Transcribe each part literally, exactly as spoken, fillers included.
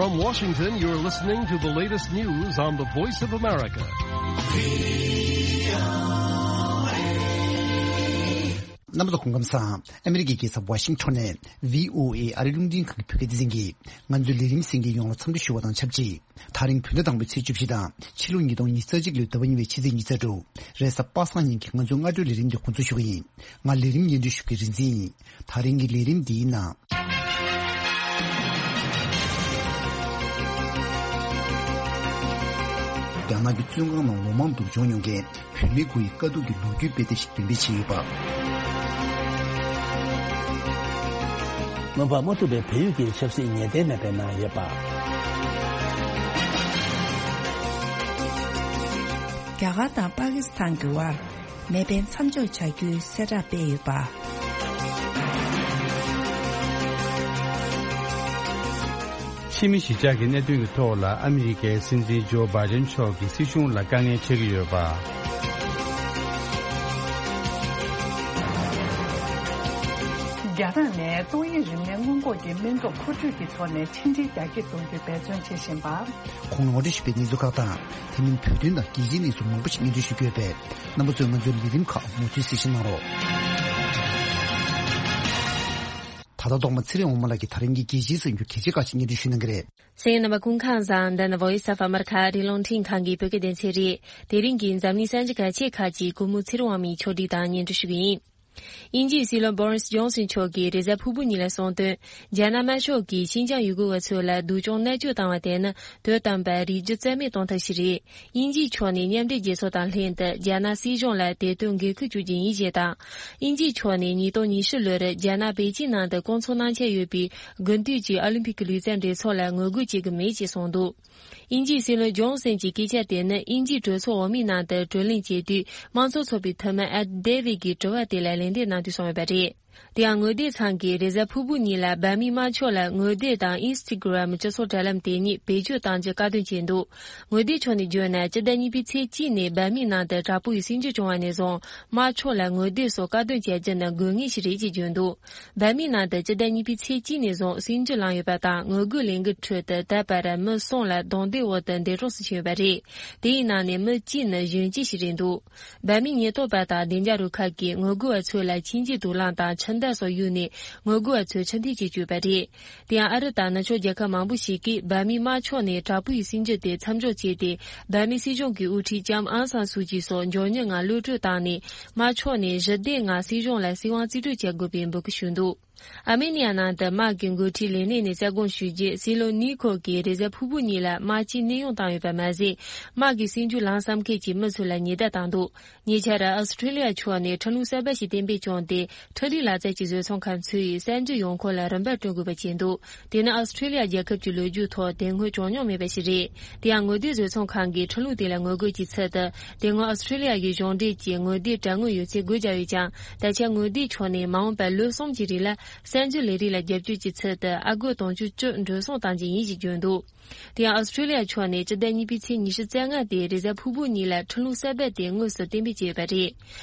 From Washington, you're listening to the latest news on the Voice of America. རྣམ་པ་ཚོ་སྐུ་ཁམས་བཟང་། ཨ་མི་རི་ཀའི་རྒྱལ་ས་ཝ་ཤིང་ཊོན་ནས་ཝི་ཨོ་ཨེ་ཨ་རིའི་རླུང་འཕྲིན་ཁང་གི་བོད་སྐད་སྡེ་ཚན་གྱིས་ང་ཚོའི་ལས་རིམ་གསན་མཁན་ཡོངས་ལ་འཚམས་འདྲི་ཞུ་བ་དང་ཆབས་ཅིག་དེ་རིང་བོད་ཟླ་དང་པོའི་ཚེས་བཅུ་བཞི་དང་ཕྱི་ལོ་ཉིས་སྟོང་ཉི་ཤུ་རྩ་གཅིག་ལོའི་ཟླ་བ་གཉིས་པའི་ཕྱི་ཚེས་ཉི་ཤུ། རེས་གཟའ་པ་སངས་ཉིན་གྱི་ང་ཚོའི་སྔ་དྲོའི་ལས་རིམ་འདི་འགོ་འཛུགས་ཞུ་གི་ཡིན། ང་ལས་རིམ་སྙན་སྒྲོན་ཞུ་མཁན་རིག་འཛིན་ཡིན། དེ་རིང་གི་ལས་རིམ་འདིའི་ནང་། རྒྱ་ནག་གི་བཙོན་ཁང་ནང་ལོ་མང་སྡུག་སྦྱོང་མྱོང་མཁན་བུད་མེད་དགུ་ཡི་དཀའ་སྡུག་གི་ལོ་རྒྱུས་དཔེ་དེབ་ཞིག་འདོན་སྤེལ་བྱས་ཡོད་པ། མངོན་པར་མ་ཐུབ་པའི་བལ་ཡུལ་གྱི་ཆབ་སྲིད་ངེས་གཏན་མེད་པའི་ནང་ཡོད་པ། རྒྱ་གར་དང་པ་ཀི་སི་ཐན་གྱི་དབར་མེ་འཕེན་མཚམས་འཇོག་བྱ་རྒྱུའི་གསལ་བསྒྲགས་སྤེལ་ཡོད་པ། ཕྱི་མི་གཞིས་ཆགས་ཀྱི་གནད་དོན་གྱི་ཐོག་ལ་ཨ་མི་རི་ཀའི་སྲིད་འཛིན་ཇོ་བྷའི་ཌེན་མཆོག་གིས་སྲིད་གཞུང་ལ་དཀའ་ངལ་འཕྲད་ཀྱི་ཡོད་པ། རྒྱ་ནག་ནས་ཏོག་དབྱིབས་རིམས་ནད་སྔོན་འགོག་གི་སྨན་ཐོ་མཁོ་སྤྲོད་ཀྱི་ཐོག་ནས་ཕྱི་འབྲེལ་རྒྱ་སྐྱེད་གཏོང་རྒྱུའི་འབད་བརྩོན་བྱེད་བཞིན་པ། གོང་ནས་ངོ་སྤྲོད་ཞུས་པའི་གནས་ཚུལ་ཁག་དང་། དེ་མིན་བོད་དོན་དང་རྒྱལ་སྤྱིའི་གནས་ཚུལ་མང་པོ་ཞིག་སྙན་སྒྲོན་ཞུ་རྒྱུ་ཡོད་པས། རྣམ་པ་ཚོས་ང་ཚོའི་ལས་རིམ་ཁག་མུ་མཐུད་གཟིགས་ཞིབ་གནང་རོགས། ད་ལྟ་ཐོག་མ་ཚེ་རིང་དབང་མོ་ལགས་ཀྱིས་དེ་རིང་གི་རྒྱལ་སྤྱིའི་གསར་འགྱུར་གལ་ཆེ་ཁག་ཅིག་སྙན་སྒྲོན་ཞུ་གནང་གི་རེད། གསན་མཁན་རྣམ་པ་སྐུ་ཁམས་བཟང་། འདི་ནི་Voice of America ཨ་རིའི་རླུང་འཕྲིན་ཁང་གི་བོད་སྐད་སྡེ་ཚན་རེད། དེ་རིང་གི་འཛམ་གླིང་གསར་འགྱུར་གལ་ཆེ་ཁག་ཅིག་སྐུ་ངོ་ཚེ་རིང་དབང་མོས་ཕྱོགས་སྒྲིག་དང་སྙན་སྒྲོན་ཞུ་གི་ཡིན། དབྱིན་ཇིའི་སྲིད་བློན་Boris Johnson མཆོག་གིས་རེས་གཟའ་ཕུར་བུ་ཉིན་ལ་གསུངས་དོན། རྒྱ་ནག་དམར་ཤོག་གིས་ཤིན་ཅང་ཡུ་གུར་བ་ཚོ་ལ་སྡུག་སྦྱོང་མནར་གཅོད་བཏང་བ་དེ་ནི་དོན་དམ་པར་རིགས་རྒྱུད་རྩ་མེད་གཏོང་ཐབས་ཤིག་རེད། དབྱིན་ཇིའི་ཕྱོགས་ནས་མཉམ་འབྲེལ་རྒྱལ་ཚོགས་དང་ལྷན་དུ་རྒྱ་ནག་སྲིད་གཞུང་ལ་དེ་དོན་འགན་འཁུར་བཅོལ་རྒྱུ་ཡིན་ཞེས་དང་། དབྱིན་ཇིའི་ཕྱོགས་ནས་ཉིས་སྟོང་ཉི་ཤུ་ལོར་རྒྱ་ནག་པེ་ཅིན་ནང་དུ་སྐོང་ཚོགས་གནང་འཆར་ཡོད་པའི་དགུན་དུས་ཀྱི་ཨོ་ལིམ་ཕིག་གི་ལུས་རྩལ་འགྲན་ཚོགས་ལ་ངོ་རྒོལ་བྱེད་ཀྱི་མེད་ཅེས་གསུངས་འདུག་དབྱིན་ཇིའི་སྲིད་བློན་ཇོན་སན་གྱི་སྐད་ཆ་དེ་ནི་དབྱིན་ཇིའི་གྲོས་ཚོགས་འོག་མའི་ནང་དུ་བགྲོ་གླེང་བྱེད་དུས་དམངས་གཙོ་ཚོགས་པའི་འཐུས་མི་Ed Davey གྱི་དྲི་བ་དེ་ལ་ལན་འདེབས་གནང་དུས་གསུངས་ཡོད་པ་རེད། དེ་ཡང་ངོ་དེབ་ཚང་གིས་རེས་གཟའ་ཕུར་བུ་ཉིན་ལ་འབར་མའི་དམར་ཕྱོགས་ལ་ངོ་དེབ་དང་Instagram སྤྱི་ཚོགས་དྲ་ལམ་དེ་གཉིས་བེད་སྤྱོད་གཏང་རྒྱུ་བཀག་སྡོམ་བྱས་འདུག་ངོ་དེབ་ཕྱོགས་ནས་བརྗོད་ན་སྤྱི་ཟླ་གཉིས་པའི་ཚེས་གཅིག་ནས་འབར་མའི་ནང་དུ་དྲག་པོ་ཡི་སྲིད་འགྱུར་བྱུང་བ་ནས་བཟུང་དམར་ཕྱོགས་ལ་ངོ་དེབ་སོགས་བཀག་སྡོམ་བྱ་རྒྱུ་ནི་དགོས་ངེས་ཤིག་རེད་ཅེས་བརྗོད་འདུག་འབར་མའི་ནང་དུ་སྤྱི་ཟླ་གཉིས་པའི་ཚེས་གཅིག་ནས་བཟུང་སྲིད་འགྱུར་ལངས་ཡོད་པ་དང་ངོ་རྒོལ་ལས་འགུལ་ཁྲོད་དུ་ད་བར་མི་གསུམ་ལ་རྡུང་རྡེག་འོག་ཏུ་འདས་གྲོངས་སུ་ཕྱིན་ཡོད་པ་རེད། དེའི་ནང་ནས་མི་གཅིག་ནི་གཞོན་སྐྱེས་ཤིག་རེད་འདུག་འབར་མའི་ཉེན་རྟོག་པ་དང་བདེ་འཇགས་རུ་ཁག་གིས་ངོ་རྒོལ་བ་ཚོ་ལ་ཁྱིམ་གྱི་དུག་རླངས་དང་ཆུ་མདའ་སོགས་གཡུགས་ནས་ངོ་རྒོལ་བ་ཚོའི་ཕྱིར་འཐེན་བྱེད་བཅུག་པ་རེད། དེ་ཡང་ཨ་རི་དང་ནུབ་ཕྱོགས་རྒྱལ་ཁབ་མང་པོ་ཞིག་གིས་འབར་མའི་དམར་ཕྱོགས་ནས་དྲག་པོའི་སྲིད་འགྱུར་དེ་མཚམས་འཇོག་བྱས་ཏེ། འབར་མའི་སྲིད་གཞུང་གི་དབུ་ཁྲིད་ལྕམ་ཨང་སང་སུའུ་ཅི་སོགས་མགྱོགས་མྱུར་ངང་གློད་བཀྲོལ་བཏང་ནས། དམར་ཕྱོགས་ནས་ཞི་བདེ་ངང་སྲིད་གཞུང་ལ་སྲིད་དབང་རྩིས་སྤྲོད་བྱ་དགོས་པའི་འབོད་སྐུལ་ཞུས་འདུག་ཨར་མེ་ནི་ཡ་ནང་དུ་དམག་གི་འགོ་ཁྲིད་ལས་གནས་ནས་གསལ་དགོངས་ཞུས་རྗེས། སྲིད་བློན་ནི་ཁོ་གིས་རེས་གཟའ་ཕུར་བུ་ཉིན་ལ་དམག་སྤྱིའི་གནས་དབྱུང་བཏང་ཡོད་པ་མ་ཟད། དམག་གི་སྲིད་འགྱུར་ལངས་བསམ་མཁན་གྱི་མི་ཚོ་ལ་ཉེན་བརྡ་བཏང་འདུག་ཉེ་ཆར་ཨོ་སི་ཁྲུ་ལི་ཡ་ཕྱོགས་ནས་ཁྲིམས་ལུགས་གསར་པ་ཞིག་གཏན་འབེབས་བྱུང་སྟེ། འཕྲུལ་རིག་ལག་རྩལ་གྱི་བཟོ་ཚོང་ཁང་ཚོས་གསར་འགྱུར་ཡོང་ཁུངས་ལ་རིན་པ་སྤྲོད་དགོས་པ་བྱས་འདུག་དེ་ནི་ཨོ་སི་ཁྲུ་ལི་ཡ་རྒྱལ་ཁབ་ཀྱི་ལོ་རྒྱུས་ཐོག་དེ་སྔོན་བྱུང་མྱོང་མེད་པ་ཞིག་རེད། དེ་ཡང་ངོ་དེབ་བཟོ་ཚོང་ཁང་གིས་ཁྲིམས་ལུགས་དེ་ལ་ངོ་རྒོལ་གྱི་ཚུལ་དུ། དེ་སྔོན་ཨོ་སི་ཁྲུ་ལི་ཡ་གི་གཞུང་འབྲེལ་གྱི་ངོ་དེབ་དྲ་ངོས་ཡོད་ཚད་སྒོ་བརྒྱབ་ཡོད་ཀྱང་། ད་ཆ་ངོ་དེབ་ཕྱོགས་ནས་མ་འོངས་པར་ལོ་གསུམ་གྱི་རིང་ལ་གསར་འགྱུར་ལས་རིགས་ལ་རྒྱབ་སྐྱོར་གྱི་ཚུལ་དུ་ཨ་སྒོར་དུང་ཕྱུར་བཅུ་འགྲོ་སོང་གཏང་རྒྱུ་ཡིན་ཞེས་བརྗོད་འདུག་དེ་ཡང་ཨོ་སི་ཁྲུ་ལི་ཡ་ཕྱོགས་ནས་སྤྱི་ཟླ་གཉིས་པའི་ཚེས་ཉི་ཤུ་རྩ་ལྔ་སྟེ་རེས་གཟའ་ཕུར་བུ་ཉིན་ལ་ཁྲིམས་ལུགས་གསར་པ་དེ་དངོས་སུ་གཏན་འབེབས་བྱས་ཡོད་པ་རེད།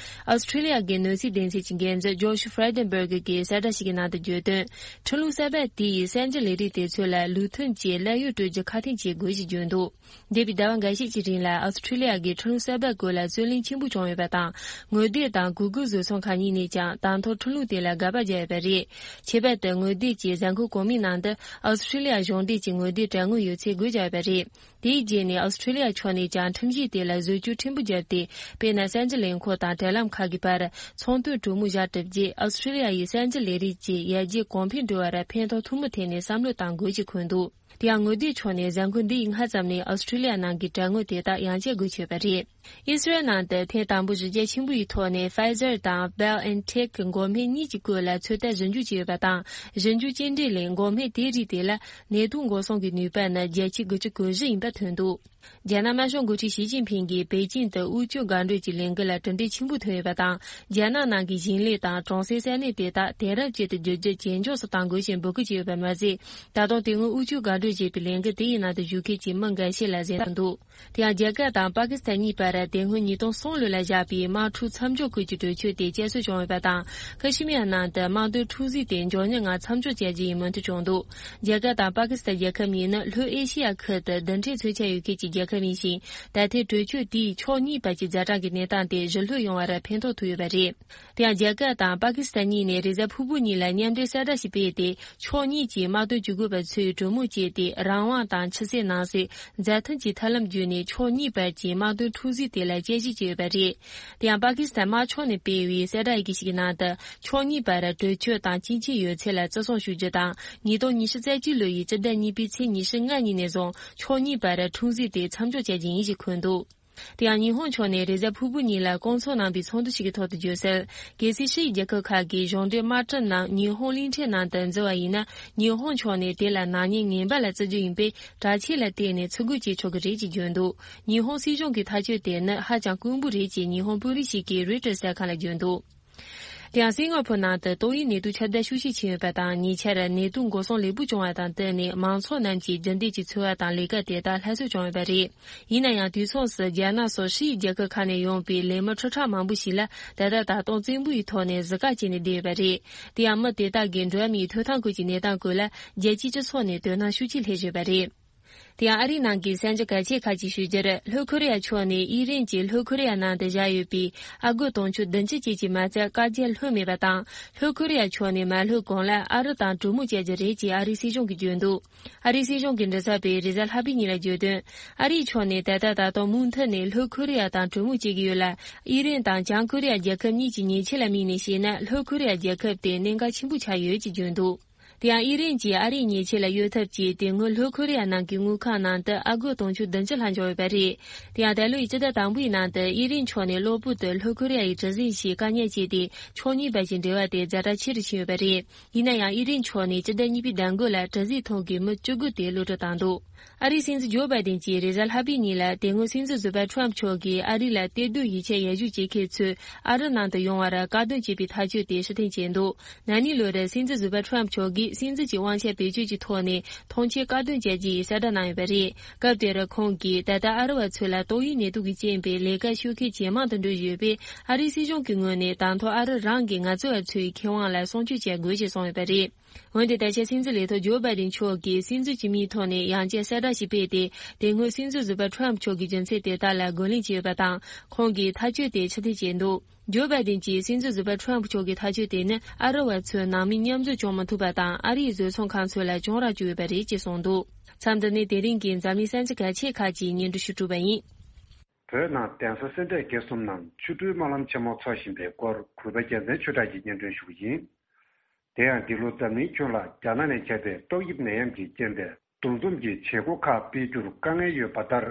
ཨོ་སི་ཁྲུ་ལི་ཡ་གི་གནོད་འཚེ་སྡེ་ཚན་གྱི་འགན་འཛིན་ཇོ་ཤུ་ཧྥ་རེ་ཌེན་སྦུར་གི་གིས་གསལ་བསྒྲགས་ཤིག་གི་ནང་དུ་བརྗོད་དོན། ཁྲིམས་ལུགས་གསར་པ་དེ་ཡིས་གསར་འགྱུར་ལས་རིགས་དེ་ཚོ་ལ་ལུགས་མཐུན་གྱིས་ལད་གཡོག་སྤྲོད་རྒྱུ་ཁག་ཐེག་བྱེད་དགོས་ཞེས་བརྗོད་འདུག་འདས་པའི་ཟླ་བ་འགའ་ཤས་ཀྱི་རིང་ལ་ཨོ་སི་ཁྲུ་ལི་ཡ་གིས་ཁྲིམས་ལུགས་གསར་པ་སྐོར་ལ་རྩོད་གླེང་ཆེན་པོ་བྱུང་ཡོད་པ་དང་། ངོ་དེབ་དང་གུ་གུལ་བཟོ་ཚོང་ཁང་གཉིས་ནས་ཀྱང་དང་ཐོག་ཁྲིམས་ལུགས་དེ་ལ་དགག་པ་བརྒྱབ་ཡོད་པ་རེད། ཁྱད་པར་དུ་ངོ་དེབ་ཀྱི་གཟའ་འཁོར་གོང་མའི་ནང་དུ་ཨོ་སི་ཁྲུ་ལི་ཡ་གཞུང་འབྲེལ་གྱི་ངོ་དེབ་དྲ་ངོས་ཡོད་ཚད་སྒོ་བརྒྱབ་ཡོད་པ་རེད། དེའི་རྗེས་ནས་ཨོ་སི་ཁྲུ་ལི་ཡ་ཕྱོགས་ནས་ཀྱང་ཁྲིམས་གཞི་དེ་ལ་བཟོ་བཅོས་ཕྲན་བུ་བརྒྱབ་སྟེ། དཔེར་ན་གསར་འགྱུར་ལས་ཁུངས་དང་དྲ་ལམ་ཁག་གི་བར་ཚོང་དོན་གྲོས་མོལ་བཞག་གྲུབ་རྗེས། ཨོ་སི་ཁྲུ་ལི་ཡ་ཡིས་གསར་འགྱུར་ལས་རིགས་ཀྱི་ཡར་རྒྱས་གོང་འཕེལ་འགྲོ་བར་ཕན་ཐོགས་ཐུབ་མིན་ཐད་ནས་བསམ་བློ་གཏང་དགོས་ཞེས་འཁོད་འདུག་དེ་ཡང་ངོ་དེབ་ཕྱོགས་ནས་གཟའ་འཁོར་འདི་ཡི་སྔ་ཙམ་ནས་ཨོ་སི་ཁྲུ་ལི་ཡ་ནང་གི་དྲ་ངོས་དེ་དག་ཡང་བསྐྱར་སྒོ་ཕྱེས་པ་རེད། ཨི་སི་རལ་ནང་དུ་ཐེངས་དང་པོ་གཞི་རྒྱ་ཆེན་པོ་ཡི་ཐོག་ནས་Pfizer དང་BioNTech གི་འགོག་སྨན་གཉིས་ཀྱི་སྐོར་ལ་ཚོད་ལྟ་ཞིབ་འཇུག་བྱས་ཡོད་པ་དང་། ཞིབ་འཇུག་སྐྱེལ་འདྲེན་ལས་འགོག་སྨན་དེའི་རིགས་དེ་ལ་ནད་དུག་འགོག་སྲུང་གི་ནུས་པ་ནི་བརྒྱ་ཆ་དགུ་བཅུ་གོ་བཞི་ཡིན་པ་ཐོན་འདུག་རྒྱ་ནག་དམར་ཤོག་འགོ་ཁྲིད་ཞི་ཅིན་ཕིང་གིས་པེ་ཅིང་དུ་དབུལ་སྐྱོར་འགག་སྒྲོལ་གྱི་ལས་འགུལ་ལ་གྲུབ་འབྲས་ཆེན་པོ་ཐོན་ཡོད་པ་དང་། རྒྱ་ནག་ནང་གི་ཞིང་ལས་དང་གྲོང་གསེབ་ས་གནས་དེ་དག་དེང་རབས་ཅན་དུ་བསྒྱུར་རྒྱུ་ཇེ་མགྱོགས་སུ་གཏང་དགོས་ཞེས་འབོད་སྐུལ་བྱས་ཡོད་པ་མ་ཟད། ད་དུང་དེ་སྔོན་དབུལ་སྐྱོར་འགག་སྒྲོལ་བྱས་པའི་ལས་འགུལ་དེ་ཡི་ནང་དུ་ཞུགས་མཁན་གྱི་མི་འགའ་ཤས་ལ་གཟེངས་བསྟོད་འདུག་དེ་ཡང་རྒྱ་གར་དང་པ་ཀི་སི་ཐན་གཉིས་བར་དེ་སྔོན་ཉིས་སྟོང་གསུམ་ལོ་ལ་བཞག་པའི་དམག་འཁྲུག་མཚམས་འཇོག་ཁུལ་གྱི་གྲོས་ཆོད་དེ་བསྐྱར་གསོ་བྱུང་ཡོད་པ་དང་། ཁ་ཤི་མི་ཡ་ནང་དུ་དམག་དོན་འཁྲུག་རྩོད་དེ་མགྱོགས་མྱུར་ངང་མཚམས་འཇོག་བྱ་རྒྱུ་ཡིན་མོས་མཐུན་བྱུང་འདུག་རྒྱ་གར་དང་པ་ཀི་སི་ཐན་རྒྱལ་ཁབ་གཉིས་ནི་ལྷོ་ཨེ་ཤི་ཡ་ཁུལ་དུ་རྡུལ་ཕྲན་མཚོན་ཆ་ཡོད་མཁན་གྱི་རྒྱལ་ཁབ་ཡིན་ཞིང་། ད་ཐེངས་གྲོས་ཆོད་དེས་ཕྱོགས་གཉིས་བར་གྱི་ཛ་དྲག་གི་གནས་སྟངས་དེ་ཞི་ལྷོད་ཡོང་བར་ཕན་ཐོགས་ཐུབ་ཡོད་པ་རེད། དེ་ཡང་རྒྱ་གར་དང་པ་ཀི་སི་ཐན་གཉིས་ནས་རེས་གཟའ་ཕུར་བུ་ཉིན་ལ་མཉམ་འབྲེལ་གསལ་བསྒྲགས་ཤིག་སྤེལ་ཏེ། ཕྱོགས་གཉིས་ཀྱི་དམག་དོན་ཇུས་འགོད་པ་ཚོས་གྲོས་མོལ་བྱས་ཏེ། རང་དབང་དང་ཕྱི་གསལ་ནང་གསལ། མཛའ་མཐུན་གྱི་ཐབས་ལམ་བརྒྱུད་ནས་ཕྱོགས་གཉིས་བར་གྱི་དམག་དོན་འཁྲུག་རྩོད་དེ་ལ་དཔྱད་ཞིབ་བྱས་ཡོད་པ་རེད། དེ་ཡང་པ་ཀི་སི་ཐན་དམག་ཁྱོན་ནས་སྤེལ་བའི་གསལ་བསྒྲགས་ཡི་གེ་ཞིག་གི་ནང་དུ། ཕྱོགས་གཉིས་བར་གྲོས་ཆོད་དང་སྤྱི་ཆིངས་ཡོད་ཚད་ལ་བརྩི་སྲུང་ཞུ་རྒྱུ་དང་། ཉིས་སྟོང་ཉི་ཤུ་རྩ་གཅིག་ལོ་ཡི་སྤྱི་ཟླ་གཉིས་པའི་ཚེས་ཉི་ཤུ་ལྔ་ཉིན་ནས་བཟུང་ཕྱོགས་གཉིས་བར་འཁྲུག་རྩོད་དེ་མཚམས་འཇོག་བྱ་རྒྱུ་ཡིན་ཞེས་འཁོད་འདུག་དེ་ཡང་ཉི་ཧོང་ཕྱོགས་ནས་རེས་གཟའ་ཕུར་བུ་ཉིན་ལ་སྐོང་ཚོགས་གནང་བའི་ཚོགས་འདུ་ཞིག་གི་ཐོག་ཏུ་བརྗོད་གསལ། གལ་སྲིད་ཕྱི་ཡི་རྒྱལ་ཁབ་ཁག་གིས་གཞུང་འབྲེལ་དམག་གྲམ་རྣམས་ཉི་ཧོང་གླིང་ཕྲན་ནང་དུ་འཛུལ་བ་ཡིན་ན། ཉི་ཧོང་ཕྱོགས་ནས་དེ་ལ་ནག་ཉེས་ངན་པ་ལ་བརྩི་རྒྱུ་ཡིན་པས། དྲག་ཆས་ལ་བརྟེན་ནས་ཚུར་རྒོལ་བྱེད་ཆོག་གི་རེད་ཅེས་བརྗོད་འདུག་ཉི་ཧོང་སྲིད་གཞུང་གི་ཐག་གཅོད་དེ་ནི་ཧ་ཅང་དཀོན་པོ་རེད་ཅེས་ཉི་ཧོང་དཔོན་རིགས་ཤིག་གིས་རོའི་ཊར་གསར་ཁང་ལ་བརྗོད་འདུག་དེ་ཡང་སིང་ག་ཕོར་ནང་དུ་ཏོག་དབྱིབས་ནད་དུག་ཁྱབ་གདལ་ཤུགས་ཆེ་ཕྱིན་ཡོད་པ་དང་། ཉེ་ཆར་ནད་དུག་འགོག་སྲུང་ལེགས་པོ་བྱུང་བ་དང་བསྟུན་ནས། མང་ཚོགས་རྣམས་ཀྱིས་རྒྱུན་ལྡན་གྱི་འཚོ་བ་དང་ལས་ཀ་དེ་དག་སླར་གསོ་བྱུང་ཡོད་པ་རེད། ཡིན་ན་ཡང་། དུས་མཚུངས་སུ་རྒྱ་ནག་སོགས་ཕྱི་ཡི་རྒྱལ་ཁབ་ཁག་ནས་ཡོང་པའི་ལས་མི་ཁྲི་ཕྲག་མང་པོ་ཞིག་ལ་ད་ལྟ་ད་དུང་བཙན་པོའི་ཐོག་ནས་གཟི་བཀག་བྱས་ནས་བསྡད་ཡོད་པ་རེད། དེ་ཡང་། མི་དེ་དག་གིས་འགྲོ་བ་མིའི་ཐོབ་ཐང་སྐོར་གྱི་གནས་སྟངས་སྐོར་ལ་རྒྱལ་སྤྱིའི་སྤྱི་ཚོགས་ནས་དོ་སྣང་ཤུགས་ཆེ་སླེབས་བཞིན་པ་རེད། དེ་ཡང་། ཨ་རིའི་ནང་གི་གསར་འགྱུར་གལ་ཆེ་ཁག་ཅིག་ཞུ་རྒྱུར། ལྷོ་ཁོ་རེ་ཡ་ཕྱོགས་ནས་དབྱི་རན་གྱིས་ལྷོ་ཁོ་རེ་ཡ་ནང་དུ་བཞག་ཡོད་པའི་ཨ་སྒོར་དུང་ཕྱུར་བདུན་ཅུ་ཅན་གྱི་མ་རྩ་བཀག་རྒྱ་ལྷོད་མེད་པ་དང་། ལྷོ་ཁོ་རེ་ཡ་ཕྱོགས་ནས་མ་ལྷོད་གོང་ལ་ཨ་རི་དང་གྲོས་མོལ་བྱ་རྒྱུ་རེད་ཅེས་ཨ་རིའི་སྲིད་གཞུང་གིས་བརྗོད་འདུག་ཨ་རིའི་སྲིད་གཞུང་གི་མགྲིན་ཚབ་པས་རེས་གཟའ་ལྷག་པའི་ཉིན་ལ་བརྗོད་དོན། ཨ་རིའི་ཕྱོགས་ནས་ད་ལྟ་ད་དུང་མུ་མཐུད་ནས་ལྷོ་ཁོ་རེ་ཡ་དང་གྲོས་མོལ་བྱེད་ཀྱི་ཡོད་ལ། དབྱི་རན་དང་བྱང་ཁོ་རེ་ཡ་རྒྱལ་ཁབ་གཉིས་ཀྱི་ཉེས་ཆད་ལ་དམིགས་ནས་བཤད་ན། ལྷོ་ཁོ་རེ་ཡ་རྒྱལ་ཁབ་དེ་གནད་འགག་ཆེན་པོ་ཆགས་ཡོད་ཅེས་བརྗོད་འདུག་དེ་ཡང་། དབྱི་རན་གྱིས་ཨ་རིའི་ཉེས་ཆད་ལ་གཡོལ་ཐབས་ཀྱིས་དེ་སྔོན་ལྷོ་ཁོ་རེ་ཡ་ནང་གི་དངུལ་ཁང་ནང་དུ་ཨ་སྒོར་དུང་ཕྱུར་བདུན་ཅུ་ལྷག་འབྱོར་ཡོད་པ་རེད། དེ་ཡང་། ད་ལོའི་སྤྱི་ཟླ་དང་པོའི་ནང་དུ་དབྱི་རན་ཕྱོགས་ནས་གློ་བུར་དུ་ལྷོ་ཁོ་རེ་ཡ་ཡི་གྲུ་གཟིངས་ཤིག་བཀག་ཉར་བྱས་ཏེ། ཕྱོགས་གཉིས་བར་གྱི་འབྲེལ་བ་དེ་ཛ་དྲག་ཆེ་རུ་ཕྱིན་ཡོད་པ་རེད། ཡིན་ན་ཡང་། དབྱི་རན་ཕྱོགས་ནས་སྤྱི་ཟླ་གཉིས་པའི་ཟླ་འགོ་ལ་གྲུ་གཟིངས་ཐོག་གི་མི་བཅུ་དགུ་དེ་གློད་གྲོལ་བཏང་འདུག་ཨ་རིའི་སྲིད་འཛིན་ཇོ་བྷའི་ཏིན་གྱིས་རེས་གཟའ་ལྷག་པའི་ཉིན་ལ། དེ་སྔོན་སྲིད་འཛིན་ཟུར་པ་ཁྲོམ་ཕྱོགས་ཀྱིས་ཨ་རི་ལ་གཏེར་སྡོད་ཡིག་ཆ་ཡར་ཞུ་བྱེད་མཁན་ཚོས་ཨ་རི་ནང་དུ་ཡོང་བར་བཀག་སྡོམ་བྱས་པའི་ཐག་གཅོད་དེ་ཕྱིར་འཐེན་བྱས་འདུག་ན་ནིང་ལོར་སྲིད་འཛིན་ཟུར་པ་ཁྲོམ་མཆོག་གིས་སྲིད་འཛིན་གྱི་དབང་ཆ་བེད་སྤྱོད་ཀྱི་ཐོག་ནས་ཐོངས་མཆན་བཀག་སྡོམ་བྱ་རྒྱུའི་གསལ་བསྒྲགས་གནང་ཡོད་པ་རེད། སྐབས་དེར་ཁོང་གིས། ད་ལྟ་ཨ་རི་བ་ཚོ་ལ་ཏོག་དབྱིབས་ནད་དུག་གི་རྐྱེན་པས་ལས་ཀ་ཤོར་མཁན་ཇེ་མང་དུ་འགྲོ་བཞིན་ཡོད་པས། ཨ་རིའི་སྲིད་གཞུང་གི་ངོས་ནས་ད་ཐོག་ཨ་རི་རང་གིས་ང་ཚོ་བ་ཚོའི་ཁེ་དབང་ལ་སྲུང་སྐྱོབ་བྱ་དགོས་ཞེས་གསུངས་ཡོད་པ་རེད། འོན་ཏེ། ད་ཆ་སྲིད་འཛིན་ལས་ཐོག་ཇོ་བྷའི་ཏིན་མཆོག་གིས་སྲིད་འཛིན་གྱི་མིང་ཐོག་ནས་ཡང་བསྐྱར་གསལ་བསྒྲགས་ཤིག་སྤེལ་ཏེ། དེ་སྔོན་སྲིད་འཛིན་ཟུར་པ་ཁྲོམ་མཆོག་གི་རྒྱུ་མཚན་དེ་དག་ལ་རྒོལ་ལན་བྱས་ཡོད་པ་དང་། ཁོང་གིས་ཐག་གཅོད་དེ་ཕྱིར་འཐེན་བྱས་འདུག་ཇོ་བྷའི་ཏིན་གྱིས་སྲིད་འཛིན་ཟུར་པ་ཁྲོམ་མཆོག་གི་ཐག་གཅོད་དེ་ནི། ཨ་རི་བ་ཚོས་ནང་མི་མཉམ་འཛོམས་བྱུང་མ་ཐུབ་པ་དང་། ཨ་རིའི་བཟོ་ཚོང་ཁང་ཚོ་ལ་གྱོང་རག་བཅུག་ཡོད་པ་རེད་ཅེས་གསུངས་འདུག་མཚམས་འདི་ནས་དེ་རིང་གི་འཛམ་གླིང་གསར་འགྱུར་གལ་ཆེ་ཁག་ཅིག་སྙན་སྒྲོན་ཞུ་གྲུབ་པ་ཡིན། བོད་ནང་གདན་ས་སེ་འབྲས་དགེ་གསུམ་ནང་ཆོ་འཕྲུལ་སྨོན་ལམ་ཆེན་མོ་འཚོགས་བཞིན་པའི་སྐོར། གུས་པ་རྒྱལ་མཚན་ཆོས་གྲགས་ཀྱིས་སྙན་སྒྲོན་ཞུ་གི་ཡིན། དེ་ཡང་། འདི་ལོ་འཛམ་གླིང་ཁྱོན་ལ་རྒྱ་ནག་ནས་ཁྱབ་པའི་ཏོག་དབྱིབས་ནད་ཡམས་ཀྱི་རྐྱེན་པས། འདུ་འཛོམས་ཀྱི་བྱེད་སྒོ་ཁག་སྤེལ་རྒྱུར་དཀའ་ངལ་ཡོད་པ་ལྟར།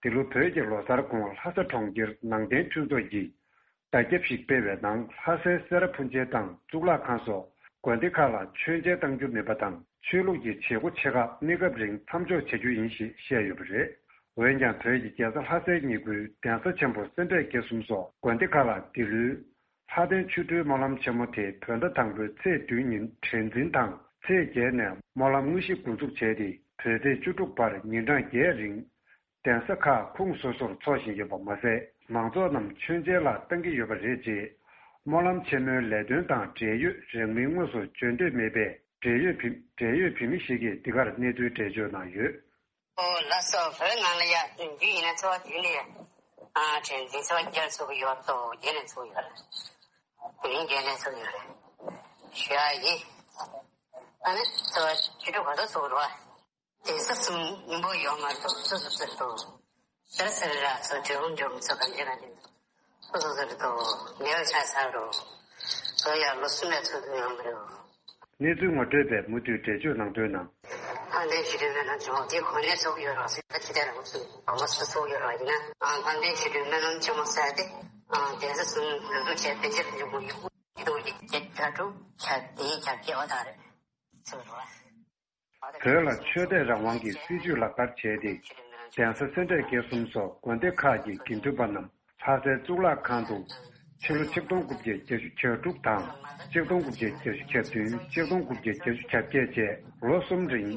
འདི་ལོ་བོད་ཀྱི་ལོ་གསར་གོང་ལྷ་ས་གྲོང་ཁྱེར་ནང་བསྟན་མཐུན་ཚོགས་ཀྱིས་བརྡ་ཁྱབ་ཞིག་སྤེལ་བའི་ནང་། ལྷ་སའི་སེ་ར་ཕུན་ཆེན་དང་གཙུག་ལག་ཁང་སོགས་དགོན་སྡེ་ཁག་ལ་མཆོད་མཇལ་གཏང་རྒྱུ་མིན་པ་དང་། ཆོས་ལུགས་ཀྱི་བྱེད་སྒོ་ཆེ་ཁག་གནས་སྐབས་རིང་མཚམས་འཇོག་བྱ་རྒྱུ་ཡིན་ཞེས་བཤད་ཡོད་པ་རེད། འོན་ཀྱང་། བོད་ཀྱི་རྒྱལ་ས་ལྷ་སའི་ཉེ་ཁུལ་གདན་ས་ཆེན་པོ་སེ་འབྲས་དགེ་གསུམ་སོགས་དགོན་སྡེ་ཁག་ལ། འདི་ལོའི་ལྷ་ལྡན་ཆོ་འཕྲུལ་སྨོན་ལམ་ཆེན་མོ་དེ་བོད་ཟླ་དང་པོའི་ཚེས་བདུན་ཉིན་དྲན་འཛིན་དང་། ཚེས་བརྒྱད་ནས་སྨོན་ལམ་དངོས་གཞི་འགོ་འཛུགས་བྱས་ཏེ། བོད་ཚེས་བཅུ་དྲུག་བར་ཉིན་གྲངས་བརྒྱད་རིང་གདན་ས་ཁག་ཁོངས་སོ་སོར་འཚོགས་བཞིན་ཡོད་པ་མ་ཟད། མང་ཚོགས་རྣམས་མཆོད་མཇལ་ལ་གཏང་གི་ཡོད་པ་རེད། ཅེས་སྨོན་ལམ་ཆེན་མོའི་ལས་དོན་དང་འབྲེལ་ཡོད་རང་མིང་དངོས་སུ་བརྗོད་འདོད་མེད་པའི་འབྲེལ་ཡོད་བོད། འབྲེལ་ཡོད་བོད་མི་ཞིག་གིས་འདི་གར་གནས་ཚུལ་འགྲེལ་བརྗོད་གནང་ཡོད། ཨོ་ལགས་སོ། བོད་ནང་ལ་ཡ་བདུན་ཡིན་ན་ཚོ་བདུན་ནས་ཨ་དྲན་འཛིན་ཚོ་བརྒྱར་ཚོགས་ཀྱི་ཡོད་དོ། བརྒྱད་ནས་ཚོགས་ཡོད་རེད། དེ་རིང་བརྒྱད་ནས་ཚོགས་ཡོད་རེད། ཞུ་ཡ་ཡིན། ཨ་ནི་ཚོ་བཅུ་དྲུག་ག་ཚོད་ཚོགས་རོགས། དེ་ས་གསུམ་སྙིང་པོ་ཡོད་མ་གཏོགས་སོ་སོ་སོ་སོ། ཤར་སེར་ར་ཚོ་འབྲི་གུང་འབྲི་གུང་ཚོ་གང་ཅི་གང་ཅི་སོ་སོ་སོ་སོ་ནེའུ་ཆ་ས་རོ། ཚོ་ཡ་ལོ་གསུམ་ལ་ཚོགས་ཀྱི་ཡོད་མ་རེད། གནས་ཚུལ་ངོ་སྤྲོད་པས་མུ་མཐུད་འགྲེལ་བརྗོད་གནང་དོན་ནང་། ལྷ་ལྡན་ཆོ་འཕྲུལ་སྨོན་ལམ་ཆེན་མོ་དེ་གོ་གནས་ཚོགས་ཡོད་རོགས་ཟེར་ད་ཅི་ལྟར་རང་སུ་གོ་མ་སུ་ཚོགས་ཡོད་རོགས་ཡིན་ན། ཨ་ལྷ་ལྡན་ཆོ་འཕྲུལ་སྨོན་ལམ་ཆེན་མོ་ཟེར་ཏེ་ཨ་གདན་ས་གསུམ་འགོ་འཛུགས་བྱས་པའི་ཆེད་དུ་འབྱུང་གི་ཡོད། དེ་དུས་ཀྱི་བརྒྱད་དྲུག་ཆ་དེའི་ཆ་བརྒྱད་འོ་ད་རེད་ཚོགས་རོགས། བོད་ལ་ཆོས་དད་རང་དབང་གི་སྲིད་བྱུས་ལག་བསྟར་བྱས་ཏེ། གདན་ས་སེ་འབྲས་དགེ་གསུམ་སོགས་དགོན་སྡེ་ཁག་གི་དགེ་འདུན་པ་རྣམས་ལྷ་སའི་གཙུག་ལག་ཁང་དུ་ཕྱི་ལོ་ཆིག་སྟོང་དགུ་བརྒྱ་བརྒྱད་ཅུ་གྱ་དྲུག་དང་ཆིག་སྟོང་དགུ་བརྒྱ་བརྒྱད་ཅུ་གྱ་བདུན། ཆིག་སྟོང་དགུ་བརྒྱ་བརྒྱད་ཅུ་གྱ་བརྒྱད་བཅས་ལོ་གསུམ་རིང་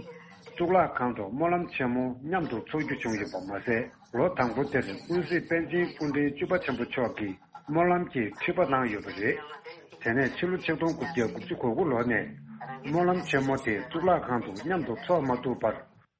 གཙུག་ལག་ཁང་དུ་སྨོན་ལམ་ཆེན་མོ་མཉམ་དུ་འཚོགས་རྒྱུ་བྱུང་ཡོད་པ་མ་ཟད། ལོ་དང་པོ་དེར་ཀུན་གཟིགས་པཎ་ཆེན་སྐུ་ཕྲེང་བཅུ་པ་ཆེན་པོ་མཆོག་གིས་སྨོན་ལམ་གྱི་ཁྲི་པ་གནང་ཡོད་པ་རེད། དེ་ནས་ཕྱི་ལོ་ཆིག་སྟོང་དགུ་བརྒྱ་དགུ་བཅུ་གོ་དགུ་ལོ་ནས་སྨོན་ལམ་ཆེན་མོ་དེ་གཙུག་ལག་ཁང་དུ་མཉམ་དུ་འཚོགས་མ་ཐུབ་པར།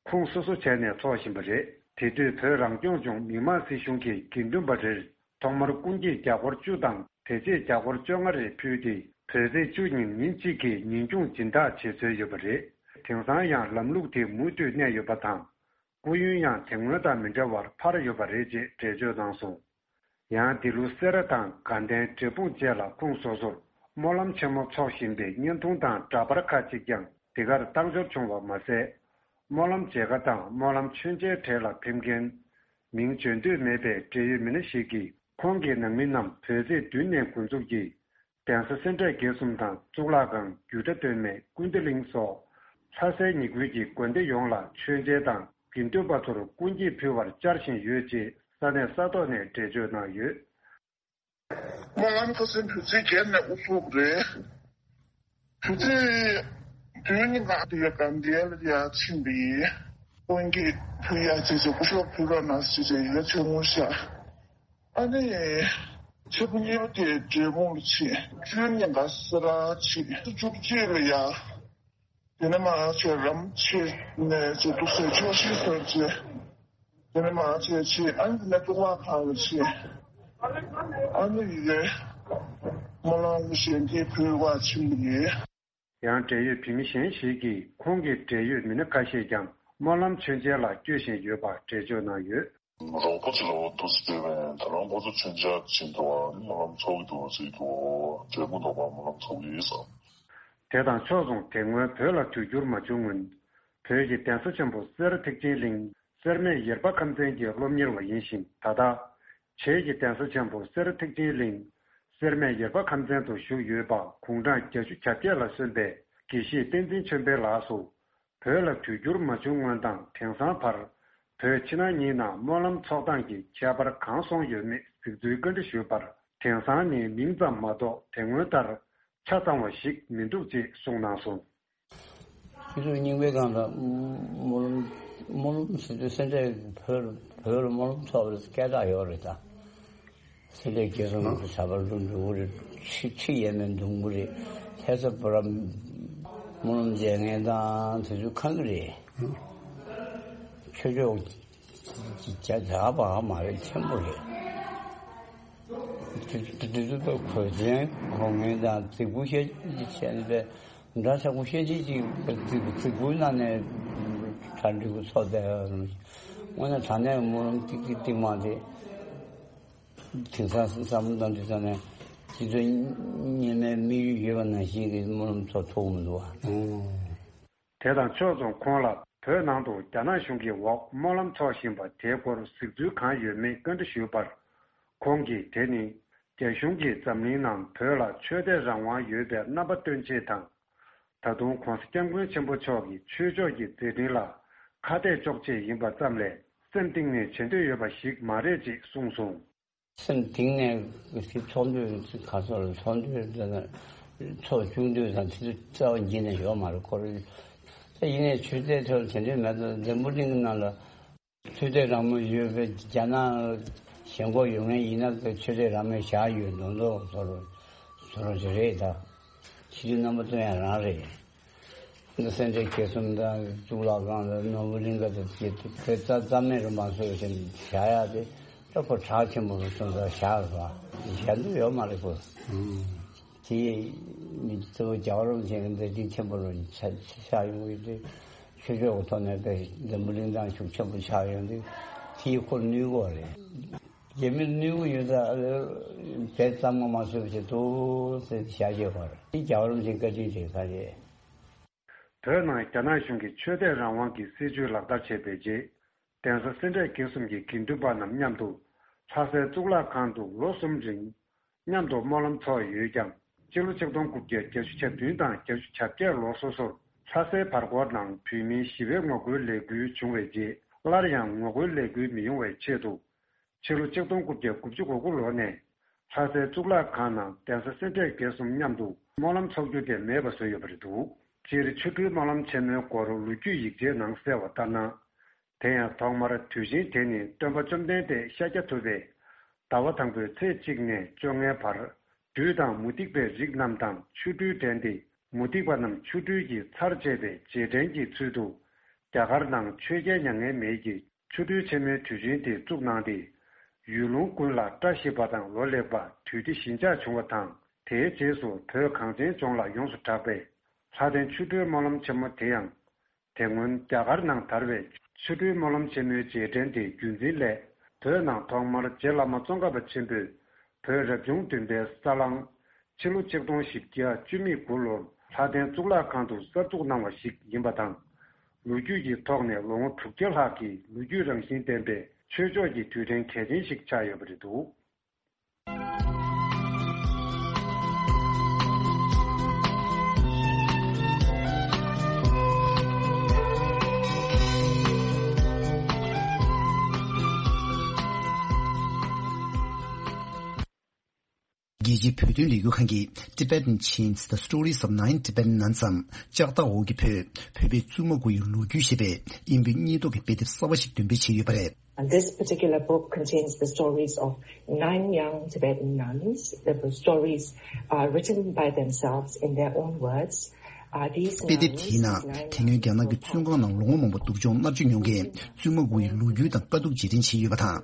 ཁུངས་སོ་སོ་བྱས་ནས་འཚོགས་བཞིན་པ་རེད། དེ་དུས་བོད་རང་སྐྱོང་ལྗོངས་མི་དམངས་སྲིད་གཞུང་གིས་དགེ་འདུན་པ་རེར་ཐོག་མར་སྐུ་འགྱེད་བརྒྱ་སྐོར་བཅུ་དང་དེ་རྗེས་བརྒྱ་སྐོར་བཅོ་ལྔ་རེ་ཕུལ་ཏེ། བོད་ཚེས་བཅུ་ཉིན་ཉིན་གཅིག་གི་ཉིན་གུང་སྦྱིན་བདག་བྱེད་སྲོལ་ཡོད་པ་རེད། དེང་སང་ཡང་ལམ་ལུགས་དེ་མུ་མཐུད་གནས་ཡོད་པ་དང་། སྐུ་ཡོན་ཡང་དེ་སྔོན་དང་མི་འདྲ་བར་འཕར་ཡོད་པ་རེད་ཅེས་འགྲེལ་བརྗོད་གནང་སོང་། ཡང་འདི་ལོ་སེ་ར་དང་དགའ་ལྡན་འབྲས་སྤུངས་བཅས་ལ་ཁུངས་སོ་སོར་སྨོན་ལམ་ཆེན་མོ་འཚོགས་བཞིན་པའི་བརྙན་ཐུང་དང་འདྲ་པར་ཁག་ཅིག་ཀྱང་འདི་གར་བཏང་འབྱོར་བྱུང་བ་མ་ཟད། སྨོན་ལམ་མཇལ་ཁ་དང་སྨོན་ལམ་མཆོད་མཇལ་གྲལ་ལ་ཕེབས་མཁན་མིང་བརྗོད་འདོད་མེད་པའི་འབྲེལ་ཡོད་མི་སྣ་ཞིག་གིས། ཁོང་གི་ནང་མི་རྣམས་བོད་ཚེས་བདུན་ནས་འགོ་འཛུགས་ཀྱིས། གདན་ས་སེ་འབྲས་དགེ་གསུམ་དང་གཙུག་ལག་ཁང་རྒྱུད་གྲྭ་སྟོད་སྨད་ཀུན་བདེ་གླིང་སོགས་ལྷ་སའི་ཉེ་ཁུལ་གྱི་དགོན་སྡེ་ཡོངས་ལ་མཆོད་མཇལ་དང་དགེ་འདུན་པ་ཚོར་སྐུ་འགྱེད་ཕུལ་བར་བཅར་བཞིན་ཡོད་ཅེས་ས་གནས་ས་ཐོག་ནས་འགྲེལ་བརྗོད་གནང་ཡོད། སྨོན་ལམ་ཁ་སང་བོད་ཚེས་བརྒྱད་ནས་དབུ་འཛུགས་རེད། བོད་ཚེས་བདུན་ཉིན་ང་དེ་ཡ་དགའ་ལྡན་ལ་ཡ་ཕྱིན་པ་ཡིན། སྐུ་འགྱེད་ཕུལ་ཡ་ཅེས་ཀྱི་སྐུ་ཞབས་ཕུལ་རོགས་གནང་ཞེས་ཀྱི་ཡ་ཆེ་ངོ་ཤ། ཨ་ནི། ཆེ་བུ་གཉིས་པ་དེ་འབྲས་སྤུངས་ལ་ཕྱིན། བཅུ་ཉིན་ང་སེ་ར་ཕྱིན། བཅུ་གཅིག་ལ་ཡ། དེ་ནས་མར་ཆེ་རམ་ཆེ་ནས་ཆེ་ཏུ་སེ་ཆོག་ཤི་སོར་ཆེ། དེ་ནས་མར་ཆེ་ཆེ་ཨ་ནི་དེ་ནས་ཏུ་བ་ཁང་ལ་ཆེ། ཨ་ནི་ཡི་གེ་སྨོན་ལམ་གཞན་དེ་བོད་བ་ཆེན་པོ་ཡིན། ཡང་འབྲེལ་ཡོད་བོད་མི་གཞན་ཞིག་གིས་ཁོང་གི་འབྲེལ་ཡོད་མི་སྣ་ཁ་ཤས་ཀྱང་སྨོན་ལམ་མཆོད་མཇལ་ལ་བསྐྱོད་བཞིན་ཡོད་པ་འགྲེལ་བརྗོད་གནང་ཡོད། རོགས་པ་ཚོ་ལ་འོ་འདུག་སེ་བསྡད་པས་ད་རང་ཁོ་ཚོ་མཆོད་མཇལ་བྱེད་འདུག་ཨ་ནི་སྨོན་ལམ་འཚོགས་ཀྱི་འདུག་ཟེར་གྱི་འདུག་འབྲས་སྤུངས་དང་པ་སྨོན་ལམ་འཚོགས་ཀྱི་ཡིན་ཟེར། དེ་དང་ཕྱོགས་མཚུངས་དེ་སྔོན་བོད་ལ་དུས་འགྱུར་མ་བྱུང་སྔོན། བོད་ཀྱི་གདན་ས་ཆེན་པོ་སེ་ར་ཐེག་ཆེན་གླིང་སེར་སྨད་ཡེར་པ་ཁམས་ཚན་གྱི་སློབ་གཉེར་བ་ཡིན་ཞིང་ད་ལྟ། བྱེས་ཀྱི་གདན་ས་ཆེན་པོ་སེ་ར་ཐེག་ཆེན་གླིང་སེར་སྨད་ཡེར་པ་ཁམས་ཚན་དུ་བཞུགས་ཡོད་པ་དགུང་གྲངས་བརྒྱད་ཅུ་གྱ་བརྒྱད་ལ་སོན་པའི་དགེ་བཤེས་བསྟན་འཛིན་ཆོས་འཕེལ་ལགས་སུ། བོད་ལ་དུས་འགྱུར་མ་བྱུང་སྔོན་དང་དེང་སང་བར། བོད་ཕྱི་ནང་གཉིས་ནང་སྨོན་ལམ་ཚོགས་སྟངས་ཀྱི་ཁྱད་པར་གང་སོང་ཡོད་མེད་གཟིགས་ཚུལ་བཀའ་འདྲི་ཞུས་པར། དེང་སང་ནི་མིང་ཙམ་མ་གཏོགས་དེ་སྔོན་ལྟར་ཆ་ཚང་བ་ཞིག་མི་འདུག་ཅེས་གསུངས་གནང་སོང་། ཁྱེད་ཚོས་རྙིང་པའི་སྒང་ལ་སྨོན་ལམ་སྨོན་ལམ་ཟེར་དུས་སེ་འབྲས་བོད་བོད་ལ་སྨོན་ལམ་ཚོགས་པའི་སྐད་གྲགས་ཡོད་རེད་ད། སེ་འབྲས་དགེ་གསུམ་གྱི་ཟབ་པ་ལུ་འགྲོ་གི་རེད། ཁྲི་ཁྲི་ཡས་མས་འདོན་གི་རེད། ལྷ་ས་བུ་རམ་སྨོན་ལམ་མཇལ་མཁན་དང་དེ་ཚོ་ཁག་གི་རེད། ཆོས་ཕྱོགས་ཀྱི་ཇ་ཇག་པ་མ་རེད། ཆེན་པོ་རེད། དེ་དེ་ཚོ་དཔེ་གོས་ཆེན་གོན་མཁན་དང་རྫིག་པོ་བཤད་བྱས་ནས་དཔེ་འདྲ་ཆགས་པོ་བཤད་བྱས་ཅིག་རྫིག་རྫིག་པོའི་ནང་ནས་གྲ་སྒྲིག་པོ་ཚོགས་བསྡད་ཡོད། དངོས་གནས་དྲང་གནས་སྨོན་ལམ་ཏིག་ཏིག་ཏིག་མ་རེད། དེང་སང་བསམ་བློ་བཏང་དུས་ཙམ་ནས་སྤྱི་ཚོགས་རྙིང་མའི་དམིགས་ཡུལ་ཡོད་པ་ནང་བཞིན་གྱི་སྨོན་ལམ་ཚོགས་ཐུབ་མི་འདུག་བ། དེ་དང་ཕྱོགས་མཚུངས་ཁོང་ལ་བོད་ནང་དུ་རྒྱ་ནག་གཞུང་གི་འོག་སྨོན་ལམ་འཚོགས་བཞིན་པ་དེའི་སྐོར་གཟིགས་ཚུལ་གང་ཡོད་མེད་བཀའ་འདྲི་ཞུས་པར། ཁོང་གིས་དེ་ནི་རྒྱ་གཞུང་གིས་འཛམ་གླིང་ནང་བོད་ལ་ཆོས་དད་རང་དབང་ཡོད་པའི་རྣམ་པ་སྟོན་ཆེད་དང་། ད་དུང་༧གོང་ས་༧སྐྱབས་མགོན་ཆེན་པོ་མཆོག་གི་ཆོས་ཕྱོགས་ཀྱི་མཛད་འཕྲིན་ལ་ཁ་གཏད་གཅོག་ཆེད་ཡིན་པ་ཙམ་ལས་སེམས་གཏིང་ནས་བྱེད་འདོད་ཡོད་པ་ཞིག་མ་རེད་ཅེས་གསུངས་སོང་། སེམས་གཏིང་ནས་དེ་ཚོགས་འདུ་ག་ཚོད་ལ་ཚོགས་འདུ་དེ་ཚོགས་བཅུག་འདོད་དང་དེ་ཚོ་རྩ་བ་འགྱེལ་ནས་ཡོད་མ་རེད། ཁོ་རེ་ད་ཡིན་ནའི་ཆོས་དད་ཐོག་ལ་དེ་འདྲའི་མེད་དུ་འཛམ་བུ་གླིང་གི་ནང་ལ་ཆོས་དད་རང་མོས་ཡོད་པའི་རྒྱ་ནག་ཞེན་ཁོག་ཡོད་མཁན་ཡིན་ན་ཆོས་དད་རང་མོས་བཞག་ཡོད་མདོག་མདོག་བཟོ་རོགས་བཟོ་རོགས་ཅིག་རེད། ད་ཕྱི་དུས་རྣམ་པ་སྟོན་ཡ་རང་རེད། འདི་སེ་འབྲས་དགེ་གསུམ་དང་གཙུག་ལག་ཁང་དང་ནོར་བུ་གླིང་ག་དང་དེ་དེ་རྩ་རྩ་མེད་རུ་མ་བཟོས་ཤིང་བཞག་ཡག་དེ་ལྟ་བུ་གྲགས་ཆེན་པོ་རུ་སོང་ཙང་བཞག་ར་བཞག་འདོད་ཡོད་མ་རེད་གོ། དེ་མི་གཙོ་བོ་རྒྱལ་བ་རིན་པོ་ཆེ་གི་མཛད་འཕྲིན་ཆེན་པོ་རུ་ཆགས་ཆགས་ཡོང་གི་དེ་ཆོས་ཕྱོགས་ཀྱི་ཐོག་ནས་དཔེ་འཛམ་བུ་གླིང་ཐང་ཤུགས་ཆེན་པོ་ཆགས་ཡོང་དུས་དེ་ཁོ་ནུས་གོ་རེད། རྒྱ་མི་ནུས་གོ་ཡོད་ཙང་དེ་ཙམ་མ་མ་བཟོས་བྱེད་དུ་ཟེར་བཞག་བྱས་པར་དེ་རྒྱལ་བ་རིན་པོ་ཆེའི་བཀའ་དྲིན་རེད་ཁ་རེད། བོད་ནང་རྒྱ་ནག་གཞུང་གིས་ཆོས་དད་རང་དབང་གི་སྲིད་བྱུས་ལག་བསྟར་བྱས་པའི་རྗེས། གདན་ས་སེ་འབྲས་དགེ་གསུམ་གྱི་དགེ་འདུན་པ་རྣམས་མཉམ་དུ་ལྷ་སའི་གཙུག་ལག་ཁང་དུ་ལོ་གསུམ་རིང་མཉམ་དུ་སྨོན་ལམ་འཚོགས་ཡོད་ཀྱང་། སྤྱི་ལོ་ཆིག་སྟོང་དགུ་བརྒྱ་བརྒྱད་ཅུ་གྱ་བདུན་དང་བརྒྱད་ཅུ་གྱ་བརྒྱད་ལོ་སོ་སོར་ལྷ་སའི་བར་སྐོར་ནང་བོད་མིའི་ཞི་བའི་ངོ་རྒོལ་ལས་འགུལ་བྱུང་བའི་རྗེས། སླར་ཡང་ངོ་རྒོལ་ལས་འགུལ་མི་ཡོང་བའི་ཆེད་དུ། ཕྱི་ལོ་ཆིག་སྟོང་དགུ་བརྒྱ་དགུ་བཅུ་གོ་དགུ་ལོ་ནས་ལྷ་སའི་གཙུག་ལག་ཁང་ནང་གདན་ས་སེ་འབྲས་དགེ་གསུམ་མཉམ་དུ་སྨོན་ལམ་འཚོགས་རྒྱུ་དེ་མེད་པ་བཟོས་ཡོད་པ་རེད་འདུག་སྤྱིར་ཆོ་འཕྲུལ་སྨོན་ལམ་ཆེན་མོའི་སྐོར་ལོ་རྒྱུས་ཡིག་ཆའི་ནང་གསལ་བ་ལྟར་ན། དེ་ཡང་ཐོག་མར་དུས་ཆེན་དེ་ནི་སྟོན་པ་བཅོམ་ལྡན་འདས་ཤཱཀྱ་ཐུབ་པས་ཟླ་བ་དང་པོའི་ཚེས་གཅིག་ནས་བཅོ་ལྔའི་བར། བདུད་དང་མུ་སྟེགས་པའི་རིགས་རྣམས་དང་ཆོ་འཕྲུལ་འགྲན་ཏེ། མུ་སྟེགས་པ་རྣམས་ཆོ་འཕྲུལ་གྱི་ཚར་བཅད་པའི་རྗེས་དྲན་གྱི་ཚུལ་དུ། རྒྱ་གར་ནང་ཆོས་རྒྱལ་མྱ་ངན་མེད་ཀྱིས་ཆོ་འཕྲུལ་ཆེན་མོའི་དུས་ཆེན་དེ་བཙུགས་གནང་སྟེ། ཡུལ་ལུང་ཀུན་ལ་བཀྲ་ཤིས་པ་དང་ལོ་ལེགས་པ་དུས་བདེ་ཞི་འཇགས་བྱུང་བ་དང་། དེའི་རྗེས་སུ་བོད་གངས་ཅན་ལྗོངས་ལ་ཡོངས་སུ་གྲགས་པའི་ལྷ་ལྡན་ཆོ་འཕྲུལ་སྨོན་ལམ་ཆེན་མོ་དེ་ཡང་། དེ་སྔོན་རྒྱ་གར་ནང་དར་བའི་ཆོ་འཕྲུལ་སྨོན་ལམ་ཆེན་མོའི་རྗེས་དྲན་དེ་བརྒྱུད་འཛིན་ལས། བོད་ནང་ཐོག་མར་རྗེ་བླ་མ་ཙོང་ཁ་པ་ཆེན་པོས་བོད་རབ་བྱུང་བདུན་པའི་ས་གླང་། ཕྱི་ལོ་ཆིག་སྟོང་བཞི་བརྒྱ་བཅུ་མེད་དགུ་ལོར་ལྷ་ལྡན་གཙུག་ལག་ཁང་དུ་གསར་འཛུགས་གནང་བ་ཞིག་ཡིན་པ་དང་། ལོ་རྒྱུས་ཀྱི་ཐོག་ནས་ལོ་ངོ་དྲུག་བརྒྱ་ལྷག་གི་ལོ་རྒྱུས་རང་བཞིན་ལྡན་པའི་ཆོས་ཕྱོགས་ཀྱི་དུས་དྲན་གལ་ཆེན་ཞིག་ཆགས་ཡོད་པ་རེད་འདུག་རྒྱལ་སྤྱིའི་བོད་དོན་ལས་འགུལ་ཁང་གིས་Tibetan Chains: The Stories of Nine Tibetan Nuns འམ་ལྕགས་ཐག་འོག་གི་བོད། བོད་པའི་བཙུན་མ་དགུ་ཡི་ལོ་རྒྱུས་ཞེས་པའི་དབྱིན་བོད་གཉིས་ཐོག་གི་དཔེ་དེབ་གསར་བ་ཞིག་འདོན་སྤེལ་བྱས་ཡོད་པ་རེད། And this particular book contains the stories of nine young Tibetan nuns. The stories are written by themselves in their own words. དཔེ་དེབ་དེའི་ནང་དེ་སྔོན་རྒྱ་ནག་གི་བཙོན་ཁང་ནང་ལོ་ངོ་མང་པོ་སྡུག་སྦྱོང་མནར་གཅོད་མྱོང་མཁན་བཙུན་མ་དགུ་ཡི་ལོ་རྒྱུས་དང་དཀའ་སྡུག་རྗེས་དྲན་བྱས་ཡོད་པ་དང་།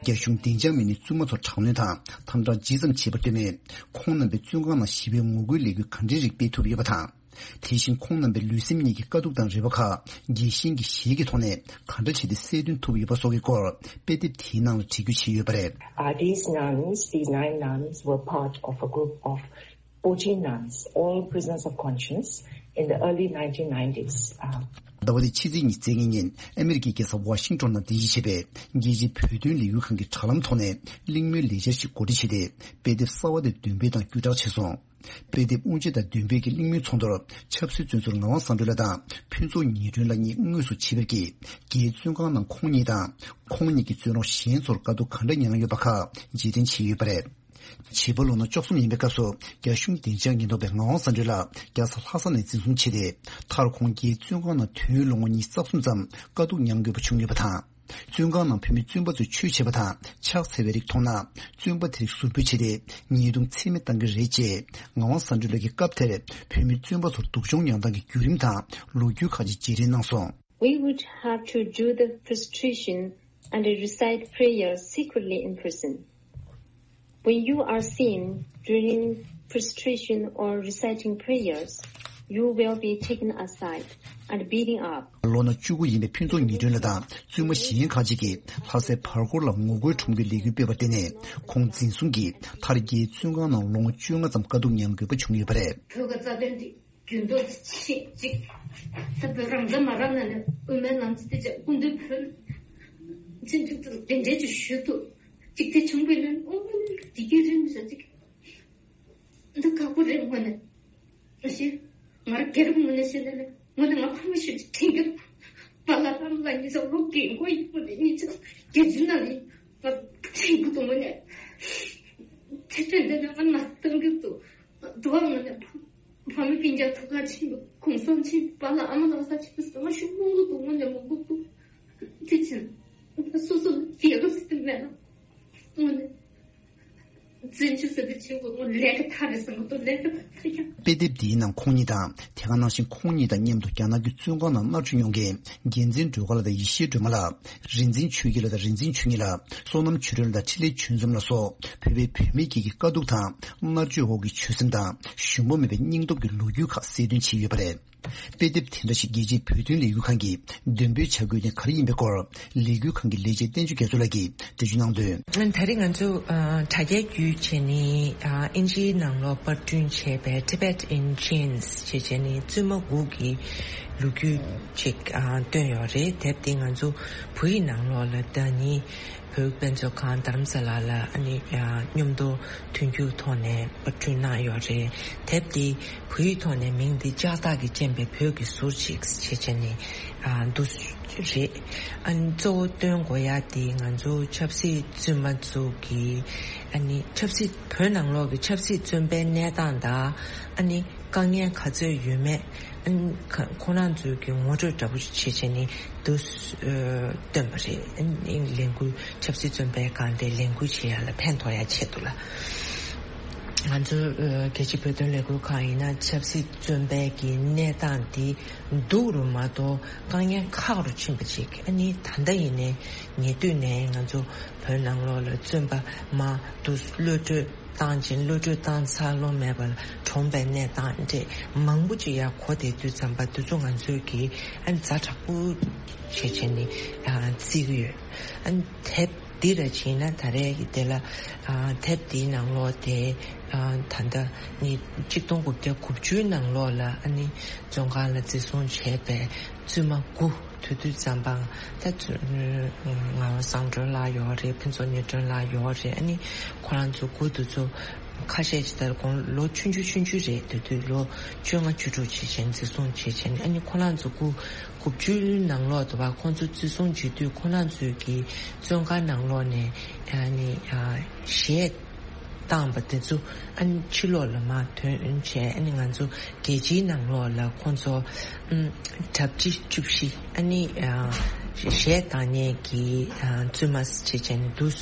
རྒྱ་གཞུང་བདེ་འཇགས་མི་སྣས་བཙུན་མ་ཚོར་དྲག་གནོན་དང་དམ་དྲག་ཇི་ཙམ་བྱས་པར་བརྟེན། ཁོང་རྣམ་པས་བཙོན་ཁང་ནང་ཞི་བའི་ངོ་རྒོལ་ལས་འགུལ་ག་འདྲའི་རིགས་སྤེལ་ཐུབ་ཡོད་པ་དང་། དེ་བཞིན་ཁོང་རྣམ་པའི་ལུས་སེམས་གཉིས་ཀྱི་དཀའ་སྡུག་དང་རེ་བ་ཁག་རྒྱལ་ཞེན་གྱི་གཞས་ཀྱི་ཐོག་ནས་ག་འདྲ་བྱས་ཏེ་གསལ་སྟོན་ཐུབ་ཡོད་པ་སོགས་ཀྱི་སྐོར་དཔེ་དེབ་དེའི་ནང་ལ་བྲིས་བསྒྱུར་བྱས་ཡོད་པ་རེད། Uh, these nuns, these nine nuns were part of a group of fourteen nuns, all prisoners of conscience, in the early nineteen nineties. Uh, ཟླ་བ་འདིའི་ཕྱི་ཚེས་ཉི་ཤུ་རྩ་གཉིས་ཉིན་ཨ་མེ་རི་ཀའི་རྒྱལ་ས་ཝ་ཤིང་ཏོན་ནང་རྟེན་གཞི་བྱས་པའི་རྒྱལ་སྤྱིའི་བོད་དོན་ལས་འགུལ་ཁང་གི་དྲ་ལམ་ཐོག་ནས་གླེང་མོལ་ལས་འཆར་ཞིག་གོ་སྒྲིག་བྱས་ཏེ། དཔེ་དེབ་གསར་བ་དེ་འདོན་སྤེལ་དང་བརྒྱུད་བསྒྲགས་བྱས་སོང་། དཔེ་དེབ་དབུ་འབྱེད་དང་འདོན་སྤེལ་གྱི་གླེང་མོལ་ཚོགས་འདུར་ཆབ་སྲིད་བཙོན་ཟུར་ངག་དབང་བསམ་གྲུབ་ལགས་དང་ཕུན་ཚོགས་ཉི་སྒྲོན་ལགས་གཉིས་དངོས་སུ་ཆིབས་པར་བསྐྱོད། རྒྱའི་བཙོན་ཁང་ནང་ཁོང་ཉིད་དང་། ཁོང་ཉིད་ཀྱི་བཙོན་རོགས་གཞན་ཚོར་དཀའ་སྡུག་ག་འདྲ་མྱངས་ཡོད་པ་ཁག་རྗེས་དྲན་བྱས་ཡོད་པ་རེད། བྱིས་པ་ལོ་ན་བཅུ་གསུམ་ཡིན་པའི་སྐབས་སུ་རྒྱ་གཞུང་བདེ་འཇགས་ཉེན་རྟོག་པས་ངག་དབང་བསམ་གྲུབ་ལགས་རྒྱལ་ས་ལྷ་ས་ནས་འཛིན་བཟུང་བྱས་ཏེ། མཐར་ཁོང་རྒྱའི་བཙོན་ཁང་ནང་དུས་ཡུན་ལོ་ངོ་ཉི་ཤུ་རྩ་གསུམ་ཙམ་དཀའ་སྡུག་མྱངས་དགོས་པ་བྱུང་ཡོད་པ་དང་། བཙོན་ཁང་ནང་བོད་མི་བཙོན་པ་ཚོས་ཆོས་བྱས་པ་དང་ཕྱག་འཚལ་བའི་རིགས་མཐོང་ན། བཙོན་པ་དེ་རིགས་ཟུར་འབུད་བྱས་ཏེ་ཉེས་རྡུང་ཚད་མེད་བཏང་གི་རེད་ཅེས་ངག་དབང་བསམ་གྲུབ་ལགས་ཀྱིས་སྐབས་དེར་བོད་མི་བཙོན་པ་ཚོར་སྡུག་སྦྱོང་མྱངས་སྟངས་ཀྱི་བརྒྱུད་རིམ་དང་ལོ་རྒྱུས་ཁག་ཅིག་རྗེས་དྲན་གནང་སོང་། We would have to do the prostration and recite prayers secretly in prison. When you are seen during prostration or reciting prayers, you will be taken aside and beaten up. ལོ་ན་བཅུ་དགུ་ཡིན་པའི་ཕུན་ཚོགས་ཉི་སྒྲོན་ལགས་དང་བཙུན་མ་གཞན་ཁག་ཅིག་གིས་ལྷ་སའི་བར་སྐོར་ལ་ངོ་རྒོལ་ཁྲོམ་སྐྱོད་ལས་འགུལ་སྤེལ་བར་བརྟེན་ནས་ཁོང་འཛིན་བཟུང་གིས་མཐར་རྒྱའི་བཙོན་ཁང་ནང་ལོ་ངོ་བཅོ་ལྔ་ཙམ་དཀའ་སྡུག་མྱང་དགོས་པ་བྱུང་ཡོད་པ་རེད། བོད་ཀྱི་རྩ་དོན་འདི་རྒྱུན་དུ་ཆེ་གཅིག་ད་བོད་རང་བཙན་མ་རག་ན་ནས་དབུ་མའི་ལམ་ཚིག་དེ་ཅག་སྐུ་མདུན་བོད་ཚན་ཐུག་ཏུ་དེ་འདྲས་ཀྱི་ཞུ་ཐུབ་ཅིག་དེ་བྱུང་བས་ན་ཨོ་འདི་གི་རིམ་བཞག་ཅིག་འདི་ཁག་པོ་རེད་དངོས་ནས། ཨ་ཤེ། ང་རང་སྒེར་དངོས་ནས་བཤད་ན་ནི་དངོས་གནས་ང་ཕ་མ་ཞིག་དྲན་གི་པཱ་ལགས་ཨ་མ་ལགས་གཉིས་ཚོ་ལོ་རྒན་གོག་ཡིན་པོ་ནས་གཉིས་ཚོ་རྒྱལ་སྤྱི་ནང་ནས་ང་དྲན་གི་འདུག་དངོས་གནས། དེ་དོན་དེ་ནས་ང་ན་སྟོན་གི་འདུག་དུ་བ་དངོས་གནས་ཕ་མ་སྤུན་ཀྱག་ཐུག་ག་ཕྱིན་འདུག་གུང་སེང་ཕྱིན་འདུག་པཱ་ལགས་ཨ་མ་ལགས་ས་ཕྱིན་འདུག་ང་ཤུགས་མང་གི་འདུག་དངོས་གནས་མང་གི་འདུག་དེ་ཕྱིན་སོ་སོ་རྒྱལ་ཁབ་ཟེར་མེད་ན་དངོས་གནས། བཙན་བྱོལ་ཟེར་དུས་ཆེན་པོ་ལས་ཀ་མཐའ་རེད་ཟེར་མ་གཏོགས་ལས་ཀ་མཐའ་ཀྱང་། དཔེ་དེབ་འདིའི་ནང་ཁོང་ཉིད་དང་དེ་ག་ནང་བཞིན་ཁོང་ཉིད་དང་མཉམ་དུ་རྒྱ་ནག་གི་བཙོན་ཁང་ནང་མནར་གཅོད་མྱོང་མཁན་རྒྱལ་མཚན་སྒྲོལ་དཀར་ལགས་དང་ཡེ་ཤེས་སྒྲོལ་མ་ལགས། རིག་འཛིན་ཆོས་སྐྱིད་ལགས་དང་རིག་འཛིན་ཆོས་ཉིད་ལགས། བསོད་ནམས་ཆོས་སྒྲོན་ལགས་དང་འཕྲིན་ལས་ཆོས་འཛོམས་ལགས་སོགས་བོད་པའི་བུད་མེད་ཀྱི་དཀའ་སྡུག་དང་མནར་གཅོད་འོག་གི་ཆོད་སེམས་དང་ཞུམ་པ་མེད་པའི་སྙིང་སྟོབས་ཀྱི་ལོ་རྒྱུས་ཁག་གསལ་སྟོན་བྱས་ཡོད་པ་རེད། དཔེ་དེབ་དེ་འདྲ་ཞིག་རྒྱལ་སྤྱིའི་བོད་དོན་ལས་འགུལ་ཁང་གིས་འདོན་སྤེལ་བྱ་དགོས་དོན་ག་རེ་ཡིན་པའི་སྐོར་ལས་འགུལ་ཁང་གི་ལས་བྱེད་བསྟན་ཆོས་རྒྱ་མཚོ་ལགས་ཀྱིས་འགྲེལ་བརྗོད་གནང་དོན། ད་རེས་ང་ཚོ་ཨ་དྲ་རྒྱ་བརྒྱུད་བྱས་ནས་ཨ་དབྱིན་ཇིའི་ནང་ལོགས་པར་སྐྲུན་བྱས་པའི་Tibet in Chains ཞེས་བྱས་ནས་བཙུན་མ་དགུ་གི་ལོ་རྒྱུས་ཅིག་ཨ་བཏོན་ཡོད་རེད། དེབ་དེ་ང་ཚོ་བོད་ཡིག་ནང་ལོགས་ལ་ཟླ་ཉིན་བོད་དཔེ་མཛོད་ཁང་རྡ་རམ་ས་ལ་ལ་ཨ་ནི་ཨ་མཉམ་དུ་མཐུན་འགྱུར་ཐོག་ནས་པར་སྐྲུན་གནང་ཡོད་རེད། དེབ་འདི་བོད་ཡིག་ཐོག་ནས་མིང་འདི་ལྕགས་སྟག་གིས་བཅིངས་པའི་བོད་ཀྱི་ཟུར་ཅིག་ཞེས་བྱས་ནས་ཨ་འདུག་ རེད། ཨ་ནི་གཙོ་བོ་སྟོན་དགོས་ཡ་དེ་ང་ཚོ་ཆབ་སྲིད་བཙོན་པ་ཚོ་གི་ཨ་ནི་ཆབ་སྲིད་བོད་ནང་ལོགས་ཀྱི་ཆབ་སྲིད་བཙོན་པའི་གནས་སྟངས་དང་ཨ་ནི་དཀའ་ངལ་ག་ཚོད་ཡོད་མེད། ཨ་ནི་ཁ་ཁོ་རང་ཚོའི་གི་ངོ་སྤྲོད་འདྲ་པོ་ཞིག་བྱེད་བྱས་ནས་འདུག་སེ་ཨ་བཏོན་པ་རེད། ཨ་ནི་ལས་འགུལ་ཆབ་སྲིད་བཙོན་པའི་སྒང་དེ་ལས་འགུལ་བྱེད་ཡ་ལ་ཕན་ཐོགས་ཡ་ཆེད་དུ་ལ། ང་ཚོ་ཨ་རྒྱལ་སྤྱིའི་བོད་དོན་ལས་འགུལ་ཁང་ཡིན་ན་ཆབ་སྲིད་བཙོན་པའི་གི་གནས་སྟངས་དེ་སྡུག་རུ་མ་གཏོགས་དཀའ་ངལ་ཁག་རུ་ཕྱིན་པ་ཅིག་ཨ་ནི་ད་ལྟ་ཡིན་ནའི་ཉེ་དུས་ནས་ང་ཚོ་བོད་ནང་ལོགས་ལ་བཙོན་པ་མ་འདུག་གློད་གྲོལ་བཏང་ཅིང་གློད་གྲོལ་བཏང་ཚར་ལོང་མེད་པར་གྲོངས་པའི་གནས་སྟངས་འདྲ་མང་པོ་ཅིག་ཡར་གོ་བསྡད་དུས་ཙམ་པ་དེ་ཚོ་ང་ཚོས་ཀྱིས་ཨ་ནི་ཛ་དྲག་པོ་བྱེད་བྱས་ནས་ཨ་བརྩི་གི་ཡོད། ཨ་ནི་དེབ་འདི་ར་བྱས་ན་ད་རེས་ཀྱི་དེ་ལ་ཨ་དེབ་འདིའི་ནང་ལོགས་དེ་ཨ་ད་ལྟ་ནི་གཅིག་སྟོང་དགུ་བརྒྱ་དགུ་བཅུའི་ནང་ལོགས་ལ་ཨ་ནི་བཙོན་ཁང་ལ་འཛིན་བཟུང་བྱས་པའི་བཙུན་མ་དགུ་དེ་དུས་ཙམ་པ་ད་ཚོ་ངག་དབང་བསམ་གྲུབ་ལགས་ཡོད་རེད། ཕུན་ཚོགས་ཉི་སྒྲོན་ལགས་ཡོད་རེད། ཨ་ནི་ཁོ་རང་ཚོ་དགུ་དེ་ཚོ་ཁ་ཤས་ཅིག་ལྟར་ཁོང་ལོ་ཆུང་ཆུང་ཆུང་ཆུང་རེད། དེ་དུས་ལོ་བཅོ་ལྔ་བཅུ་དྲུག་བྱས་བྱས་འཛིན་བཟུང་བྱས་བྱས་ནས་ཨ་ནི་ཁོ་རང་ཚོ་དགུ་དགུ་བཅུའི་ནང་ལོགས་དུ་བ་ཁོང་ཚོ་འཛིན་བཟུང་བྱེད་དུས་ཁོ་རང་ཚོའི་གི་བཙོན་ཁང་ནང་ལོགས་ནས་ཨ་ནི་ཨ་གཞས་བཏང་པ་དེ་ཚོ་ཨ་ནི་ཕྱི་ལོགས་ལ་མར་ཐོན་བྱས་ཨ་ནི་ང་ཚོ་རྒྱལ་སྤྱིའི་ནང་ལོགས་ལ་ཁོང་ཚོ་ཨམ་གྲ་སྒྲིག་བཅུ་བཞི་ཨ་ནི་ཨ་གཞས་བཏང་མཁན་གྱི་ཨ་བཙུན་མ་བྱས་བྱས་ནས་འདུག་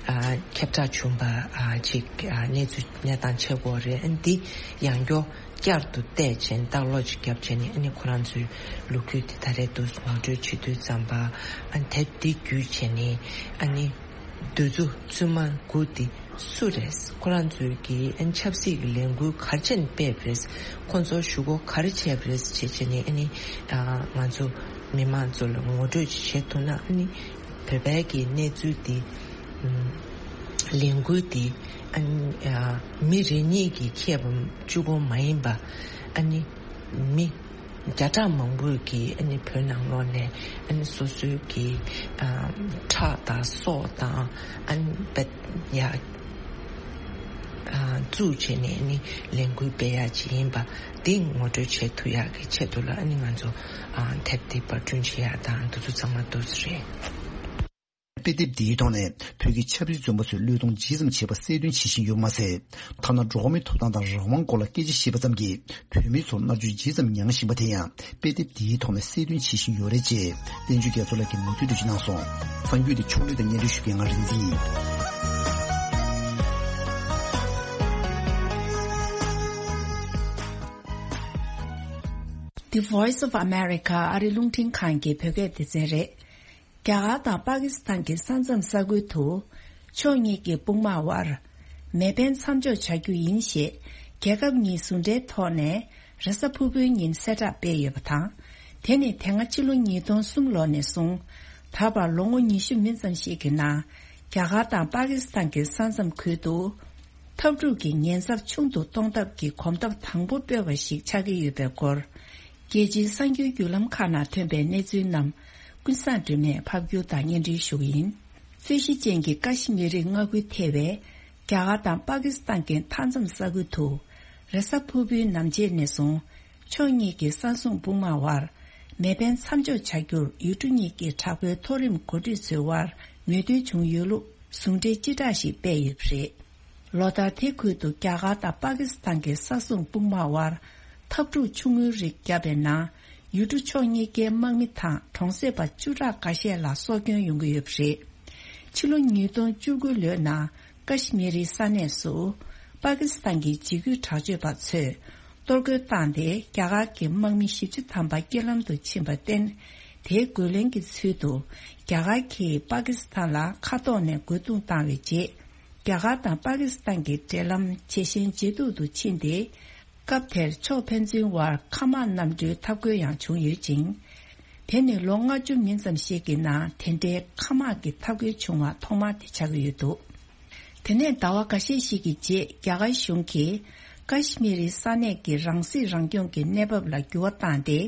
ཨ་ཁྱབ་བསྒྲགས་བྱུང་པ་ཨ་ཅིག་ཨ་གནས་ཚུལ་གནས་སྟངས་ཆགས་ཀྱི་ཡོད་རེད། ཨ་ནི་འདི་ཡང་བསྐྱར་བསྐྱར་དུ་བལྟས་བྱས་ནས་ལྟ་ཀློག་ཅིག་བརྒྱབ་བྱས་ནས་ཨ་ནི་ཁོ་རང་ཚོའི་ལོ་རྒྱུས་དེ་ད་རེས་འདུག་ངོ་སྤྲོད་བྱེད་དུས་ཙམ་པ་ཨ་ནི་དེབ་འདི་བརྒྱུད་བྱས་ནས་ཨ་ནི་འདི་ཚོ་བཙུན་མ་དགུ་འདི་སུ་རེད། ཁོ་རང་ཚོའི་གི་ཨ་ནི་ཆབ་སྲིད་ཀྱི་ལས་འགུལ་ག་རེ་བྱས་ནས་སྤེལ་བ་རེད། ཁོ་ཚོ་གཞུག་གུ་ག་རེ་བྱས་པ་རེད་བྱས་བྱས་ནས་ཨ་ནི་ཨ་ང་ཚོ་མི་མང་ཚོ་ལ་ངོ་སྤྲོད་ཅིག་བྱེད་ཐུབ་ན་ཨ་ནི་བོད་པའི་གི་གནས་ཚུལ་འདི་ཨམ་ལས་འགུལ་འདི་ཨ་ནི་ཨ་མི་རེ་གཉིས་ཀྱིས་ཁྱབ་པ་གཅིག་པོ་མ་ཡིན་པ་ཨ་ནི་མི་བརྒྱ་ཕྲག་མང་པོས་ཀྱིས་ཨ་ནི་བོད་ནང་ལོགས་ནས་ཨ་ནི་སོ་སོའི་གི་ཨ་ཁྲག་དང་སྲོག་དང་ཨ་ནི་དཔེ་ཡ་ཨ་བཙུགས་བྱས་ནས་ཨ་ནི་ལས་འགུལ་སྤེལ་ཡག་ཅིག་ཡིན་པ་འདི་ངོ་སྤྲོད་བྱེད་ཐུབ་ཡག་གི་ཆེད་དུ་ལ་ཨ་ནི་ང་ཚོ་ཨ་དེབ་འདི་པར་སྐྲུན་བྱེད་ཡག་དང་འདི་ཚོ་ཚང་མ་འདུག་སེ་རེད། དཔེ་དེབ་འདིའི་ཐོག་ནས་བོད་ཀྱི་ཆབ་སྲིད་བཙོན་པ་ཚོས་བློས་གཏོང་ཇི་ཙམ་བྱས་པ་གསལ་སྟོན་བྱེད་བཞིན་ཡོད་པ་མ་ཟད། ཐ་ན་འགྲོ་བ་མིའི་ཐོབ་ཐང་དང་རང་དབང་སྐོར་ལ་སྐད་ཆ་བཤད་པ་ཙམ་གྱིས་བོད་མི་ཚོར་མནར་གཅོད་ཇི་ཙམ་མྱངས་བཞིན་པ་དེ་ཡང་དཔེ་དེབ་འདིའི་ཐོག་ནས་གསལ་སྟོན་བྱེད་བཞིན་ཡོད་རེད་ཅེས་བསྟན་ཆོས་རྒྱ་མཚོ་ལགས་ཀྱིས་ངོ་སྤྲོད་འདྲ་ཞིག་གནང་སོང་། གསར་འགྱུར་དེ་ཕྱོགས་སྒྲིག་དང་སྙན་སྒྲོན་ཞུ་མཁན་ང་རིག་འཛིན་ཡིན། The Voice of America ཨ་རི་རླུང་འཕྲིན་ཁང་གི་བོད་སྐད་སྡེ་ཚན་རེད། རྒྱ་གར་དང་པ་ཀི་སི་ཐན་གྱི་ས་མཚམས་ས་ཁུལ་དུ་ཕྱོགས་གཉིས་ཀྱི་དཔུང་དམག་དབར་མེ་འཕེན་མཚམས་འཇོག་བྱ་རྒྱུ་ཡིན་ཞེས་རྒྱལ་ཁབ་གཉིས་ཟུང་འབྲེལ་ཐོག་ནས་རེས་གཟའ་ཕུར་བུའི་ཉིན་གསལ་བསྒྲགས་སྤེལ་ཡོད་པ་དང་། དེ་ནི་དེ་སྔ་ཕྱི་ལོ་ཉིས་སྟོང་གསུམ་ལོ་ནས་བཟུང་ད་བར་ལོ་ངོ་ཉི་ཤུ་མིན་ཙམ་ཞིག་གི་ནང་རྒྱ་གར་དང་པ་ཀི་སི་ཐན་གྱི་ས་མཚམས་ཁུལ་དུ་འཐབ་འཁྲུག་གི་ཉེན་ཚབས་ཆུང་དུ་གཏོང་ཐབས་ཀྱི་གོམ་སྟབས་དང་པོ་སྤེལ་བ་ཞིག་ཆགས་ཀྱི་ཡོད་པའི་སྐོར། རྒྱལ་སྤྱིའི་གསར་འགྱུར་བརྒྱུད་ལམ་ཁག་ནང་ཐོན་པའི་གནས་ཚུལ་རྣམས་ཀུན་བཟང་སྒྲོལ་མས་ཕབ་སྒྱུར་དང་སྙན་སྒྲོན་ཞུ་གི་ཡིན། རྩོད་གཞི་ཅན་གྱི་ཀ་ཤི་མི་རི་མངའ་ཁུལ་ཐེ་བའི་རྒྱ་གར་དང་པ་ཀི་སི་ཐན་གྱི་མཐའ་མཚམས་ས་ཁུལ་དུ་རེས་གཟའ་ཕུར་བུའི་ནམ་ཕྱེད་ནས་བཟུང་ཕྱོགས་གཉིས་ཀྱི་ས་སྲུང་དཔུང་དམག་དབར་མེ་འཕེན་མཚམས་འཇོག་བྱ་རྒྱུར་ཡུལ་གྲུ་གཉིས་ཀྱི་དྲག་པོའི་མཐོ་རིམ་འགོ་ཁྲིད་ཚོའི་དབར་མོས་མཐུན་བྱུང་ཡོད་ལུགས་ཟུང་འབྲེལ་སྤྱི་བསྒྲགས་ཤིག་སྤེལ་ཡོད་པ་རེད། ལོ་ལྟར་དེ་ཁུལ་དུ་རྒྱ་གར་དང་པ་ཀི་སི་ཐན་གྱི་ས་སྲུང་དཔུང་དམག་དབར་འཐབ་འཁྲུག་ཆུང་ངུའི་རིགས་བརྒྱབ་པའི་ནང་ཡུལ་གྲུ་ཕྱོགས་གཉིས་ཀའི་དམག་མི་དང་གྲོང་གསེབ་པ་བཅུ་ཕྲག་འགའ་ཤས་ལ་སྲོག་སྐྱོན་ཡོང་གི་ཡོད་པ་རེད། ཕྱི་ལོ་ཉིས་སྟོང་བཅུ་དགུ་ལོའི་ནང་ཀ་ཤི་མི་རིའི་ས་གནས་སུ་པ་ཀི་སི་ཐན་གྱི་འཇིགས་སྐུལ་དྲག་སྤྱོད་པ་ཚོས་གཏོར་རྒོལ་བཏང་སྟེ་རྒྱ་གར་གྱི་དམག་མི་བཞི་བཅུ་ཐམ་པ་རྐྱེན་ལམ་དུ་ཕྱིན་པར་བརྟེན། དེའི་རྒོལ་ལན་གྱི་ཚུལ་དུ་རྒྱ་གར་གྱིས་པ་ཀི་སི་ཐན་ལ་མཁའ་ཐོག་ནས་རྒོལ་རྡུང་བཏང་བའི་རྗེས། རྒྱ་གར་དང་པ་ཀི་སི་ཐན་གྱི་འབྲེལ་ལམ་ཇེ་ཞན་ཇེ་སྡུག་ཏུ་ཕྱིན་ཏེ། སྐབས་དེར་ཕྱོགས་ཕན་ཚུན་དབར་མཁའ་དམག་གནམ་གྲུའི་འཐབ་རྒོལ་ཡང་བྱུང་ཡོད་ཅིང་། དེ་ནི་ལོ་ལྔ་བཅུ་མིན་ཙམ་ཞིག་གི་ནང་དེ་འདྲའི་མཁའ་དམག་གི་འཐབ་རྒོལ་བྱུང་བ་ཐོག་མ་དེ་ཆགས་ཀྱི་ཡོད་འདུག་དེ་ནས་ཟླ་བ་འགའ་ཤས་ཤིག་གི་རྗེས་རྒྱ་གར་གཞུང་གིས་ཀ་ཤི་མི་རི་ས་གནས་ཀྱི་རང་སྲིད་རང་སྐྱོང་གི་གནས་བབ་ལ་འགྱུར་བ་བཏང་སྟེ།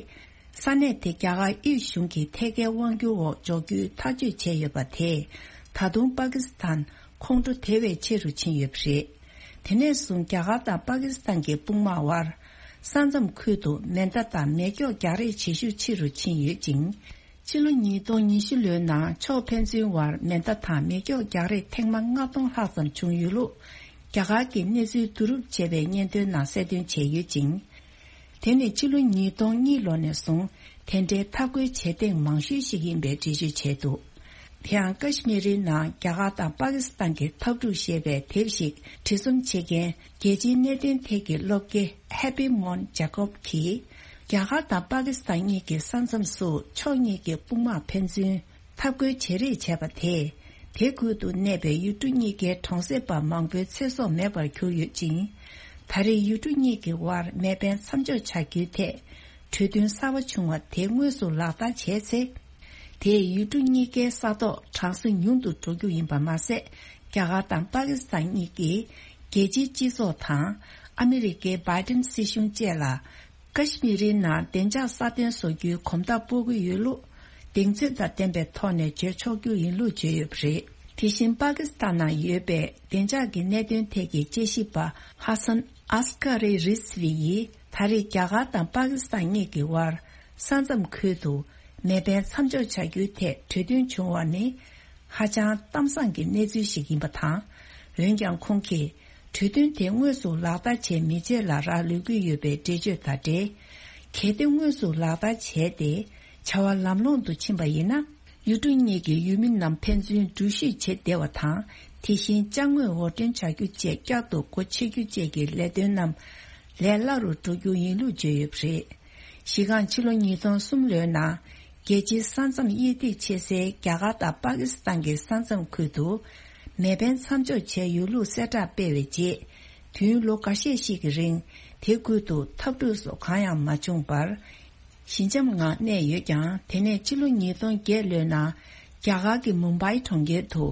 ས་གནས་དེ་རྒྱ་གར་དབུས་གཞུང་གི་ཐད་ཀའི་དབང་སྒྱུར་འོག་འཇོག་རྒྱུའི་ཐག་གཅོད་བྱས་ཡོད་པ་དེས་ད་དུང་པ་ཀི་སི་ཐན་ཁོང་ཁྲོ་དེ་བས་ཆེ་རུ་ཕྱིན་ཡོད་པ་རེད། དེ་ནས་བཟུང་རྒྱ་གར་དང་པ་ཀི་སི་ཐན་གྱི་དཔུང་དམག་དབར་ས་མཚམས་ཁུལ་དུ་མེ་མདའ་དང་མེ་སྒྱོགས་རྒྱག་རེས་བྱེད་ཤུགས་ཆེ་རུ་ཕྱིན་ཡོད་ཅིང་། ཕྱི་ལོ་ཉིས་སྟོང་ཉི་ཤུ་ལོའི་ནང་ཕྱོགས་ཕན་ཚུན་དབར་མེ་མདའ་དང་མེ་སྒྱོགས་རྒྱག་རེས་ཐེངས་མ་ལྔ་སྟོང་ལྷག་ཙམ་བྱུང་ཡོད་ལུགས། རྒྱ་གར་གྱི་གནས་ཚུལ་བསྡུ་རུབ་བྱས་པའི་སྙན་ཐོའི་ནང་གསལ་སྟོན་བྱས་ཡོད་ཅིང་། དེ་ནི་ཕྱི་ལོ་ཉིས་སྟོང་གཉིས་ལོ་ནས་བཟུང་དེ་འདྲའི་འཐབ་རྒོལ་བྱེད་སྟེང་མང་ཤོས་ཤིག་ཡིན་པའི་འགྲེལ་བརྗོད་བྱས་འདུག། དེ་ཡང་ཀ་ཤི་མིར་རི་ནང་རྒྱ་གར་དང་པ་ཀི་སི་ཐན་གྱི་འཐབ་འཁྲུག་ཞེས་པའི་དེབ་ཞིག་བྲིས་རྩོམ་བྱེད་མཁན་རྒྱལ་སྤྱིའི་གནད་དོན་ཐད་ཀྱི་སློབ་དགེ་Happy Mon Jacob་གྱིས། རྒྱ་གར་དང་པ་ཀི་སི་ཐན་གཉིས་ཀྱི་ས་མཚམས་སུ་ཕྱོགས་གཉིས་ཀྱི་དཔུང་དམག་ཕན་ཚུན་འཐབ་རྒོལ་བྱེད་རེས་བྱས་པ་དེས། དེ་ཁུལ་དུ་གནས་པའི་ཡུལ་གྲུ་གཉིས་ཀའི་གྲོང་གསེབ་པ་མང་པོའི་ཚེ་སྲོག་མེད་པར་གྱུར་ཡོད་ཅིང་། ད་རེས་ཡུལ་གྲུ་གཉིས་ཀྱི་དབར་མེ་འཕེན་མཚམས་འཇོག་བྱ་རྒྱུའི་ཐད་གྲོས་མཐུན་གསར་པ་བྱུང་བ་དེ་དངོས་སུ་ལག་བསྟར་བྱས་ཚེ། དེས་ཡུལ་གྲུ་གཉིས་ཀའི་ས་ཐོག་གྲང་ས་ཉུང་དུ་འགྲོ་རྒྱུ་ཡིན་པ་མ་ཟད། རྒྱ་གར་དང་པ་ཀི་སི་ཐན་གཉིས་ཀྱིས་རྒྱལ་སྤྱིའི་སྤྱི་ཚོགས་དང་། ཨ་མི་རི་ཀའི་བྷའི་ཏིན་སྲིད་གཞུང་བཅས་ལ། ཀ་ཤི་མིར་རི་ནང་བདེ་འཇགས་སྲ་བརྟན་བཟོ་རྒྱུའི་གོམ་སྟབས་སྤོ་གི་ཡོད་ལུགས། གདེང་ཚོད་དང་ལྡན་པའི་ཐོག་ནས་བརྗོད་ཆོག་རྒྱུ་ཡིན་ལུགས་བརྗོད་ཡོད་པ་རེད། དེ་བཞིན་པ་ཀི་སི་ཐན་ནང་ཡོད་པའི་བདེ་འཇགས་ཀྱི་གནད་དོན་ཐད་ཀྱི་དཔྱད་ཞིབ་པ་ཧ་སན་ཨས་ཀ་རི་རིས་བི་ཡིས། ད་རེས་རྒྱ་གར་དང་པ་ཀི་སི་ཐན་གཉིས་ཀྱི་དབར་ས་མཚམས་ཁུལ་དུ་མེ་འཕེན་མཚམས་འཇོག་བྱ་རྒྱུའི་ཐད་གྲོས་མཐུན་བྱུང་བ་ནི། ཧ་ཅང་གཏམ་བཟང་གི་གནས་ཚུལ་ཞིག་ཡིན་པ་དང་། འོན་ཀྱང་ཁོང་གིས་གྲོས་མཐུན་དེ་དངོས་སུ་ལག་བསྟར་བྱས་མི་བྱེད་ལ་རག་ལུས་ཀྱི་ཡོད་པའི་འགྲེལ་བརྗོད་དང་འབྲེལ། གལ་ཏེ་དངོས་སུ་ལག་བསྟར་བྱས་ཏེ་བྱ་བ་ལམ་ལྷོང་དུ་ཕྱིན་པ་ཡིན་ན། ཡུལ་གྲུ་གཉིས་ཀྱི་ཡུལ་མི་རྣམས་ཕན་ཚུན་འགྲུལ་བཞུད་བྱེད་བདེ་བ་དང་། དེ་བཞིན་ཅ་དངོས་དབོར་འདྲེན་བྱ་རྒྱུ་བཅས་བསྐྱར་དུ་སྒོ་ཕྱེ་རྒྱུ་བཅས་ཀྱི་ལས་དོན་རྣམས་ལས་སླ་རུ་འགྲོ་རྒྱུ་ཡིན་ལུགས་བརྗོད་ཡོད་པ་རེད། གཞི་རྐང་ཕྱི་ལོ་ཉིས་སྟོང་གསུམ་ལོའི་ནང་རྒྱལ་སྤྱིའི་ས་མཚམས་དབྱེ་ཐིག་ཕྱེ་སའི་རྒྱ་གར་དང་པ་ཀི་སི་ཐན་གྱི་ས་མཚམས་ཁུལ་དུ་མེ་འཕེན་མཚམས་འཇོག་བྱས་ཡོད་ལུགས་གསལ་བསྒྲགས་སྤེལ་བའི་རྗེས། དུས་ཡུན་ལོ་འགའ་ཤས་ཤིག་གི་རིང་དེ་ཁུལ་དུ་འཐབ་འཁྲུག་སོགས་གང་ཡང་མ་བྱུང་བར། ཞི་འཇམ་ངང་གནས་ཡོད་ཀྱང་། དེ་ནས་ཕྱི་ལོ་ཉིས་སྟོང་བརྒྱད་ལོའི་ནང་རྒྱ་གར་གྱི་མུམ་བྷའི་གྲོང་ཁྱེར་དུ་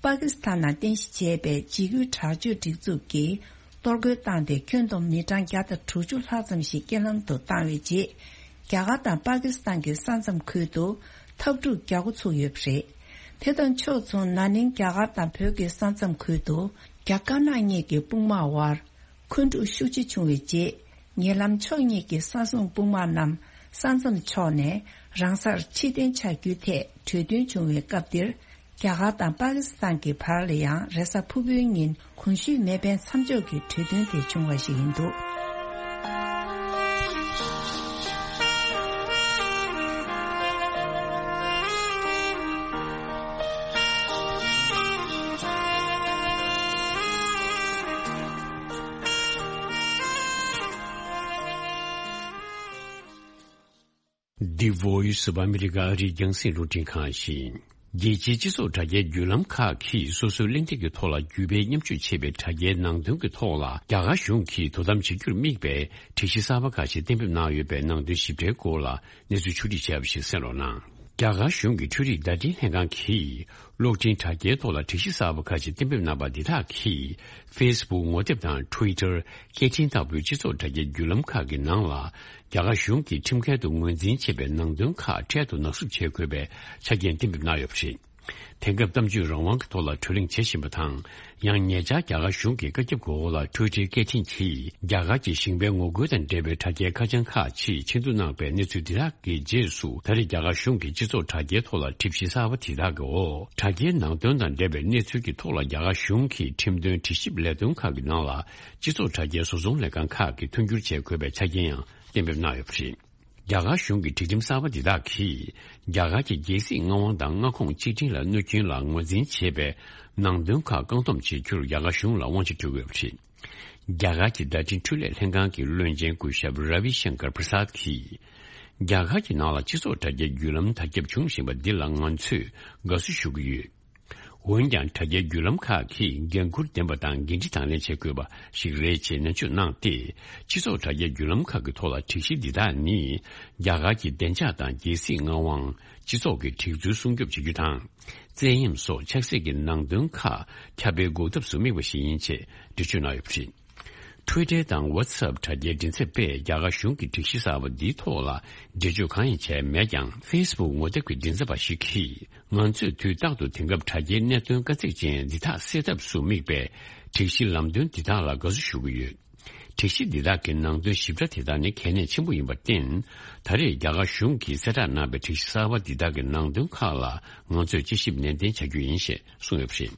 པ་ཀི་སི་ཐན་ནང་རྟེན་གཞི་བྱས་པའི་འཇིགས་སྐུལ་དྲག་སྤྱོད་སྒྲིག་འཛུགས་ཀྱིས། གཏོར་རྒོལ་བཏང་སྟེ་ཁྱོན་བསྡོམས་མི་གྲངས་བརྒྱ་དང་དྲུག་ཅུ་ལྷག་ཙམ་ཞིག་རྐྱེན་ལམ་དུ་བཏང་བའི་རྗེས། རྒྱ་གར་དང་པ་ཀི་སི་ཐན་གྱི་ས་མཚམས་ཁུལ་དུ་འཐབ་འཁྲུག་རྒྱག་འགོ་ཚུགས་ཡོད་པ་རེད། དེ་དང་ཕྱོགས་མཚུངས། ན་ནིང་རྒྱ་གར་དང་བོད་ཀྱི་ས་མཚམས་ཁུལ་དུ་རྒྱ་དཀར་ནག་གཉིས་ཀྱི་དཔུང་དམག་དབར་འཁོན་འཁྲུག་ཤུགས་ཆེ་བྱུང་བའི་རྗེས། ཉེ་ལམ་ཕྱོགས་གཉིས་ཀྱི་ས་སྲུང་དཔུང་དམག་རྣམས་ས་མཚམས་ཕྱོགས་ནས་རང་སར་ཕྱིར་འཐེན་བྱ་རྒྱུའི་ཐད་གྲོས་མཐུན་བྱུང་བའི་སྐབས་འདིར། རྒྱ་གར་དང་པ་ཀི་སི་ཐན་གྱི་བར་ལ་ཡང་རེས་གཟའ་ཕུར་བུའི་ཉིན་གོང་ཞུས་མེ་འཕེན་མཚམས་འཇོག་གི་གྲོས་མཐུན་དེ་བྱུང་བ་ཞིག་ཡིན་འདུག། The Voice of America ཨ་རིའི་རྒྱང་སྲིང་རླུང་འཕྲིན་ཁང་ཡིན། རྒྱལ་སྤྱིའི་སྤྱི་ཚོགས་དྲ་རྒྱའི་བརྒྱུད་ལམ་ཁག་གིས་སོ་སོའི་གླེང་སྟེགས་ཀྱི་ཐོག་ལ་བརྒྱུད་སྤེལ་མཉམ་སྤྱོད་བྱེད་པའི་དྲ་རྒྱའི་ནང་དོན་གྱི་ཐོག་ལ་རྒྱ་གར་གཞུང་གིས་དོ་དམ་བྱེད་རྒྱུར་དམིགས་པའི་སྒྲིག་གཞི་གསར་པ་ཁག་ཅིག་གཏན་འབེབས་གནང་ཡོད་པའི་ནང་དོན་ཞིབ་ཕྲའི་སྐོར་ལ་གནས་ཚུལ་ཕྱོགས་སྒྲིག་བྱས་པ་ཞིག་གསན་རོགས་གནང་། རྒྱ་གར་གཞུང་གི་འཕྲུལ་རིག་བརྡ་འཕྲིན་ལྷན་ཁང་གིས་གློག་འཕྲིན་དྲ་རྒྱའི་ཐོག་ལ་སྒྲིག་གཞི་གསར་པ་ཁག་ཅིག་གཏན་འབེབས་གནང་པ་འདི་དག་གིས་Facebook ངོ་དེབ་དང་Twitter། སྐད་འཕྲིན་ལྟ་བུའི་སྤྱི་ཚོགས་དྲ་རྒྱའི་བརྒྱུད་ལམ་ཁག་གི་ནང་ལ། རྒྱ་གར་གཞུང་གིས་ཁྲིམས་འགལ་དུ་ངོས་འཛིན་བྱས་པའི་ནང་དོན་ཁག་འཕྲལ་དུ་ནག་བསུབ་བྱེད་དགོས་པའི་ཆ་རྐྱེན་གཏན་འབེབས་གནང་ཡོད་པ་རེད། དེང་སྐབས་གཏམ་བརྗོད་རང་དབང་གི་ཐོག་ལ་གྲོས་གླེང་བྱེད་བཞིན་པ་དང་། ཡང་ཉེ་ཆར་རྒྱ་གར་གཞུང་གི་བཀའ་ཁྱབ་ཀྱི་འོག་ལ་Twitter སྐད་འཕྲིན་གྱིས་རྒྱ་གར་གྱི་ཞིང་པའི་ངོ་རྒོལ་དང་འབྲེལ་བའི་དྲ་རྒྱའི་ཁ་བྱང་ཁག་ཅིག་ཆེད་འཛུགས་གནང་པའི་གནས་ཚུལ་འདི་དག་གི་རྗེས་སུ། ད་རེས་རྒྱ་གར་གཞུང་གིས་སྤྱི་ཚོགས་དྲ་རྒྱའི་ཐོག་ལ་སྒྲིག་གཞི་གསར་པ་དེ་དག་གི་འོག་དྲ་རྒྱའི་ནང་དོན་དང་འབྲེལ་བའི་གནས་ཚུལ་གྱི་ཐོག་ལ་རྒྱ་གར་གཞུང་གི་ཁྲིམས་དོན་དྲི་ཞིབ་ལས་དོན་ཁག་གི་ནང་ལ། སྤྱི་ཚོགས་དྲ་རྒྱའི་བཟོ་ཚོང་ལས་ཁང་ཁག་གིས་མཐུན་འགྱུར་བྱེད་དགོས་པའི་ཆ་རྐྱེན་ཡང་གཏན་འབེབས་གནང་ཡོད་པ་རེད། རྒྱ་གར་གཞུང་གི་སྒྲིག་ཁྲིམས་གསར་པ་འདི་དག་གིས། རྒྱ་གར་གྱི་རྒྱལ་སྲིད་མངའ་དབང་དང་མངའ་ཁོངས་གཅིག་སྒྲིལ་ལ་གནོད་སྐྱོན་ལ་ངོས་འཛིན་བྱེད་པའི་ནང་དོན་ཁག་བཀག་སྡོམ་བྱེད་རྒྱུར་རྒྱ་གར་གཞུང་ལ་དབང་ཆ་སྤྲོད་དགོས་པ་རེད། རྒྱ་གར་གྱི་བརྡ་འཕྲིན་འཕྲུལ་ལས་ལྷན་ཁང་གི་བློན་ཆེན་སྐུ་ཞབས་Ravi Shankar Prasad གིས། རྒྱ་གར་གྱི་ནང་ལ་སྤྱི་ཚོགས་དྲ་རྒྱའི་བརྒྱུད་ལམ་དར་ཁྱབ་འབྱུང་བཞིན་པ་འདི་ལ་ང་ཚོས་དགའ་བསུ་ཞུ་གི་ཡོད། འོན་ཀྱང་། དྲ་རྒྱའི་བརྒྱུད་ལམ་ཁག་གིས་འགན་འཁུར་ལྡན་པ་དང་འགན་འཁྲི་དང་ལེན་བྱེད་དགོས་པ་ཞིག་རེད་ཅེས་ནན་བརྗོད་གནང་སྟེ། སྤྱི་ཚོགས་དྲ་རྒྱའི་བརྒྱུད་ལམ་ཁག་གི་ཐོག་ལ་སྒྲིག་གཞི་འདི་དག་ནི། རྒྱ་གར་གྱི་བདེ་འཇགས་དང་རྒྱལ་སྲིད་མངའ་དབང་། སྤྱི་ཚོགས་ཀྱི་སྒྲིག་འཛུལ་སྲུང་སྐྱོབ་བྱེད་རྒྱུ་དང་། བཙན་གཡེམ་སོགས་ཆབ་སྲིད་ཀྱི་ནང་དོན་ཁག་ཁྱབ་སྤེལ་འགོག་ཐབས་སུ་དམིགས་པ་ཞིག་ཡིན་ཅེས་འགྲེལ་བརྗོད་གནང་ཡོད་པ་རེད། Twitter དང་WhatsApp དྲ་རྒྱའི་མགྲིན་ཚབ་པས་རྒྱ་གར་གཞུང་གི་སྒྲིག་གཞི་གསར་པ་འདིའི་ཐོག་ལ་འགྲེལ་བརྗོད་གང་ཡང་བྱས་མེད་ཀྱང་། Facebook ངོ་དེབ་ཀྱི་མགྲིན་ཚབ་པ་ཞིག་གིས། ང་ཚོས་དུས་རྟག་ཏུ་དེང་སྐབས་དྲ་རྒྱའི་གནད་དོན་དཀའ་ཚེགས་ཅན་འདི་དག་སེལ་ཐབས་སུ་དམིགས་པའི་སྒྲིག་གཞི་ལམ་སྟོན་འདི་དག་ལ་དགའ་བསུ་ཞུ་གི་ཡོད། སྒྲིག་གཞི་འདི་དག་གི་ནང་དོན་ཞིབ་ཕྲ་དེ་དག་ནི་གལ་གནད་ཆེན་པོ་ཡིན་པར་བརྟེན། ད་རེས་རྒྱ་གར་གཞུང་གིས་གསལ་བསྒྲགས་གནང་བའི་སྒྲིག་གཞི་གསར་པ་འདི་དག་གི་ནང་དོན་ཁག་ལ་ང་ཚོས་དཔྱད་ཞིབ་ནན་ཏན་བྱ་རྒྱུ་ཡིན་ཞེས་གསུངས་ཡོད་པ་རེད།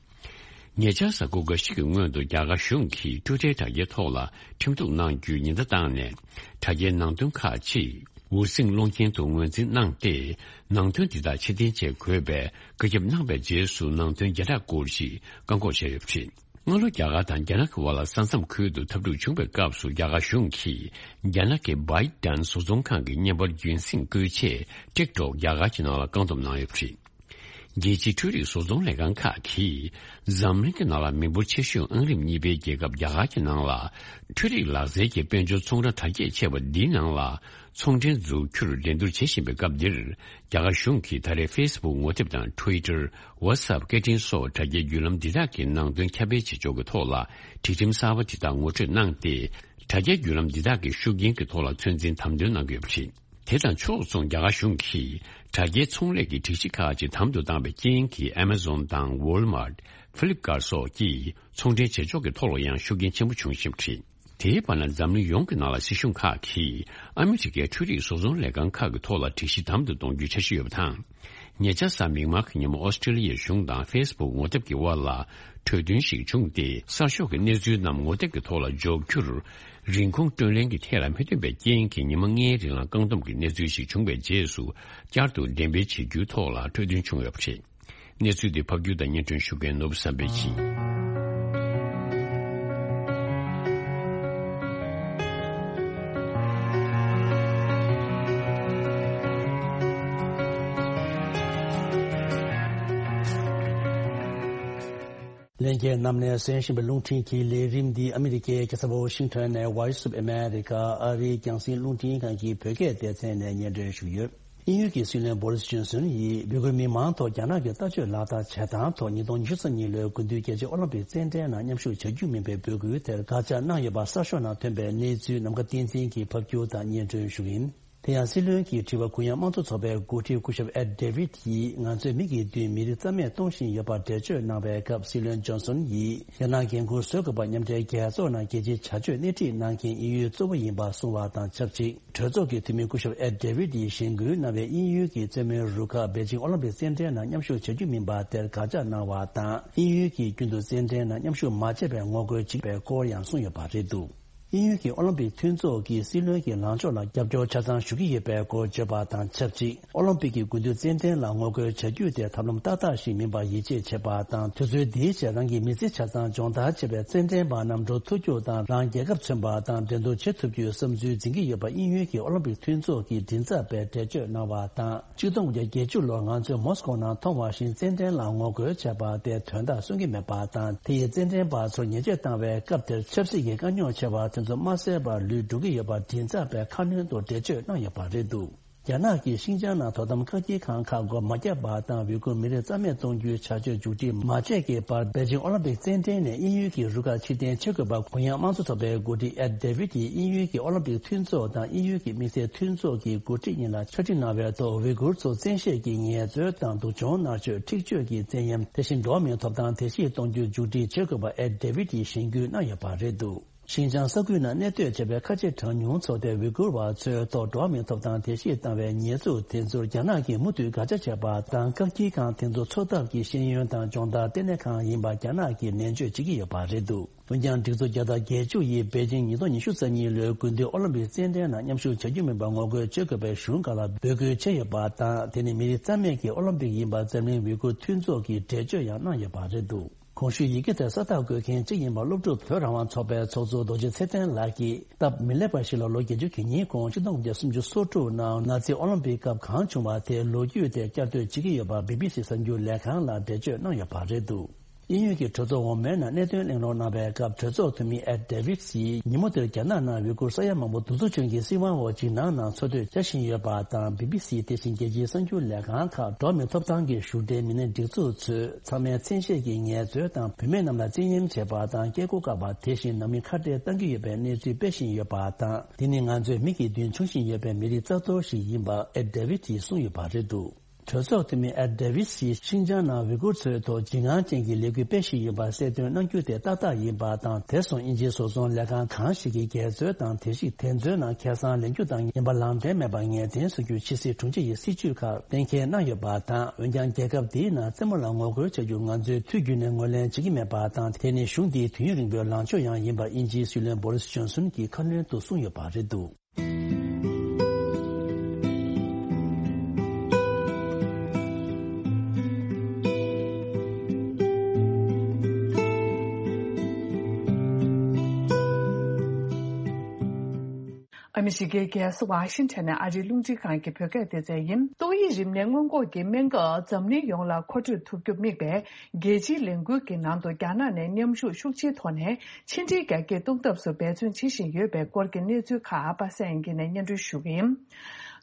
ཉེ་ཆར་གཟའ་འཁོར་འགའ་ཞིག་གི་སྔོན་དུ་རྒྱ་གར་གཞུང་གིས་ཊུའི་ཊར་དྲ་རྒྱའི་ཐོག་ལ་ཁྲིམས་གཏུག་གནང་རྒྱུའི་ཉེན་བརྡ་བཏང་ནས། དྲ་རྒྱའི་ནང་དོན་ཁག་ཅིག་འུར་ཟིང་སློང་རྐྱེན་དུ་ངོས་འཛིན་གནང་སྟེ། ནང་དོན་འདི་དག་ཕྱིར་འཐེན་བྱེད་དགོས་པའི་བཀའ་ཁྱབ་གནང་བའི་རྗེས་སུ་ནང་དོན་བརྒྱ་ཕྲག་སྐོར་ཞིག་བཀག་འགོག་བྱས་ཡོད་པ་རེད། སྔ་ལོ་རྒྱ་གར་དང་རྒྱ་ནག་གི་དབར་ལ་ས་མཚམས་ཁུལ་དུ་འཐབ་འཁྲུག་བྱུང་བའི་སྐབས་སུ་རྒྱ་གར་གཞུང་གིས་རྒྱ་ནག་གི་བྷའི་ཏན་བཟོ་ཚོང་ཁང་གི་བརྙན་པར་རྒྱུན་སྲིང་བཀོལ་ཆེད་ཊིག་ཊོག་རྒྱ་གར་གྱི་ནང་ལ་བཀག་སྡོམ་གནང་ཡོད་པ་རེད། རྒྱལ་སྤྱིའི་འཕྲུལ་རིག་བཟོ་ཚོང་ལས་ཁང་ཁག་གིས་འཛམ་གླིང་གི་ནང་ལ་མི་འབོར་ཆེ་ཤོས་ཨང་རིམ་གཉིས་པའི་རྒྱལ་ཁབ་རྒྱ་གར་གྱི་ནང་ལ་འཕྲུལ་རིག་ལག་རྩལ་གྱི་དཔལ་འབྱོར་ཚོང་ར་དར་རྒྱས་ཆེ་བ་འདིའི་ནང་ལ་ཚོང་འབྲེལ་འཛུགས་རྒྱུར་འགྲན་བསྡུར་བྱེད་བཞིན་པའི་སྐབས་འདིར། རྒྱ་གར་གཞུང་གིས་ད་རེས་ཕེ་སི་བུག་ངོ་དེབ་དང་ཊུའི་ཊར། ཝ་ཊི་སི་ཨེབ་སྐད་འཕྲིན་སོགས་དྲ་རྒྱའི་བརྒྱུད་ལམ་འདི་དག་གི་ནང་དོན་ཁྱབ་སྤེལ་བྱེད་ཕྱོགས་ཀྱི་ཐོག་ལ་སྒྲིག་ཁྲིམས་གསར་པ་འདི་དག་ངོ་སྤྲོད་གནང་སྟེ། དྲ་རྒྱའི་བརྒྱུད་ལམ་འདི་དག་གི་ཤུགས་རྐྱེན་གྱི་ཐོག་ལ་ཚོད་འཛིན་དམ་དོན་གནང་གི་ཡོད་པ་རེད། དེ་དང་ཕྱོགས་མཚུངས་རྒྱ་གར་གཞུང་གིས་དྲ་རྒྱའི་ཚོང་ལས་ཀྱི་སྒྲིག་གཞི་ཁག་ཅིག་དམ་དུ་བཏང་བའི་རྐྱེན་གྱིས་ཨེ་མ་ཛོན་དང་ཝོལ་མར་ཊི། ཕི་ལིབ་ཀར་སོགས་ཀྱིས་ཚོང་འབྲེལ་བྱེད་ཕྱོགས་ཀྱི་ཐོག་ལ་ཡང་ཤུགས་རྐྱེན་ཆེན་པོ་བྱུང་བཞིན་པ་རེད། དེའི་བར་ན་འཛམ་གླིང་ཡོངས་ཀྱི་ནང་ལ་སྲིད་གཞུང་ཁག་གིས་ཨ་མི་རི་ཀའི་འཕྲུལ་རིག་བཟོ་ཚོང་ལས་ཁང་ཁག་གི་ཐོག་ལ་སྒྲིག་གཞི་དམ་དུ་གཏོང་རྒྱུའི་འཆར་གཞི་ཡོད་པ་དང་། ཉེ་ཆར་གཟའ་མིག་དམར་གྱི་ཉིན་མོ་ཨོ་སི་ཀྲི་ལི་ཡའི་གཞུང་དང་ཕེ་སི་བུག་ངོ་དེབ་ཀྱི་དབར་ལ་གྲོས་མཐུན་ཞིག་བྱུང་སྟེ། གསར་ཤོག་གི་གནས་ཚུལ་རྣམས་ངོ་དེབ་ཀྱི་ཐོག་ལ་འཇོག་རྒྱུར་རིན་གོང་སྤྲོད་ལེན་གྱི་ཐད་ལ་མི་མཐུན་པའི་རྐྱེན་གྱིས་ཉི་མ་ལྔའི་རིང་ལ་བཀག་སྡོམ་གྱི་གནས་ཚུལ་ཞིག་བྱུང་བའི་རྗེས་སུ། བསྐྱར་དུ་འགྲེམས་སྤེལ་བྱེད་རྒྱུའི་ཐོག་ལ་གྲོས་མཐུན་བྱུང་ཡོད་པ་རེད། གནས་ཚུལ་འདི་ཕབ་སྒྱུར་དང་སྙན་སྒྲོན་ཞུ་མཁན་ནོར་བུ་བསམ་འཕེལ་ཡིན། ལྷན་རྒྱས་རྣམས་ནས་གསན་བཞིན་པའི་རླུང་འཕྲིན་གྱི་ལས་རིམ་འདི་ཨ་མི་རི་ཀའི་རྒྱལ་ས་ཝོ་ཤིང་ཊོན་ནས་Voice of America ཨ་རིའི་རྒྱང་སྲིང་རླུང་འཕྲིན་ཁང་གི་བོད་སྐད་སྡེ་ཚན་ནས་སྙན་སྒྲོན་ཞུ་ཡོད། དབྱིན་ཡུལ་གྱི་སྲིད་བློན་བོ་རིས་ཇོན་སོན་ཡིས་ཝི་གུར་མི་མང་ཐོག་རྒྱ་ནག་གི་ལྟ་སྤྱོད་ལག་བསྟར་བྱེད་སྟངས་ཐོག་ཉིས་སྟོང་ཉི་ཤུ་རྩ་གཉིས་ལོའི་དགུན་དུས་རྒྱལ་སྤྱིའི་ཨོ་ལིམ་པིག་རྩེད་འགྲན་ནང་མཉམ་ཞུགས་བྱ་རྒྱུ་མིན་པའི་འབོད་སྐུལ་དེར་དགག་བྱ་གནང་ཡོད་པ་གསར་ཤོག་ནང་ཐོན་པའི་གནས་ཚུལ་ནམ་མཁའ་བསྟན་འཛིན་གྱིས་ཕབ་སྒྱུར་དང་སྙན་སྒྲོན་ཞུ་གི་ཡིན། དེ་ཡང་སྲིད་བློན་གྱིས་དྲི་བ་གུ་ཡངས་དམངས་གཙོ་ཚོགས་པའི་འགོ་ཁྲིད་སྐུ་ཞབས་ཨེ་ཌེ་བིད་ཡིས་ང་ཚོས་མི་གི་མདུན་མི་རིགས་རྩ་མེད་གཏོང་བཞིན་ཡོད་པར་འགྲེལ་བརྗོད་གནང་བའི་སྐབས། སྲིད་བློན་ཇོན་སོན་ཡིས་རྒྱ་ནག་འགན་འཁུར་བཟོ་དགོས་པ་མཉམ་འབྲེལ་རྒྱལ་ཚོགས་ནང་རྒྱལ་སྤྱིའི་བྱ་སྤྱོད་སྣེ་ཁྲིད་གནང་མཁན་དབྱིན་ཡུལ་གཙོ་བོ་ཡིན་པ་གསུངས་པ་དང་ཆབས་ཅིག་གྲོས་ཚོགས་ཀྱི་འཐུས་མི་སྐུ་ཞབས་ཨེ་ཌེ་བིད་ཡིས་གཞེན་སྐུལ་གནང་བའི་དབྱིན་ཡུལ་གྱི་རྩེད་མོའི་རུ་ཁག་པེ་ཅིང་ཨོ་ལིམ་པིག་རྩེད་འགྲན་ནང་མཉམ་ཞུགས་བྱ་རྒྱུ་མིན་པ་དེར་དགག་བྱ་གནང་བ་དང་། དབྱིན་ཡུལ་གྱིས་རྒྱུན་དུ་རྩེད་འགྲན་ནང་མཉམ་ཞུགས་མ་བྱས་པའི་ངོ་རྒོལ་བྱེད་པའི་སྐོར་ཡང་གསུངས་ཡོད་པ་རེད་འདུག་དབྱིན་ཡུལ་གྱི་ཨོ་ལིམ་པིག་མཐུན་ཚོགས་ཀྱིས་སྲིད་བློན་གྱི་ལངས་ཕྱོགས་ལ་རྒྱབ་སྐྱོར་ཆ་ཚང་ཞུ་གི་ཡོད་པའི་སྐོར་བརྗོད་པ་དང་ཆབས་ཅིག་ཨོ་ལིམ་པིག་གི་དགུན་དུས་རྩེད་འགྲན་ལ་ངོ་རྒོལ་བྱ་རྒྱུ་དེ་ཐབས་ལམ་ཏག་ཏག་ཞིག་མིན་པར་ཡིད་ཆེས་བྱེད་པ་དང་། དུས་ཚོད་འདིའི་ཆེད་རང་གི་མི་ཚེ་ཆ་ཚང་སྦྱོང་བརྡར་བྱས་པའི་རྩེད་འགྲན་པ་རྣམས་འགྲོ་ཐུབ་རྒྱུ་དང་། རང་རྒྱལ་ཁབ་མཚོན་པ་དང་འགྲན་བསྡུར་བྱེད་ཐུབ་རྒྱུའི་བསམ་ཚུལ་འཛིན་གྱི་ཡོད་པ་དབྱིན་ཡུལ་གྱི་ཨོ་ལིམ་པིག་མཐུན་ཚོགས་ཀྱི་མགྲིན་ཚབ་པས་འགྲེལ་བརྗོད་གནང་བ་དང་། གཅིག་སྟོང་དགུ་བརྒྱ་བརྒྱད་ཅུ་ལོར་ང་ཚོས་མོ་སི་ཀོ་ནང་མཐོང་བ་བཞིན་རྩེད་འགྲན་ལ་ངོ་རྒོལ་བྱས་པ་དེ་དོན་དག་སོན་གྱི་མེད་པ་དང་། དེ་ཡིས་རྩེད་འགྲན་པ་ཚོར་ཉེས་ཆད་བཏང་བའི་སྐབས་དེར་ཆབ་སྲིད་ཀྱི་དཀའ་རྙོག་ཆེ་བ་དེ་ཚོ་མ་བསལ་བར་ལུས་འགྲོ་གི་ཡོད་པ་མགྲིན་ཚབ་པས་ཁ་སྣོན་དུ་འགྲེལ་བརྗོད་གནང་ཡོད་པ་རེད་འདུག་རྒྱ་ནག་གིས་ཤིན་ཅང་ནང་དོ་དམ་བཀག་སྐྱིལ་ཁང་ཁག་སྒོ་མ་བརྒྱབ་པ་དང་། ཝི་གུར་མི་རིགས་རྩ་མེད་གཏོང་རྒྱུའི་བྱ་སྤྱོད་མཇུག་སྒྲིལ་མ་བྱས་ཀྱི་བར། པེ་ཅིང་ཨོ་ལིམ་པིག་རྩེད་འགྲན་ནས་དབྱིན་ཡུལ་གྱི་རུ་ཁག་ཕྱིར་འཐེན་བྱེད་དགོས་པ་གུ་ཡངས་དམངས་གཙོ་ཚོགས་པའི་འགོ་ཁྲིད་ཨེ་ཌེ་བིད་ཡིས་དབྱིན་ཡུལ་གྱི་ཨོ་ལིམ་པིག་མཐུན་ཚོགས་དང་དབྱིན་ཡུལ་གྱི་དམིགས་བསལ་མཐུན་ཚོགས་ཀྱི་འགོ་ཁྲིད་གཉིས་ལ་ཕྱག་བྲིས་གནང་བའི་ཐོག་ཝི་གུར་ཚོ་བཙན་ཤེད་ཀྱིས་ངལ་རྩོལ་དང་སྡུག་སྦྱོང་མནར་གཅོད། འཁྲིག་སྤྱོད་ཀྱི་བཙན་གཡེམ། དེ་བཞིན་འགྲོ་བ་མིའི་ཐོབ་ཐང་དེ་བཞིན་གཏོང་རྒྱུ་མཇུག་སྒྲིལ་བྱེད་དགོས་པ་ཨེ་ཌེ་བིད་ཡིས་གཞེན་སྐུལ་གནང་ཡོད་པ་རེད་འདུག་ཤིན་ཅང་ས་ཁུལ་ནང་གནས་སྡོད་བྱས་པའི་ཁ་ཆེ་གྲངས་ཉུང་ཚོགས་སྡེ་ཝི་གུར་བ་ཚོའི་ཐོག་འགྲོ་བ་མིའི་ཐོབ་ཐང་དེ་བཞིན་བཏང་བའི་ཉེས་འཛུགས་དེ་ཚོར་རྒྱ་ནག་གིས་མུ་མཐུད་དགག་བྱ་བྱས་པ་དང་། བཀག་སྐྱིལ་ཁང་དེ་ཚོ་འཚོ་ཐབས་ཀྱི་ཤེས་ཡོན་དང་སྦྱོང་བརྡར་ལྟེ་གནས་ཁང་ཡིན་པ་རྒྱ་ནག་གིས་ནན་བརྗོད་བྱེད་ཀྱི་ཡོད་པ་རེད་འདུག་འོན་ཀྱང་སྒྲིག་འཛུགས་བརྒྱ་དང་བརྒྱད་ཅུ་ཡིས་པེ་ཅིང་ཉིས་སྟོང་ཉི་ཤུ་རྩ་གཉིས་ལོའི་དགུན་དུས་ཨོ་ལིམ་པིག་རྩེད་འགྲན་ནང་མཉམ་ཞུགས་བྱ་རྒྱུ་མིན་པར་ངོ་རྒོལ་བྱེད་དགོས་པའི་གཞུང་སྒང་ལ་འབོད་སྐུལ་བྱས་ཡོད་པ་དང་། དེ་ནི་མི་རིགས་རྩ་མེད་ཀྱི་ཨོ་ལིམ་པིག་ཡིན་པར་འཛམ་གླིང་ཝི་གུར་མཐུན་ཚོགས་ཀྱིས་འགྲེལ་བརྗོད་ཡང་གནང་ཡོད་པ་རེད་འདུག་གོང་ཞུས་ཡི་གེ་དེར་ས་རྟགས་བཀོད་མཁན་གཅིག་ཡིན་པ་སློབ་ཕྲུག་བོད་རང་དབང་ཚོགས་པའི་ཚོགས་གཙོ་རྡོ་རྗེ་ཚེ་བརྟན་ལགས་ཀྱིས། སྟབས་མི་ལེགས་པ་ཞིག་ལ་ལོ་བརྒྱད་ཅུ་གྱ་གཉིས་གོང་ཆིག་སྟོང་དགུ་བརྒྱ་སུམ་ཅུ་སོ་དྲུག་ནང་ནཱ་ཛི་ཨོ་ལིམ་པིག་སྐབས་གང་བྱུང་བ་དེའི་ལོ་རྒྱུས་དེ་བསྐྱར་ཟློས་བྱེད་ཀྱི་ཡོད་པ་བི་བི་སི་གསར་འགྱུར་ལས་ཁང་ལ་འགྲེལ་བརྗོད་གནང་ཡོད་པ་རེད་འདུག་དབྱིན་ཡུལ་གྱི་གྲོས་ཚོགས་འོག་མའི་ནང་གནད་དོན་གླེང་སློང་གནང་བའི་སྐབས། གྲོས་ཚོགས་འཐུས་མི་ཨེ་ཌེ་བིད་སིས་ཉིན་མོ་དེར་རྒྱ་ནག་ནང་ཝི་གུར་ས་ཡ་མང་པོ་གདུག་རྩུབ་ཅན་གྱི་སྲིད་དབང་འོག་འཇིགས་སྣང་ནང་འཚོ་སྡོད་བྱ་བཞིན་ཡོད་པ་དང་། བི་བི་སི་དེ་བཞིན་རྒྱལ་སྤྱིའི་གསར་འགྱུར་ལས་ཁང་ཁག་འགྲོ་བ་མིའི་ཐོབ་ཐང་གི་བཞུགས་གྲལ་མི་སྣའི་སྒྲིག་འཛུགས་ཚོས་ཚང་མས་མཚན་ཤས་ཀྱིས་ངལ་རྩོལ་དང་བུད་མེད་རྣམས་ལ་བཙན་གཡེམ་བྱེད་པ་དང་སྐྱེ་སྒོ་བཀག་པ། དེ་བཞིན་ནང་མི་ཁ་བྲལ་གཏང་གི་ཡོད་པའི་གནས་ཚུལ་སྤེལ་བཞིན་ཡོད་པ་དང་། འདི་ནི་ང་ཚོས་མིག་གི་མདུན་མཐོང་བཞིན་ཡོད་པའི་མི་རིགས་རྩ་གཏོར་ཞིག་ཡིན་པ་ཨེ་ཌེ་བིད་ཀྱིས་གསུངས་ཡོད་པ་རེད་འདུག་གྲོས་ཚོགས་འཐུས་མི་ཨེ་ཌེ་ཝི་སིས་ཤིན་ཅང་ནང་ཝི་གུར་ཚོའི་ཐོག་འཇིགས་སྣང་ཅན་གྱི་ལས་འགུལ་སྤེལ་བཞིན་ཡོད་པ་གསལ་སྟོན་གནང་རྒྱུ་དེ་ཏག་ཏག་ཡིན་པ་དང་། དེ་སོང་དབྱིན་ཇིའི་བཟོ་ཚོང་ལས་ཁང་གང་ཞིག་གིས་འགལ་འཛོལ་དང་། དེ་བཞིན་དེ་ཚོའི་ནང་ཁེ་བཟང་ལེན་རྒྱུ་དང་ཡིན་པ་ལམ་སྟོན་མེད་པར་ངེས་གཏན་བཟོ་རྒྱུ་ཕྱི་སྲིད་དྲུང་ཆེ་ཡིས་སྲིད་བྱུས་ཁག་གཏན་འཁེལ་གནང་ཡོད་པ་དང་། འོན་ཀྱང་རྒྱལ་ཁབ་འདིའི་ནང་རྩེད་མོ་ལ་ངོ་རྒོལ་བྱ་རྒྱུ་ང་ཚོས་དུས་རྒྱུན་ནས་ངོས་ལེན་བྱེད་ཀྱི་མེད་པ་དང་། དེ་ནི་གཞུང་འདིའི་དུས་ཡུན་རིང་པོའི་ལངས་ཕྱོགས་ཡང་ཡིན་པ་དབྱིན་ཇིའི་སྲིད་བློན་བོ་རིས་ཇོན་སོན་གྱིས་ཁ་སྣོན་དུ་གསུངས་ཡོད་པ་རེད་འདུག། ཨ་མི་རི་ཀའི་རྒྱལ་ས་ཝ་ཤིང་ཊོན་ནས་ཨ་རིའི་རླུང་འཕྲིན་ཁང་གི་བོད་སྐད་སྡེ་ཚན་ཡིན། ཏོག་དབྱིབས་རིམས་ནད་སྔོན་འགོག་གི་སྨན་ཁབ་འཛམ་གླིང་ཡོངས་ལ་མཁོ་སྤྲོད་ཐུབ་རྒྱུར་དམིགས་པའི་རྒྱལ་སྤྱིའི་ལས་འགུལ་གྱི་ནང་དུ་རྒྱ་ནག་ནས་མཉམ་ཞུགས་ཤུགས་ཆེའི་ཐོག་ནས་ཕྱི་འབྲེལ་རྒྱ་སྐྱེད་གཏོང་ཐབས་སུ་འབད་བརྩོན་བྱེད་བཞིན་ཡོད་པའི་སྐོར་གྱི་གནས་ཚུལ་ཁག་པ་སངས་དབྱངས་སྐྱིད་ནས་སྙན་སྒྲོན་ཞུ་གི་ཡིན།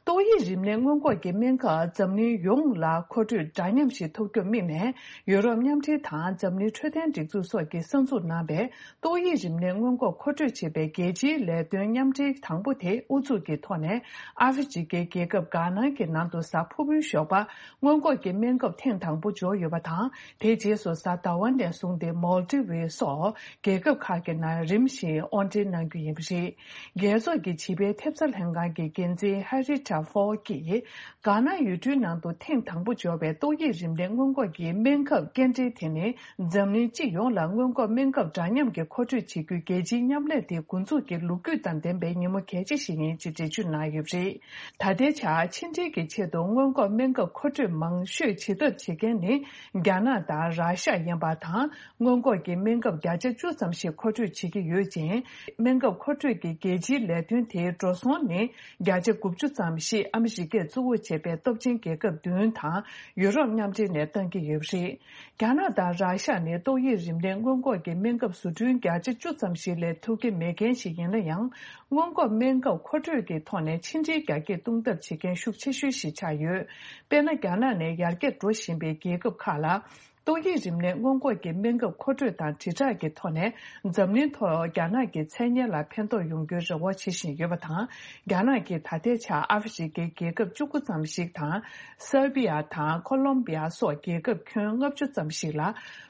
ཏོག་དབྱིབས་རིམས་ནད་སྔོན་འགོག་གི་སྨན་ཁབ་འཛམ་གླིང་ཡོངས་ལ་མཁོ་སྤྲོད་འདྲ་མཉམ་ཞིག་ཐོབ་རྒྱུར་དམིགས་ནས། ཡུ་རོབ་མཉམ་འབྲེལ་དང་འཛམ་གླིང་འཕྲོད་བསྟེན་སྒྲིག་འཛུགས་སོགས་ཀྱིས་གསར་འཛུགས་གནང་བའི་ཏོག་དབྱིབས་རིམས་ནད་སྔོན་འགོག་མཁོ་སྤྲོད་བྱེད་པའི་རྒྱལ་སྤྱིའི་ལས་དོན་མཉམ་འབྲེལ་དང་པོ་དེ་དབུ་འཛུགས་ཀྱི་ཐོག་ནས། ཨ་ཧྥེ་རི་ཁའི་རྒྱལ་ཁབ་གྷ་ནང་གི་ནང་དུ་གཟའ་ཕུར་བུའི་ཞོགས་པ་སྔོན་འགོག་གི་སྨན་ཁབ་ཐེངས་དང་པོ་འབྱོར་ཡོད་པ་དང་། དེའི་རྗེས་སུ་གཟའ་ཟླ་བ་ནས་བཟུང་སྟེ་མོལ་ཏི་ཝི་སོགས་རྒྱལ་ཁབ་ཁག་གི་ནང་རིམ་བཞིན་དབོར་འདྲེན་གནང་རྒྱུ་ཡིན་པ་རེད། རྒྱལ་ཚོགས་ཀྱི་བྱིས་པའི་ཐེབས་རྩ་ལྷན་ཁང་གི་འགན་འཛིན་ཧེ་རི་ཊ་ཧྥོ་གིས། གྷ་ན་ཡུལ་གྲུའི་ནང་དུ་ཐེངས་དང་པོ་འབྱོར་བའི་ཏོག་དབྱིབས་རིམས་ནད་སྔོན་འགོག་གི་སྨན་ཁབ་སྐྱེལ་འདྲེན་དེ་ནི། འཛམ་གླིང་སྤྱི་ཡོངས་ལ་སྔོན་འགོག་སྨན་ཁབ་འདྲ་མཉམ་གྱི་མཁོ་སྤྲོད་བྱེད་རྒྱུའི་རྒྱལ་སྤྱིའི་མཉམ་ལས་དེ་འགོ་འཛུགས་ཀྱི་ལོ་རྒྱུས་དང་ལྡན་པའི་ཉིན་མོ་གལ་ཆེ་ཞིག་ཡིན་ཅེས་འགྲེལ་བརྗོད་གནང་ཡོད་པ་རེད། ད་ལྟའི་ཆར་ཕྱི་འབྲེལ་གྱི་ཆེད་དུ་སྔོན་འགོག་སྨན་ཁབ་མཁོ་སྤྲོད་མང་ཤོས་བྱེད་ཐབས་བྱེད་མཁན་ནི་རྒྱ་ནག་དང་ར་ཤ་ཡིན་པ་དང་། སྔོན་འགོག་གི་སྨན་ཁབ་བརྒྱ་ཆ་བཅུ་ཙམ་ཞིག་མཁོ་སྤྲོད་བྱེད་ཀྱི་ཡོད་ཅིང་། སྨན་ཁབ་མཁོ་སྤྲོད་ཀྱི་རྒྱལ་སྤྱིའི་ལས་དོན་དེའི་འགྲོ་སོང་ནི་བརྒྱ་ཆ་དགུ་བཅུ་ཙམ་ཞིག་ཨ་མི་རི་ཀས་གཙོ་བོ་བྱས་པའི་སྟོབས་ཆེན་རྒྱལ་ཁབ་བདུན་དང་ཡུ་རོབ་མཉམ་འབྲེལ་ནས་བཏང་གི་ཡོད་པ་རེད། རྒྱ་ནག་དང་ར་ཤ་ནི་ཏོག་དབྱིབས་རིམས་ནད་སྔོན་འགོག་གི་སྨན་ཁབ་བཟོ་སྐྲུན་བརྒྱ་ཆ་བཅུ་ཙམ་ཞིག་ལས་ཐུབ་ཀྱི་མེད་མཁན་ཞིག་ཡིན་ན་ཡང་། སྔོན་འགོག་སྨན་ཁབ་མཁོ་སྤྲོད་ཀྱི་ཐོག་ནས་ཕྱི་འབྲེལ་རྒྱ་སྐྱེད་གཏོང་ཐབས་བྱེད་མཁན་ཤུགས་ཆེ་ཤོས་ཤིག་ཆགས་ཡོད། དཔེར་ན། རྒྱ་ནག་ནས་ཡར་རྒྱས་འགྲོ་བཞིན་པའི་རྒྱལ་ཁབ་ཁག་ལ། ཏོག་དབྱིབས་རིམས་ནད་སྔོན་འགོག་གི་སྨན་ཁབ་མཁོ་སྤྲོད་དང་དྲིལ་བསྒྲགས་ཀྱི་ཐོག་ནས། འཛམ་གླིང་ཐོག་རྒྱ་ནག་གི་མཚན་སྙན་ལ་ཕན་ཐོགས་ཡོང་རྒྱུའི་རེ་བ་བྱེད་བཞིན་ཡོད་པ་དང་། རྒྱ་ནག་གིས་ད་ལྟའི་ཆར་ཨ་ཧྥེ་རི་ཁའི་རྒྱལ་ཁབ་བཅུ་དགུ་ཙམ་ཞིག་དང་། སར་བྷི་ཡ་དང་ཁོ་ལོམ་བྷི་ཡ་སོགས་རྒྱལ་ཁབ་ཁྱོན་ལྔ་བཅུ་ཙམ་ཞིག་ལ་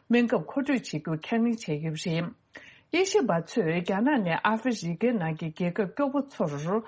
སྨན་ཁབ་མཁོ་སྤྲོད་བྱེད་རྒྱུ་ཁས་ལེན་བྱས་ཡོད་པ་རེད། དབྱེ་ཞིབ་པ་ཚོས་རྒྱ་ནག་ནས་ཨ་ཧྥེ་རི་ཁའི་ནང་གི་རྒྱལ་ཁབ་སྐྱོ་པོ་ཚོར།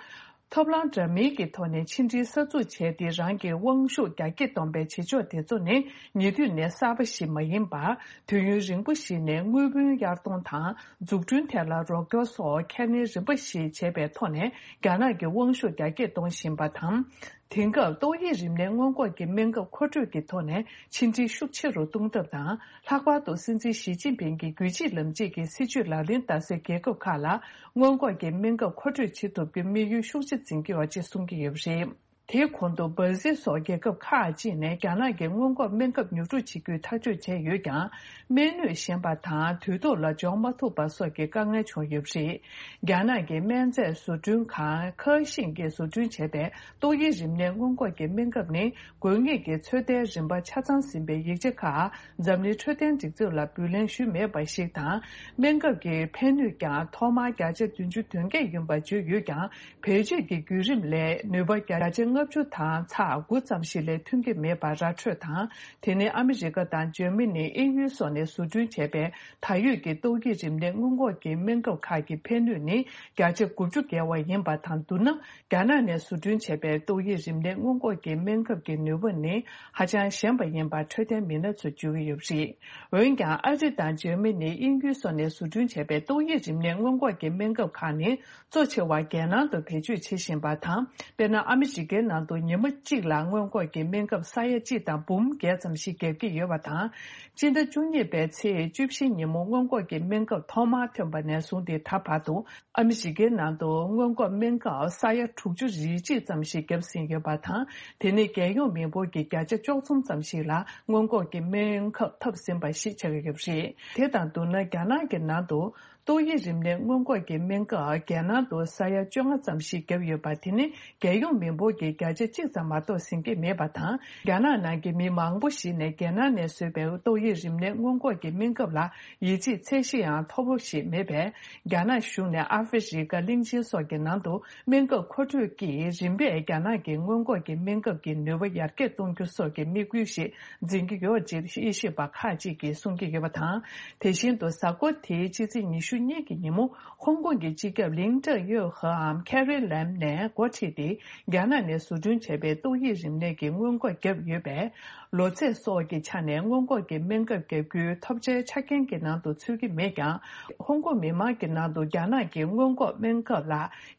ཐབས་ལམ་འདྲ་མིན་གྱི་ཐོག་ནས་ཕྱི་འབྲེལ་གསར་འཛུགས་བྱས་ཏེ། རང་གི་དབང་ཤུགས་རྒྱ་སྐྱེད་གཏོང་པའི་བྱེད་ཕྱོགས་དེ་ཚོ་ནི་ཉེ་དུས་ནས་གསར་པ་ཞིག་མ་ཡིན་པར། དུས་ཡུན་རིང་པོ་ཞིག་ནས་དངུལ་བུན་གཡར་གཏོང་དང་འཛུགས་སྐྲུན་ཐད་ལ་རོགས་སྐྱོར་སོགས་ཁས་ལེན་རིམ་པ་ཞིག་བྱས་པའི་ཐོག་ནས། རྒྱ་ནག་གི་དབང་ཤུགས་རྒྱ་སྐྱེད་གཏོང་བཞིན་པ་དང་། དེང་སྐབས་ཏོག་དབྱིབས་རིམས་ནད་སྔོན་འགོག་གི་སྨན་ཁབ་མཁོ་སྤྲོད་ཀྱི་ཐོག་ནས་ཕྱི་འབྲེལ་ཤུགས་ཆེ་རུ་གཏོང་ཐབས་དང་། ལྷག་པར་དུ་སྲིད་འཛིན་ཞི་ཅིན་ཕིང་གི་རྒྱུད་གཅིག་ལམ་གཅིག་གི་སྲིད་བྱུས་ལག་ལེན་བསྟར་སའི་རྒྱལ་ཁབ་ཁག་ལ་སྔོན་འགོག་གི་སྨན་ཁབ་མཁོ་སྤྲོད་བྱེད་ཐུབ་རྒྱུའི་དམིགས་ཡུལ་ཤུགས་ཆེ་འཛིན་གྱི་ཡོད་ཅེས་གསུང་གི་ཡོད་པ་རེད། དེའི་གོང་དུ་འབར་ཟིལ་སོགས་རྒྱལ་ཁབ་ཁག་ཅིག་ནས་རྒྱ་ནག་གི་སྔོན་འགོག་སྨན་ཁབ་ཉོ་སྒྲུབ་བྱེད་རྒྱུའི་ཐག་གཅོད་བྱས་ཡོད་ཀྱང་། སྨན་ནུས་ཞན་པ་དང་དུས་ཐོག་ལ་འབྱོར་མ་ཐུབ་པ་སོགས་ཀྱི་དཀའ་ངལ་བྱུང་ཡོད་པ་རེད། རྒྱ་ནག་གི་སྨན་རྫས་བཟོ་སྐྲུན་ཁང་ཁེ་ཤིང་གིས་བཟོ་སྐྲུན་བྱས་པའི་ཏོག་དབྱིབས་རིམས་ནད་སྔོན་འགོག་གི་སྨན་ཁབ་ནི། དགོས་ངེས་ཀྱི་ཚོད་ལྟའི་རིམ་པ་ཆ་ཚང་ཟིན་པའི་ཡིག་ཆ་ཁག་འཛམ་གླིང་འཕྲོད་བསྟེན་སྒྲིག་འཛུགས་ལ་འབུལ་ལེན་ཞུས་མེད་པ་ཞིག་དང་། སྨན་ཁབ་ཀྱི་ཕན་ནུས་ཀྱང་ཐོག་མར་བརྒྱ་ཆ་བདུན་ཅུ་དོན་བརྒྱད་ཡིན་པ་བརྗོད་ཡོད་ཀྱང་། བེད་སྤྱོད་ཀྱི་བརྒྱུད་རིམ་ལས་ནུས་པ་བརྒྱ་ཆ་ལྔ་བཅུ་དང་ཚེག་དགུ་ཙམ་ཞིག་ལས་ཐོན་གྱི་མེད་པ་ར་འཕྲོད་དང་། དེ་ནི་ཨ་མི་རི་ཀ་དང་འཇར་མ་ནི། དབྱིན་ཡུལ་སོགས་ནས་བཟོ་སྐྲུན་བྱས་པའི་ད་ཡོད་ཀྱི་ཏོག་དབྱིབས་རིམས་ནད་སྔོན་འགོག་གི་སྨན་ཁབ་ཁག་གི་ཕན་ནུས་ནི་བརྒྱ་ཆ་དགུ་བཅུ་བརྒལ་བ་ཡིན་པ་དང་བསྡུར་ན། རྒྱ་ནག་ནས་བཟོ་སྐྲུན་བྱས་པའི་ཏོག་དབྱིབས་རིམས་ནད་སྔོན་འགོག་གི་སྨན་ཁབ་ཀྱི་ནུས་པ་ནི་ཧ་ཅང་ཞན་པ་ཡིན་པར་འཕྲོད་བསྟེན་མི་སྣ་ཚོས་བརྗོད་ཀྱི་ཡོད་པ་རེད། འོན་ཀྱང་། ཨ་རི་དང་འཇར་མ་ནི། དབྱིན་ཡུལ་སོགས་ནས་བཟོ་སྐྲུན་བྱས་པའི་ཏོག་དབྱིབས་རིམས་ནད་སྔོན་འགོག་གི་སྨན་ཁབ་ཁག་ནི། གཙོ་ཆེ་བ་རྒྱལ་ནང་དུ་བེད་སྤྱོད་བྱེད་བཞིན་པ་དང་། དཔེར་ན། ཨ་མི་རི་ཀའི་ནང་དུ་ཉི་མ་གཅིག་ལ་སྔོན་འགོག་གི་སྨན་ཁབ་ས་ཡ་གཅིག་དང་འབུམ་བརྒྱད་ཙམ་ཞིག་བརྒྱབ་ཀྱི་ཡོད་པ་དང་། སྤྱི་ཟླ་བཅུ་གཉིས་པའི་ཚེས་བཅུ་བཞི་ཉིན་མོ་སྔོན་འགོག་གི་སྨན་ཁབ་ཐོག་མར་ཐོན་པ་ནས་བཟུང་སྟེ་ད་བར་དུ། ཨ་མི་རི་ཀའི་ནང་དུ་སྔོན་འགོག་སྨན་ཁབ་ས་ཡ་དྲུག་ཅུ་རེ་གཅིག་ཙམ་ཞིག་བརྒྱབ་ཟིན་ཡོད་པ་དང་། དེ་ནི་རྒྱལ་ཡོངས་མི་འབོར་གྱི་བརྒྱ་ཆ་བཅུ་གསུམ་ཙམ་ཞིག་ལ་སྔོན་འགོག་གི་སྨན་ཁབ་ཐོབ་ཟིན་པ་ཞིག་ཆགས་ཀྱི་ཡོད་པ་རེད། དེ་དང་བསྡུར་ན། རྒྱ་ནག་གི་ནང་དུ། ཏོག་དབྱིབས་རིམས་ནད་སྔོན་འགོག་གི་སྨན་ཁབ་རྒྱལ་ནང་དུ་ས་ཡ་བཅོ་ལྔ་ཙམ་ཞིག་བརྒྱབ་ཡོད་པ། དེ་ནི་རྒྱལ་ཡོངས་མི་འབོར་གྱི་བརྒྱ་ཆ་གཅིག་ཙམ་མ་གཏོགས་ཟིན་གྱི་མེད་པ་དང་། རྒྱ་ནག་ནང་གི་མི་མང་པོ་ཞིག་ནས་རྒྱལ་ནང་ནས་བཟོས་པའི་ཏོག་དབྱིབས་རིམས་ནད་སྔོན་འགོག་གི་སྨན་ཁབ་ལ་ཡིད་ཆེས་ཚད་གཞི་ཡང་མཐོ་པོ་ཞིག་མེད་པས། རྒྱ་ནག་གཞུང་ནས་ཨ་ཧྥེ་རི་ཀ་གླིང་ཆེན་སོགས་ཀྱི་ནང་དུ་སྨན་ཁབ་མཁོ་སྤྲོད་ཀྱིས་རིམ་པས་རྒྱ་ནག་གི་སྔོན་འགོག་གི་སྨན་ཁབ་ཀྱི་ནུས་པ་ཡར་རྒྱས་གཏོང་རྒྱུ་སོགས་ཀྱི་དམིགས་ཡུལ་ཞིག་འཛིན་གྱི་ཡོད་ཅེས་དབྱེ་ཞིབ་པ་ཁག་ཅིག་གིས་གསུང་གི་ཡོད་པ་དང་། དེ་བཞིན་དུ་གཟའ་འཁོར་དེའི་ཕྱི་ཚེས་ཉི་ཤུ་གཉིས་ཀྱི་ཉིན་མོ། ཧོང་ཀོང་གི་སྤྱི་ཁྱབ་ལིང་ཀྲེང་ཡོས་ཧེའམ་ཁེ་རི་ལེམ་ནས་འགོ་ཁྲིད་དེ། རྒྱ་ནག་ནས་བཟོ་སྐྲུན་བྱས་པའི་ཏོག་དབྱིབས་རིམས་ནད་ཀྱི་སྔོན་འགོག་བརྒྱབ་ཡོད་པས། ལོ་ཚད་སོགས་ཀྱི་ཆ་ནས་སྔོན་འགོག་གི་སྨན་ཁབ་བརྒྱབ་རྒྱུའི་ཐོབ་ཆའི་ཆ་རྐྱེན་གྱི་ནང་དུ་ཚུད་ཀྱི་མེད་ཀྱང་། ཧོང་ཀོང་མི་མང་གི་ནང་དུ་རྒྱ་ནག་གི་སྔོན་འགོག་སྨན་ཁབ་ལ་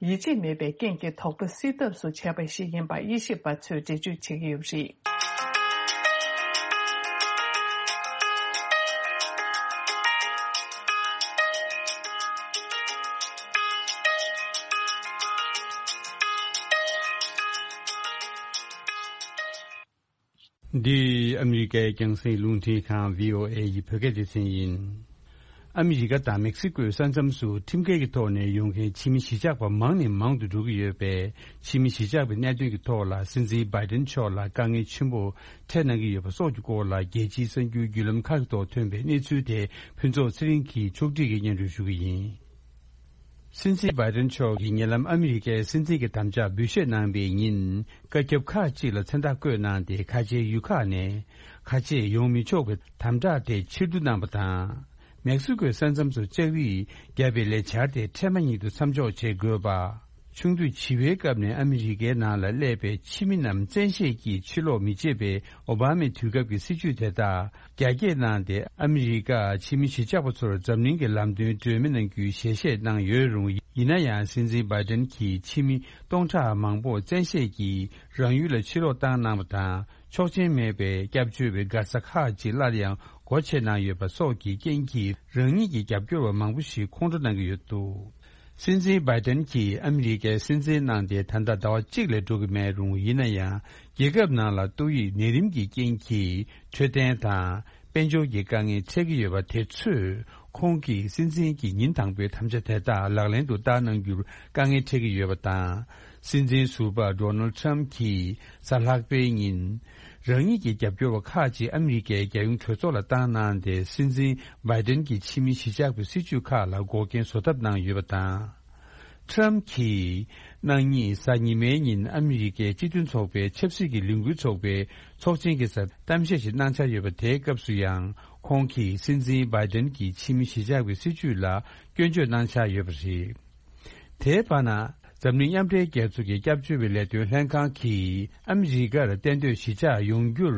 ཡིད་ཆེས་མེད་པའི་རྐྱེན་གྱིས་དོགས་པ་སེལ་ཐབས་སུ་བྱས་པ་ཞིག་ཡིན་པ་དབྱེ་ཞིབ་པ་ཚོས་འགྲེལ་བརྗོད་བྱེད་ཀྱི་ཡོད་པ་རེད། འདི་ཨ་མི་རི་ཀའི་རྒྱང་སྲིང་རླུང་འཕྲིན་ཁང་བྷི་ཨོ་ཨེ་ཡི་བོད་སྐད་སྡེ་ཚན་ཡིན། ཨ་མི་རི་ཀ་དང་མེག་སི་ཀོའི་ས་མཚམས་སུ་ཁྲིམས་འགལ་གྱི་ཐོག་ནས་ཡོང་མཁན་ཕྱི་མི་གཞིས་ཆགས་པ་མང་ནས་མང་དུ་འགྲོ་གི་ཡོད་པས། ཕྱི་མི་གཞིས་ཆགས་པའི་གནད་དོན་གྱི་ཐོག་ལ་སྲིད་འཛིན་བྷའི་ཏན་མཆོག་ལ་དཀའ་ངལ་ཆེན་པོ་འཕྲད་གནང་གི་ཡོད་པ་སོགས་ཀྱི་སྐོར་ལ། རྒྱལ་སྤྱིའི་གསར་འགྱུར་བརྒྱུད་ལམ་ཁག་གི་ཐོག་ཐོན་པའི་གནས་ཚུལ་དེ་ཕུན་ཚོགས་ཚེ་རིང་གིས་ཕྱོགས་སྒྲིག་གིས་སྙན་སྒྲོན་ཞུ་གི་ཡིན། སྲིད་འཛིན་བྷའི་ཏན་མཆོག་གིས་ཉེ་ལམ་ཨ་མི་རི་ཀའི་སྲིད་འཛིན་གྱི་དམ་བཅའ་འབུལ་བཞེས་གནང་པའི་ཉིན། བཀའ་ཁྱབ་ཁག་ཅིག་ལ་མཚན་རྟགས་བཀོད་གནང་སྟེ། ཁ་ཆེའི་ཡུལ་ཁག་ནས་ཁ་ཆེ་ཡོང་མི་ཆོག་པའི་དམ་དྲག་དེ་ཕྱིར་བསྡུ་གནང་བ་དང་། མེག་སི་ཀོའི་ས་མཚམས་སུ་ལྕགས་རིགས་བརྒྱབ་པའི་ལས་འཆར་དེ་འཕྲལ་མ་ཉིད་དུ་མཚམས་འཇོག་བྱེད་དགོས་པ། ཆུང་དུས་བྱིས་པའི་སྐབས་ནས་ཨ་མི་རི་ཀའི་ནང་ལ་སླེབས་པའི་ཕྱི་མི་རྣམས་བཙན་ཤེད་ཀྱིས་ཕྱིར་ལོག་མི་བྱེད་པའི་ཨོ་བྷ་མའི་དུས་སྐབས་ཀྱི་སྲིད་ཇུས་དེ་དག་རྒྱ་སྐྱེད་གནང་སྟེ། ཨ་མི་རི་ཀ་ཕྱི་མི་གཞིས་ཆགས་པ་ཚོར་འཛམ་གླིང་གི་ལམ་སྟོན་སྤྲོད་མི་གནང་རྒྱུའི་ཞལ་བཞེས་གནང་ཡོད་རུང་། ཡིན་ན་ཡང་སྲིད་འཛིན་བྷའི་ཏན་གྱིས་ཕྱི་མི་སྟོང་ཕྲག་མང་པོ་བཙན་ཤེད་ཀྱིས་རང་ཡུལ་ལ་ཕྱིར་ལོག་བཏང་གནང་བ་དང་། ཆོག་མཆན་མེད་པའི་སྐྱབས་བཅོལ་བའི་མགར་ས་ཁག་ཅིག་སླར་ཡང་སྒོ་ཕྱེ་གནང་ཡོད་པ་སོགས་ཀྱི་རྐྱེན་གྱིས། རང་ཉིད་ཀྱི་རྒྱབ་སྐྱོར་བ་མང་པོ་ཞིག་ཁོང་ཁྲོ་གནང་གི་ཡོད་འདུག། སྲིད་འཛིན་བྷའི་ཏན་གྱིས་ཨ་མི་རི་ཀའི་སྲིད་འཛིན་གནང་སྟེ་ད་ལྟ་ཟླ་བ་གཅིག་ལས་འགྲོ་གི་མེད་རུང་། ཡིན་ན་ཡང་རྒྱལ་ཁབ་ནང་ལ་ཏོག་དབྱིབས་ནད་རིམས་ཀྱི་རྐྱེན་གྱིས་འཕྲོད་བསྟེན་དང་དཔལ་འབྱོར་གྱི་དཀའ་ངལ་འཕྲད་ཀྱི་ཡོད་པ་དེ་ཚོས་ཁོང་གིས་སྲིད་འཛིན་གྱི་ཉིན་དང་པོའི་དམ་བཅའ་དེ་དག་ལག་ལེན་དུ་བསྟར་གནང་རྒྱུར་དཀའ་ངལ་འཕྲད་ཀྱི་ཡོད་པ་དང་། སྲིད་འཛིན་ཟུར་པ་ཌོ་ནལ་ཌི་ཊརམ་ཕ་གྱིས་གཟའ་ལྷག་པའི་ཉིན། རང་ཉིད་ཀྱི་རྒྱབ་སྐྱོར་བ་ཁག་ཅིག་ཨ་མི་རི་ཀའི་རྒྱལ་ཡོངས་གྲོས་ཚོགས་ལ་བཏང་གནང་སྟེ། སྲིད་འཛིན་བྷའི་ཏན་གྱི་ཕྱི་མི་གཞིས་ཆགས་པའི་སྲིད་ཇུས་ཁག་ལ་འགོག་རྐྱེན་བཟོ་ཐབས་གནང་ཡོད་པ་དང་། ཊརམ་ཕ་གྱིས་གནངས་ཉིན་གཟའ་ཉི་མའི་ཉིན་ཨ་མི་རི་ཀའི་སྤྱི་མཐུན་ཚོགས་པའི་ཆབ་སྲིད་ཀྱི་ལས་འགུལ་ཚོགས་པའི་ཚོགས་ཆེན་གྱི་སར་གཏམ་བཤད་ཞིག་གནང་འཆར་ཡོད་པ། དེའི་སྐབས་སུ་ཡང་ཁོང་གིས་སྲིད་འཛིན་བྷའི་ཏན་གྱི་ཕྱི་མི་གཞིས་ཆགས་པའི་སྲིད་ཇུས་ལ་སྐྱོན་བརྗོད་གནང་འཆར་ཡོད་པ་རེད། དེའི་བར་ན། འཛམ་གླིང་མཉམ་འབྲེལ་རྒྱལ་ཚོགས་ཀྱི་སྐྱབས་བཅོལ་བའི་ལས་དོན་ལྷན་ཁང་གིས་ཨ་མི་རི་ཀར་གཏན་སྡོད་གཞིས་ཆགས་ཡོང་རྒྱུར་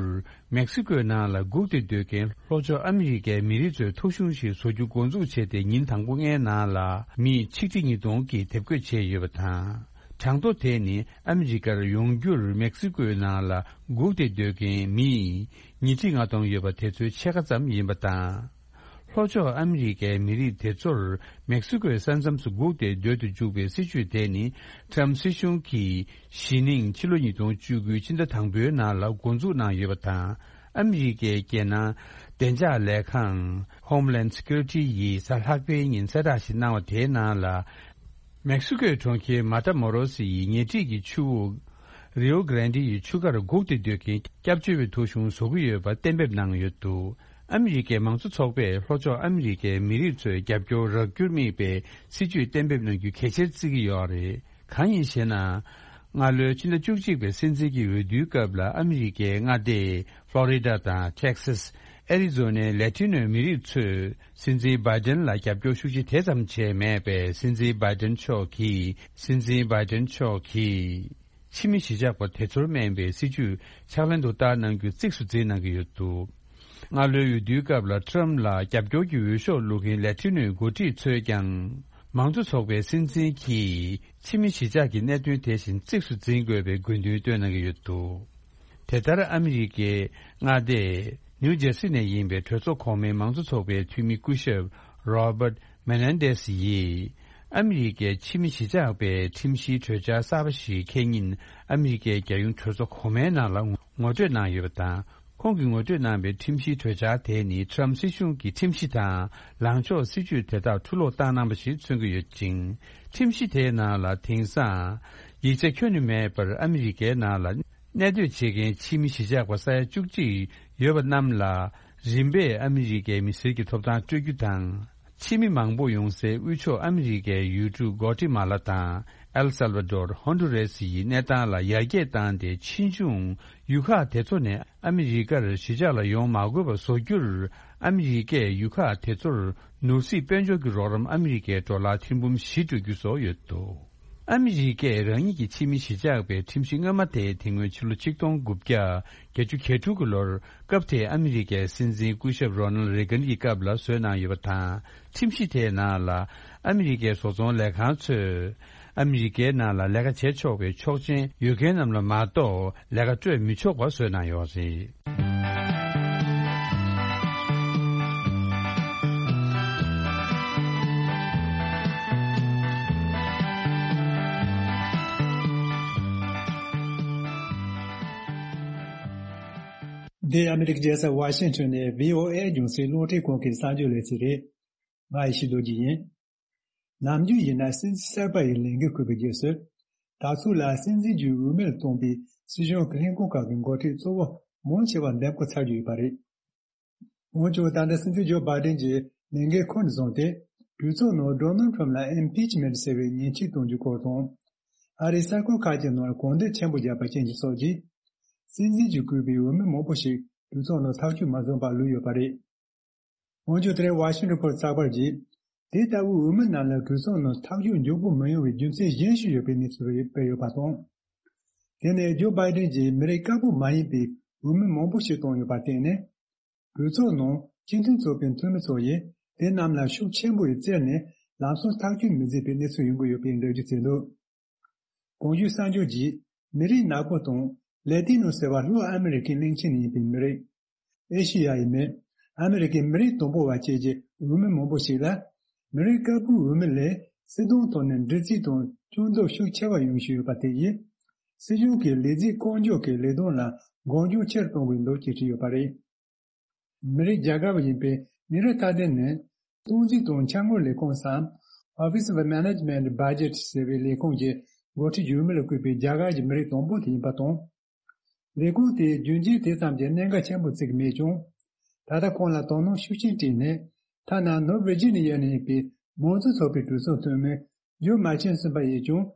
མེག་སི་ཀོའི་ནང་ལ་སྒུག་སྟེ་སྡོད་མཁན་ལྷོ་ཕྱོགས་ཨ་མི་རི་ཀའི་མི་རིགས་ཚོའི་ཐོ་གཞུང་ཞིག་བཟོ་རྒྱུ་འགོ་འཛུགས་བྱས་ཏེ། ཉིན་དང་པོ་ལྔའི་ནང་ལ་མི་ཆིག་ཁྲི་ཉིས་སྟོང་གིས་དེབ་འགོད་བྱས་ཡོད་པ་དང་། གྲངས་ཐོ་དེ་ནི་ཨ་མི་རི་ཀར་ཡོང་རྒྱུར་མེག་སི་ཀོའི་ནང་ལ་སྒུག་སྟེ་སྡོད་མཁན་མི་ཉིས་ཁྲི་ལྔ་སྟོང་ཡོད་པ་དེ་ཚོའི་ཕྱེད་ཀ་ཙམ་ཡིན་པ་དང་། ལྷོ་ཕྱོགས་ཨ་མི་རི་ཀའི་མི་རིགས་དེ་ཚོར་མེག་སི་ཀོའི་ས་མཚམས་སུ་སྒུག་སྟེ་སྡོད་དུ་འཇུག་པའི་སྲིད་ཇུས་དེ་ནི། ཊརམ་སྲིད་གཞུང་གིས་གཞེས་ནིང་ཕྱི་ལོ་ཉིས་སྟོང་བཅུ་དགུའི་ཕྱི་ཟླ་དང་པོའི་ནང་ལ་འགོ་འཛུགས་གནང་ཡོད་པ་དང་། ཨ་མི་རི་ཀའི་རྒྱལ་ནང་བདེ་འཇགས་ལས་ཁང་Homeland Security ཡིས་གཟའ་ལྷག་པའི་ཉིན་གསལ་བསྒྲགས་ཤིག་གནང་བ་དེའི་ནང་ལ། མེག་སི་ཀོའི་གྲོང་ཁྱེར་མ་ཏཱ་མོ་རོ་སི་ཡི་ཉེ་འཁྲིས་ཀྱི་ཆུ་བོ་རིའོ་གྷ་རན་ཌི་ཡི་ཆུ་ཁར་སྒུག་སྟེ་སྡོད་མཁན་སྐྱབས་བཅོལ་བའི་ཐོ་གཞུང་བཟོ་གི་ཡོད་པ་གཏན་འབེབས་གནང་ཡོད་འདུག། ཨ་མི་རི་ཀའི་མང་གཙོ་ཚོགས་པས་ལྷོ་ཕྱོགས་ཨ་མི་རི་ཀའི་མི་རིགས་ཚོའི་རྒྱབ་སྐྱོར་རག་རྒྱུར་དམིགས་པའི་སྲིད་ཇུས་གཏན་འབེབས་གནང་རྒྱུ་གལ་ཆེར་བརྩི་གི་ཡོད་རེད། གང་ཡིན་ཞེ་ན། སྔ་ལོའི་ཕྱི་ཟླ་བཅུ་གཅིག་པའི་སྲིད་འཛིན་གྱི་འོས་བསྡུའི་སྐབས་ལ་ཨ་མི་རི་ཀའི་མངའ་སྡེ་ཕློ་རི་ཌ་དང་ཊེག་སཱས། ཨེ་རི་ཛོ་ནའི་ལེ་ཊི་ནོའི་མི་རིགས་ཚོས་སྲིད་འཛིན་བྷའི་ཏན་ལ་རྒྱབ་སྐྱོར་ཤུགས་ཆེ་དེ་ཙམ་བྱས་མེད་པས། སྲིད་འཛིན་བྷའི་ཏན་མཆོག་གིས་སྲིད་འཛིན་བྷའི་ཏན་མཆོག་གིས་ཕྱི་མི་གཞིས་ཆགས་པ་དེ་ཚོར་སྨན་པའི་སྲིད་ཇུས་ཕྱག་ལེན་དུ་བསྟར་གནང་རྒྱུ་གཙིགས་སུ་འཛིན་གནང་གི་ཡོད་འདུག། སྔ་ལོའི་འོས་བསྡུའི་སྐབས་ལ་ཊརམ་ལ་རྒྱབ་སྐྱོར་གྱི་འོས་ཤོག་བླུགས་མཁན་ལེ་ཊི་ནོའི་འགོ་ཁྲིད་ཚོས་ཀྱང་། མང་གཙོ་ཚོགས་པའི་སྲིད་འཛིན་གྱིས་ཕྱི་མི་གཞིས་ཆགས་ཀྱི་གནད་དོན་དེ་བཞིན་གཙིགས་སུ་འཛིན་དགོས་པའི་དགོས་འདུན་བཏོན་གནང་གི་ཡོད་འདུག། དེ་ལྟར་ཨ་མི་རི་ཀའི་མངའ་སྡེ་ནིའུ་ཇར་སི་ནས་ཡིན་པའི་གྲོས་ཚོགས་གོང་མའི་མང་གཙོ་ཚོགས་པའི་འཐུས་མི་སྐུ་ཞབས་Robert Menendez ཡིས། ཨ་མི་རི་ཀའི་ཕྱི་མི་གཞིས་ཆགས་པའི་ཁྲིམས་གཞིའི་གྲོས་འཆར་གསར་པ་ཞིག་འཁེལ་ཉིན། ཨ་མི་རི་ཀའི་རྒྱལ་ཡོངས་གྲོས་ཚོགས་གོང་མའི་ནང་ལ་ངོ་སྤྲོད་གནང་ཡོད་པ་དང་། ཁོང་གིས་ངོ་སྤྲོད་གནང་པའི་ཁྲིམས་གཞིའི་གྲོས་འཆར་དེ་ནི་ཊམ་སྲིད་གཞུང་གི་ཁྲིམས་གཞི་དང་ལངས་ཕྱོགས་སྲིད་ཇུས་དེ་དག་འཁྲུ་སློག་བཏང་གནང་པ་ཞིག་མཚོན་གྱི་ཡོད་ཅིང་། ཁྲིམས་གཞི་དེའི་ནང་ལ་དེང་སང་ཡིག་ཆ་ཁྱོན་ནས་མེད་པར་ཨ་མི་རི་ཀའི་ནང་ལ་གནས་སྡོད་བྱེད་མཁན་ཕྱི་མི་གཞིས་ཆགས་པ་ས་ཡ་བཅུ་གཅིག་ཡོད་པ་རྣམས་ལ་རིམ་པས་ཨ་མི་རི་ཀའི་མི་སེར་གྱི་ཐོབ་ཐང་སྤྲོད་རྒྱུ་དང་། ཕྱི་མི་མང་པོ་ཡོང་སའི་དབུས་ཕྱོགས་ཨ་མི་རི་ཀའི་ཡུལ་གྲུ་གོ་ཏི་མ་ལ་དང་ཨེལ་སལ་བ་ཌོར། ཧོན་ཌུ་རེ་སི་ཡི་གནས་སྟངས་ལ་ཡར་རྒྱས་བཏང་སྟེ། ཕྱིས་འབྱུང་ཡུལ་ཁག་དེ་ཚོ་ནས་ཨ་མི་རི་ཀར་གཞིས་ཆགས་ལ་ཡོང་མ་དགོས་པ་བཟོ་རྒྱུར། ཨ་མི་རི་ཀས་ཡུལ་ཁག་དེ་ཚོར་ནོར་སྲིད་དཔལ་འབྱོར་གྱི་རོགས་རམ་ཨ་མི་རི་ཀའི་ཌོ་ལར་ཐེར་འབུམ་བཞི་སྤྲོད་རྒྱུ་སོགས་ཡོད་འདུག་ཨ་མི་རི་ཀས་རང་ཉིད་ཀྱི་ཕྱི་མི་གཞིས་ཆགས་པའི་ཁྲིམས་གཞི་སྔོན་མ་དེ་དེ་སྔོན་ཕྱི་ལོ་ཆིག་སྟོང་དགུ་བརྒྱ་བརྒྱད་ཅུ་གྱ་དྲུག་གི་ལོར། སྐབས་དེའི་ཨ་མི་རི་ཀའི་སྲིད་འཛིན་སྐུ་ཞབས་རོ་ནལ་རེ་གན་གྱི་སྐབས་ལ་བཟོས་གནང་ཡོད་པ་དང་། ཁྲིམས་གཞི་དེའི་ནང་ལ་ཨ་མི་རི་ཀའི་བཟོ་ཚོང་ལས་ཁང་ཚོས་ཨ་མི་རི་ཀའི་ནང་ལ་ལས་ཀ་བྱེད་ཆོག་པའི་ཆོག་མཆན་ཡོད་མཁན་རྣམས་ལ་མ་གཏོགས་ལས་ཀ་སྤྲོད་མི་ཆོག་པ་བཟོས་གནང་ཡོད་རེད། འདི་ཨ་མི་རི་ཀའི་རྒྱལ་ས་ཝ་ཤིང་ཊོན་ནས་བྷི་ཨོ་ཨེ་རྒྱང་སྲིང་རླུང་འཕྲིན་ཁང་གི་གསར་འགྱུར་ལས་ཚན་རེད། ང་ཡེ་ཤེས་རྡོ་རྗེ་ཡིན། ནམ་རྒྱུན་ཡིན་ན་སྲིད་འཛིན་གསར་པ་ཡི་ལས་འགན་འཁུར་བའི་རྗེས་སུ། ད་ཚོད་ལ་སྲིད་འཛིན་གྱི་འོས་མིར་བཏོན་པའི་སྲིད་གཞུང་གི་ལྷན་ཁང་ཁག་གི་འགོ་ཁྲིད་གཙོ་བོ་མང་ཆེ་བ་འདེམས་བསྐོ་ཚར་རྒྱུ་ཡོད་པ་རེད། འོན་ཀྱང་ད་ལྟ་སྲིད་འཛིན་ཇོ་བྷའི་ཌེན་གྱིས་ལས་འགན་ཁུར་ནས་བཟུང་སྟེ། གྲོས་ཚོགས་ནང་ཌོ་ནལ་ཁྲམ་ལ་ཨིམ་པིཆ་མེན་ཊི་ཟེར་བའི་ཉེས་ཆད་གཏོང་རྒྱུ་སྐོར་དང་། ཨ་རིའི་གསར་འགོད་ཁག་ཅིག་ནང་གོ་བསྡུར་ཆེན་པོ་བརྒྱབ་པ་རྐྱེན་གྱིས་སོགས་ཀྱིས། སྲིད་འཛིན་གྱིས་བསྐོས་པའི་འོས་མི་མང་པོ་ཞིག་གྲོས་ཚོགས་ནང་ཐག་གཅོད་མ་བཟུང་བར་ལུས་ཡོད་པ་རེད། འོན་ཀྱང་དེ་རིང་ཝ་ཤིང་ཊོན་པོ་སི་ཚགས་པར་གྱིས། དེ་ལྟ་བུའི་འོས་མི་རྣམས་ལ་གྲོས་ཚོགས་ནང་ཐག་གཅོད་མགྱོགས་པོ་མི་ཡོང་བའི་རྒྱུ་མཚན་གཞན་ཞིག་ཡོད་པའི་གནས་ཚུལ་སྤེལ་ཡོད་པ་དང་། དེ་ནས་ཇོ་བྷའི་ཌེན་གྱིས་མི་རིགས་དཀར་པོ་མ་ཡིན་པའི་འོས་མི་མང་པོ་ཞིག་བཏོན་ཡོད་པར་བརྟེན་ནས། གྲོས་ཚོགས་ནང་སྤྱི་མཐུན་ཚོགས་པའི་འཐུས་མི་ཚོ་ཡིས་དེ་རྣམས་ལ་ཤུགས་ཆེན་པོས་བཙིར་ནས་ལམ་སང་ཐག་གཅོད་མི་མཛད་པའི་གནས་ཚུལ་ཡོང་གི་ཡོད་པའི་འགྲེལ་བརྗོད་བྱས་འདུག་གོང་ཞུས་གསར་འགྱུར་གྱིས་མི་རིགས་ནག་པོ་དང་ལེ་ཏི་ནོ་ཟེར་བ་ལྷོ་ཨ་མི་རི་ཀའི་གླིང་ཆེན་ནས་ཡིན་པའི་མི་རིགས། ཨེ་ཤི་ཡ་ཡི་མི། ཨ་མི་རི་ཀའི་མི་རིགས་དང་པོ་བ་བཅས་ཀྱི་འོས་མི་མང་པོ་ཞིག་ལ། མི་རིགས་དཀར་པོའི་འོས་མི་ལས་སྲིད་དོན་ཐོག་ནས་འདྲི་རྩད་དང་སྐྱོན་འཛུགས་ཤུགས་ཆེ་བ་ཡོང་བཞིན་ཡོད་པ་དེ་ཡིས། སྲིད་གཞུང་གིས་ལས་རྩིས་བཀོད་འཇོག་གི་ལས་དོན་ལ་འགོག་རྐྱེན་ཆེར་གཏོང་དགོས་འདུག་ཅེས་བྲིས་ཡོད་པ་རེད། མི་རིགས་རྒྱ་གར་བ་ཡིན་པའི་ནི་ར་ཐ་དན་ནི། སྟངས་འཛིན་དང་འཆར་དངུལ་ལས་ཁུངས་སམ། Office of Management Budget ཟེར་བའི་ལས་ཁུངས་ཀྱི་འགོ་ཁྲིད་འོས་མི་ལ་བསྐོས་པའི་རྒྱ་གར་གྱི་མི་རིགས་དང་པོ་དེ་ཡིན་པ་དང་། ལས་ཁུངས་དེས་རྒྱུན་རྐྱེན་དེ་ཙམ་གྱི་གནད་འགག་ཆེན་པོ་བརྩི་གི་མེད་ཀྱང་། ད་ལྟ་ཁོང་ལ་དོ་སྣང་ཤུགས་ཆེན་སྤྲད་ནས། ཐ་ན་ནོར་ཝེ་ཇི་ནི་ཡ་ནས་ཡིན་པའི་མང་གཙོ་ཚོགས་པའི་གྲོས་ཚོགས་འཐུས་མི་ཇོ་མ་ཆིན་སོན་པ་ཡིས་ཀྱང་།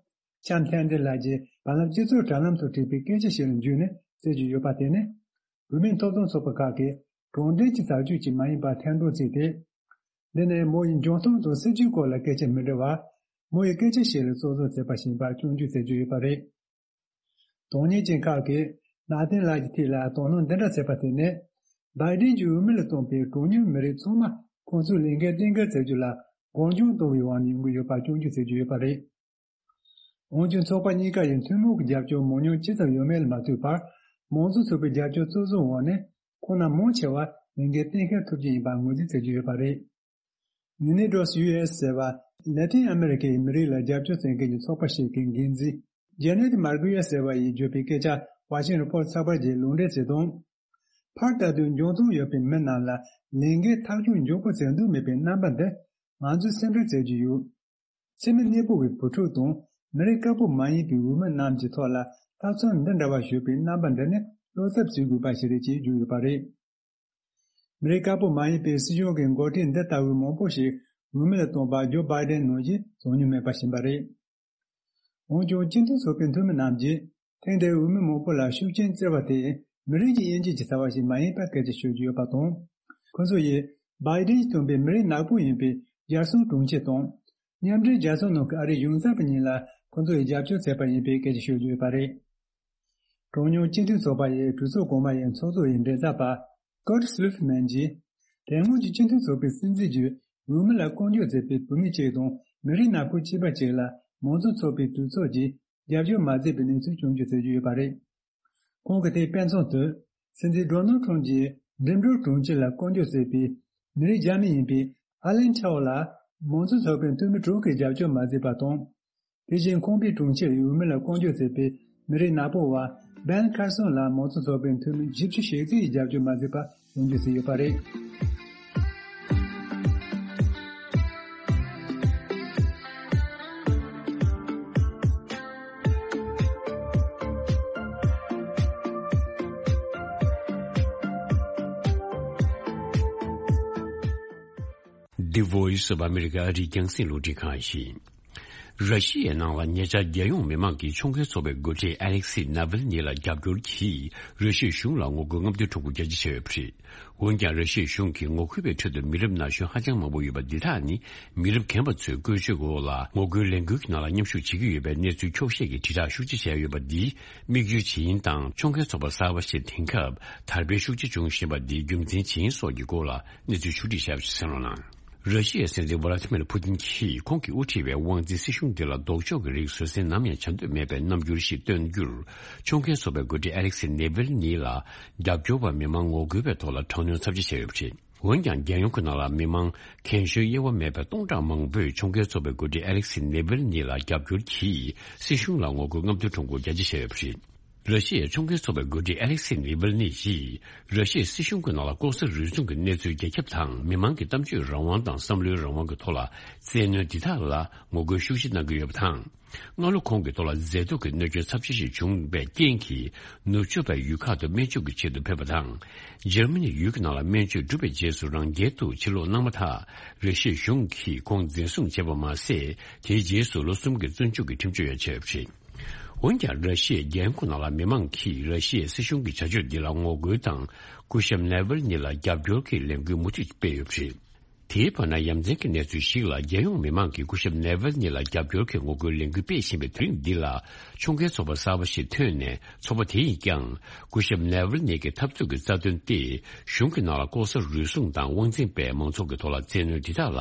ལྕམ་ཐན་ཏི་ལགས་ཀྱིས་བར་ལམ་སྤྱི་ཚོགས་དྲ་ལམ་དུ་བྲིས་པའི་སྐད་ཆ་ཞིག་ལ་འཇུས་ནས་བརྩད་ཀྱི་ཡོད་པ་དེ་ནི། བུད་མེད་ཐོབ་ཐང་ཚོགས་པ་ཁག་གིས་དྲང་བདེན་གྱི་བྱ་སྤྱོད་ཅིག་མ་ཡིན་པར་ཐེར་འདོན་བྱས་ཏེ། འདི་ནི་མོ་ཡི་འཇོན་ཐང་དང་སྲིད་ཇུས་སྐོར་ལ་སྐད་ཆ་མི་འདྲི་བར། མོ་ཡི་སྐད་ཆ་ཞིག་ལ་བཙོག་བཟོ་བྱས་པ་ཞིག་ཡིན་པར་སྐྱོན་བརྗོད་མཛད་ཀྱི་ཡོད་པ་རེད། གྲངས་ཉུང་ཅན་ཁག་གིས་ནཱ་ཐན་ལགས་ཀྱི་ཐད་ལ་དོ་སྣང་འདི་འདྲ་བྱས་པ་དེ་ནི། བྷའི་ཌེན་གྱིས་འོས་མི་ལ་བཏོན་པའི་གྲངས་ཉུང་མི་རིགས་ཚང་མ་ཁོང་ཚོའི་ལས་འགན་གཏན་འཁེལ་བྱ་རྒྱུ་ལ་གང་བྱུང་གཏོང་བའི་དབང་ནས་ཡོང་གི་ཡོད་པར་སྐྱོན་བརྗོད་བྱེད་ཀྱི་ཡོད་པ་རེད། འོན་ཀྱང་ཚོགས་པ་གཉིས་ཀ་ཡི་འཐུས་མི་གི་རྒྱབ་སྐྱོར་མང་ཉུང་ཇི་ཙམ་ཡོད་མེད་ལ་མ་ལྟོས་པར། མང་གཙོ་ཚོགས་པའི་རྒྱབ་སྐྱོར་གཙོ་བཟོའི་འོག་ནས་ཁོང་རྣམས་མང་ཆེ་བ་ལས་འགན་གཏན་འཁེལ་ཐུབ་རྒྱུ་ཡིན་པར་ངོས་འཛིན་བྱེད་ཀྱི་ཡོད་པ་རེད། Unidos U S ཟེར་བ་ལེ་ཏིན་ཨ་མི་རི་ཀའི་མི་རིགས་ལ་རྒྱབ་སྐྱོར་བྱེད་མཁན་གྱི་ཚོགས་པ་ཞིག་གི་འགན་འཛིན་ཇེ་ནེད་མར་གུ་ཡེ་ཟེར་བ་ཡིས་བརྗོད་པའི་སྐད་ཆ་ཝ་ཤིང་ཊོན་པོ་སི་ཚགས་པར་གྱིས་ལུང་འདྲེན་བྱས་དོན། ཕར་ལྟ་དུས་འཇོན་ཐང་ཡོད་པའི་མི་རྣམས་ལ་ལས་འགན་ཐག་གཅོད་མགྱོགས་པོ་བྱེད་འདོད་མེད་པའི་རྣམ་པ་འདི་ང་ཚོས་སེམས་ཁྲལ་བྱེད་ཀྱི་ཡོད། འཚེ་མེད་གནས་སྤོ་བའི་བུ་ཕྲུག་དང་མི་རིགས་དཀར་པོ་མ་ཡིན་པའི་འོས་མི་རྣམས་ཀྱི་ཐོག་ལ་ཐབས་ཚུལ་འདི་འདྲ་བ་ཞུགས་པའི་རྣམ་པ་འདི་ནི་བློ་འཚབ་བྱེད་དགོས་པ་ཞིག་རེད་ཅེས་བརྗོད་ཡོད་པ་རེད། མི་རིགས་དཀར་པོ་མ་ཡིན་པའི་སྲིད་གཞུང་གི་འགོ་ཁྲིད་འདི་ལྟ་བུའི་མང་པོ་ཞིག་འོས་མི་ལ་བཏོན་པ་ཇོ་བྷའི་ཌེན་ནང་བཞིན་བྱུང་མྱོང་མེད་པ་ཞིག་ཡིན་པ་རེད། འོན་ཀྱང་སྤྱི་མཐུན་ཚོགས་པའི་འཐུས་མི་རྣམས་ཀྱིས་ཐེངས་འདིའི་འོས་མི་མང་པོ་ལ་ཤུགས་རྐྱེན་བསྩལ་བ་དེ་མི་རིགས་ཀྱི་དབྱེ་འབྱེད་ཀྱི་རྩ་བ་ཞིག་མ་ཡིན་པར་སྐད་ཆ་ཤོད་ཀྱི་ཡོད་པ་དང་། ཁོ་ཚོ་ཡིས་བྷའི་ཌེན་གྱིས་བཏོན་པའི་མི་རིགས་ནག་པོ་ཡིན་པའི་རྒྱལ་སྲུང་དྲུང་ཆེ་དང་། མཉམ་འབྲེལ་རྒྱལ་ཚོགས་ནང་གི་ཨ་རིའི་གཞུང་ཚབ་གཉིས་ལ་ཁོ་ཚོ་ཡིས་རྒྱབ་སྐྱོར་བྱས་པ་ཡིན་པའི་སྐད་ཆ་ཤོད་ཀྱི་ཡོད་པ་རེད། གྲངས་ཉུང་སྤྱི་མཐུན་ཚོགས་པ་ཡི་གྲོས་ཚོགས་གོང་མ་ཡི་ཚོགས་གཙོ་ཡི་མགྲིན་ཚབ་པ་ཀར་ཊི་སི་ལུ་ཧྥི་མན་གྱིས། དེ་སྔོན་གྱི་སྤྱི་མཐུན་ཚོགས་པའི་སྲིད་འཛིན་གྱིས་འོས་མི་ལ་བསྐོ་འཇོག་མཛད་པའི་བུད་མེད་གཅིག་དང་མི་རིགས་ནག་པོ་གཅིག་པ་གཅིག་ལ་མང་གཙོ་ཚོགས་པའི་གྲོས་ཚོགས་ཀྱིས་རྒྱབ་སྐྱོར་མ་མཛད་པའི་གནས་ཚུལ་བྱུང་རྒྱུ་བྱེད་ཀྱི་ཡོད་པ་རེད། ཁོང་གིས་དེའི་དཔེ་མཚོན་དུ། སྲིད་འཛིན་ཌོ་ནལ་ཁྲམ་གྱིས་འགྲིམ་འགྲུལ་དྲུང་ཆེ་ལ་བསྐོ་འཇོག་མཛད་པའི་མི་རིགས་རྒྱ་མི་ཡིན་པའི་ཨ་ལན་ཁྲའོ་ལ་མང་གཙོ་ཚོགས་པའི་འཐུས་མི་དྲུག་གིས་རྒྱབ་སྐྱོར་མ་མཛད་པ་དང་། དེ་བཞིན་ཁང་པའི་དྲུང་ཆེ་ཡི་འོས་མི་ལ་བསྐོ་འཇོག་མཛད་པའི་མི་རིགས་ནག་པོ་བ་ སྦན་ཁར་སོན་ལ་མང་གཙོ་ཚོགས་པའི་འཐུས་མི་བཞི་བཅུ་ཞེ་གཅིག་གིས་རྒྱབ་སྐྱོར་མ་བྱས་པ་ཡོང་རྒྱུ་ཞིག་ཡོད་པ་རེད། The Voice of America ཨ་རིའི་རྒྱང་སྲིང་རླུང་འཕྲིན་ཁང་ཡིན། ར་ཤི་ཡའི་ནང་ལ་ཉེ་ཆར་རྒྱལ་ཡོངས་མི་མང་གིས་ཁྱོན་གོས་ཚོགས་པའི་འགོ་ཁྲིད་ཨ་ལེག་སི་ནཱ་ཝལ་ནི་ལ་རྒྱབ་སྐྱོར་གྱིས་ར་ཤི་ཡའི་གཞུང་ལ་ངོ་རྒོལ་རྔམ་སྟོན་ཁྲོམ་སྐོར་རྒྱ་ཆེ་བྱས་ཡོད་པ་རེད། འོན་ཀྱང་ར་ཤི་ཡའི་གཞུང་གིས་ངོ་རྒོལ་བའི་ཁྲོད་དུ་མི་རབས་ན་གཞོན་ཧ་ཅང་མང་པོ་ཡོད་པ་འདི་དག་ནི་མི་རབས་རྒན་པ་ཚོས་བཀོལ་སྤྱོད་འོག་ལ་ངོ་རྒོལ་ལས་འགུལ་གྱི་ནང་ལ་མཉམ་ཞུགས་བྱེད་ཀྱི་ཡོད་པའི་གནས་ཚུལ་འཁྱོག་བཤད་ཀྱི་དྲིལ་བསྒྲགས་ཤུགས་ཆེ་བྱས་ཡོད་པ་འདིས་དམིགས་ཡུལ་ཇི་ཡིན་དང་ཁྱོན་གོས་ཚོགས་པ་གསར་པ་ཞིག་དེང་སྐབས་དར་སྤེལ་ཤུགས་ཆེ་བྱུང་བཞིན་པ་འདིའི་རྒྱུ་མཚན་ཇི་ཡིན་སོགས་ཀྱི་སྐོར་ལ་གནས་ཚུལ་ཕྱོགས་བསྒྲིགས་བྱས་པ་ཞིག་གསན་རོགས་གནང་། ར་ཤི་ཡའི་སྲིད་འཛིན་ཝ་ལ་ཏི་མིར་ཕུ་ཏིན་གྱིས་ཁོང་གིས་དབུ་ཁྲིད་པའི་དབང་འཛིན་སྲིད་གཞུང་འདི་ལ་ལྡོག་ཕྱོགས་ཀྱི་རིགས་བཟོད་བསྲན་ནམ་ཡང་བྱ་འདོད་མེད་པའི་རྣམ་འགྱུར་ཞིག་སྟོན་རྒྱུར་ཁྱོན་གོས་ཚོགས་པའི་འགོ་ཁྲིད་ཨ་ལེག་སི་ནེ་ཝིལ་ནི་ལ་རྒྱབ་སྐྱོར་བ་མི་མང་ངོ་རྒོལ་བའི་ཐོག་ལ་དྲག་གནོན་ཚབས་ཆེ་བྱས་ཡོད་པ་རེད། འོན་ཀྱང་རྒྱལ་ཡོངས་ཀྱི་ནང་ལ་མི་མང་རྒན་གཞོན་དབྱེ་བ་མེད་པའི་སྟོང་ཕྲག་མང་པོས་ཁྱོན་གོས་ཚོགས་པའི་འགོ་ཁྲིད་ཨ་ལེག་སི་ནེ་ཝིལ་ནི་ལ་རྒྱབ་སྐྱོར་གྱིས་སྲིད་གཞུང་ལ་ངོ་རྒོལ་རྔམ་སྟོན་ཁྲོམ་སྐོར་རྒྱ་ཆེ་བྱས་ཡོད་པ་རེད། ར་ཤི་ཡའི་ཁྱོན་གོས་ཚོགས་པའི་འགོ་ཁྲིད་ཨ་ལེག་སི་ནེ་ཝིལ་ནི་ཡིས་ར་ཤི་ཡའི་སྲིད་གཞུང་གི་ནང་ལ་ལྐོག་ཟ་རུལ་སུངས་ཀྱི་གནས་ཚུལ་རྒྱ་ཁྱབ་དང་མི་མང་གི་གཏམ་བརྗོད་རང་དབང་དང་བསམ་བློའི་རང་དབང་གི་ཐོག་ལ་བཙན་གནོན་འདི་དག་ལ་ངོ་རྒོལ་ཤུགས་ཆེ་གནང་གི་ཡོད་པ་དང་། སྔ་ལོ་ཁོང་གི་ཐོག་ལ་མཛེས་སྡུག་གི་གནོད་སྐྱོན་ཚབས་ཆེ་ཞིག་བྱུང་བའི་རྐྱེན་གྱིས་ནུབ་ཕྱོགས་པའི་ཡུལ་ཁག་ཏུ་སྨན་བཅོས་ཀྱི་ཆེད་དུ་ཕེབས་པ་དང་། འཇར་མ་ནི་ཡུལ་གྱི་ནང་ལ་སྨན་བཅོས་གྲུབ་པའི་རྗེས་སུ་རང་རྒྱལ་དུ་ཕྱིར་ལོག་གནང་མ་ཐག་ར་ཤི་ཡའི་གཞུང་གིས་ཁོང་འཛིན་བཟུང་བྱས་པ་མ་ཟད་དེའི་རྗེས་སུ་ལོ་གསུམ་གྱི་བཙོན་འཇུག་གི་ཁྲིམས་གཅོད་ཡང་བྱས་ཡོད་པ་རེད། འོན་ཀྱང་ར་ཤི་ཡའི་རྒྱལ་ཡོངས་ནང་ལ་མི་མང་གིས་ར་ཤི་ཡའི་སྲིད་གཞུང་གི་བྱ་སྤྱོད་འདི་ལ་ངོ་རྒོལ་དང་སྐུ་ཞབས་ནེ་ཝལ་ནི་ལ་རྒྱབ་སྐྱོར་གྱི་ལས་འགུལ་མུ་མཐུད་སྤེལ་ཡོད་པ་རེད། དེའི་བར་ན་ཡ་མཚན་གྱི་གནས་ཚུལ་ཞིག་ལ་རྒྱལ་ཡོངས་མི་མང་གིས་སྐུ་ཞབས་ནེ་ཝལ་ནི་ལ་རྒྱབ་སྐྱོར་གྱི་ངོ་རྒོལ་ལས་འགུལ་སྤེལ་བཞིན་པའི་དུས་རིང་འདི་ལ་ཁྱོན་གོས་ཚོགས་པ་གསར་པ་ཞིག་ཐོན་ནས་ཚོགས་པ་དེ་ཡིས་ཀྱང་སྐུ་ཞབས་ནེ་ཝལ་ནི་གི་འཐབ་རྩོད་ཀྱི་རྩ་དོན་ཏེ་གཞུང་གི་ནང་ལ་ལྐོག་ཟ་རུལ་སུངས་དང་དབང་འཛིན་པས་མང་ཚོགས་ཀྱི་ཐོག་ལ་བཙན་གནོན་འདི་དག་ལ་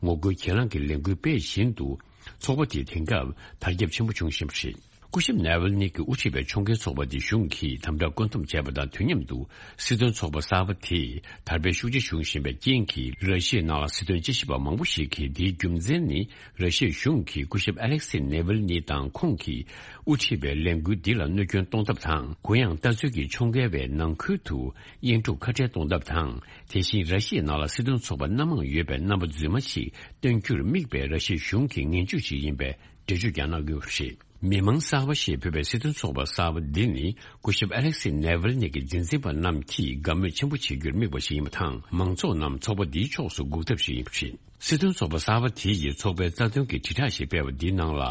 ངོ་རྒོལ་གྱེན་ལངས་ཀྱི་ལས་འགུལ་སྤེལ་བཞིན་དུ། ཚོགས་པ་དེ་དེང་སྐབས་དར་ཁྱབ་ཆེན་པོ་བྱུང་བཞིན་པ་རེད། སྐུ་ཞབས་ནེ་ཝལ་ནི་གིས་དབུ་ཁྲིད་པའི་ཁྱོན་གོས་ཚོགས་པ་དེ་གཞུང་གིས་དམ་དྲག་བཀོད་འདོམས་བྱས་པ་དང་དུས་མཉམ་དུ་སྲིད་དོན་ཚོགས་པ་གསར་པ་དེ་དར་སྤེལ་ཤུགས་ཆེ་བྱུང་བཞིན་པའི་རྐྱེན་གྱིས་ར་ཤི་ཡའི་ནང་ལ་སྲིད་དོན་དཔྱད་ཞིབ་པ་མང་པོ་ཞིག་གིས་དེའི་རྒྱུ་མཚན་ནི་ར་ཤི་ཡའི་གཞུང་གིས་སྐུ་ཞབས་ཨ་ལེག་སི་ནེ་ཝལ་ནི་དང་ཁོང་གིས་དབུ་ཁྲིད་པའི་ལས་འགུལ་འདི་ལ་གནོད་སྐྱོན་གཏོང་ཐབས་དང་གུ་ཡངས་ལྟ་ཚུལ་གྱི་ཁྱོན་གོས་པའི་ནང་ཁུལ་དུ་དབྱེན་དཀྲུག་ཁ་བྲལ་གཏོང་ཐབས་དང་དེ་བཞིན་ར་ཤི་ཡའི་ནང་ལ་སྲིད་དོན་ཚོགས་པ་སྣ་མང་ཡོད་པའི་རྣམ་པ་རྫུན་མ་ཞིག་སྟོན་རྒྱུར་དམིགས་པའི་ར་ཤི་ཡའི་གཞུང་གི་ངན་ཇུས་ཤིག་ཡིན་པའི་འགྲེལ་བརྗོད་ཀྱང་གནང་ཡོད་པ་རེད། མི་མང་གསར་པ་ཞེས་འབོད་པའི་སྲིད་དོན་ཚོགས་པ་གསར་པ་འདི་ནི་སྐུ་ཞབས་ཨ་ལེག་སི་ནེ་ཝལ་ནི་གི་འཛིན་འཛིན་པ་རྣམས་ཀྱིས་དགའ་མོས་ཆེན་པོ་བྱེད་རྒྱུར་དམིགས་པ་ཞིག་ཡིན་པ་དང་མང་ཚོགས་རྣམས་ཚོགས་པ་འདིའི་ཕྱོགས་སུ་འགུག་ཐབས་ཤིག་ཡིན་པ་རེད། སྲིད་དོན་ཚོགས་པ་གསར་པ་དེ་ཡིས་ཚོགས་པའི་རྩ་དོན་གྱི་དྲིལ་བསྒྲགས་ཤིག་སྤེལ་བ་འདིའི་ནང་ལ་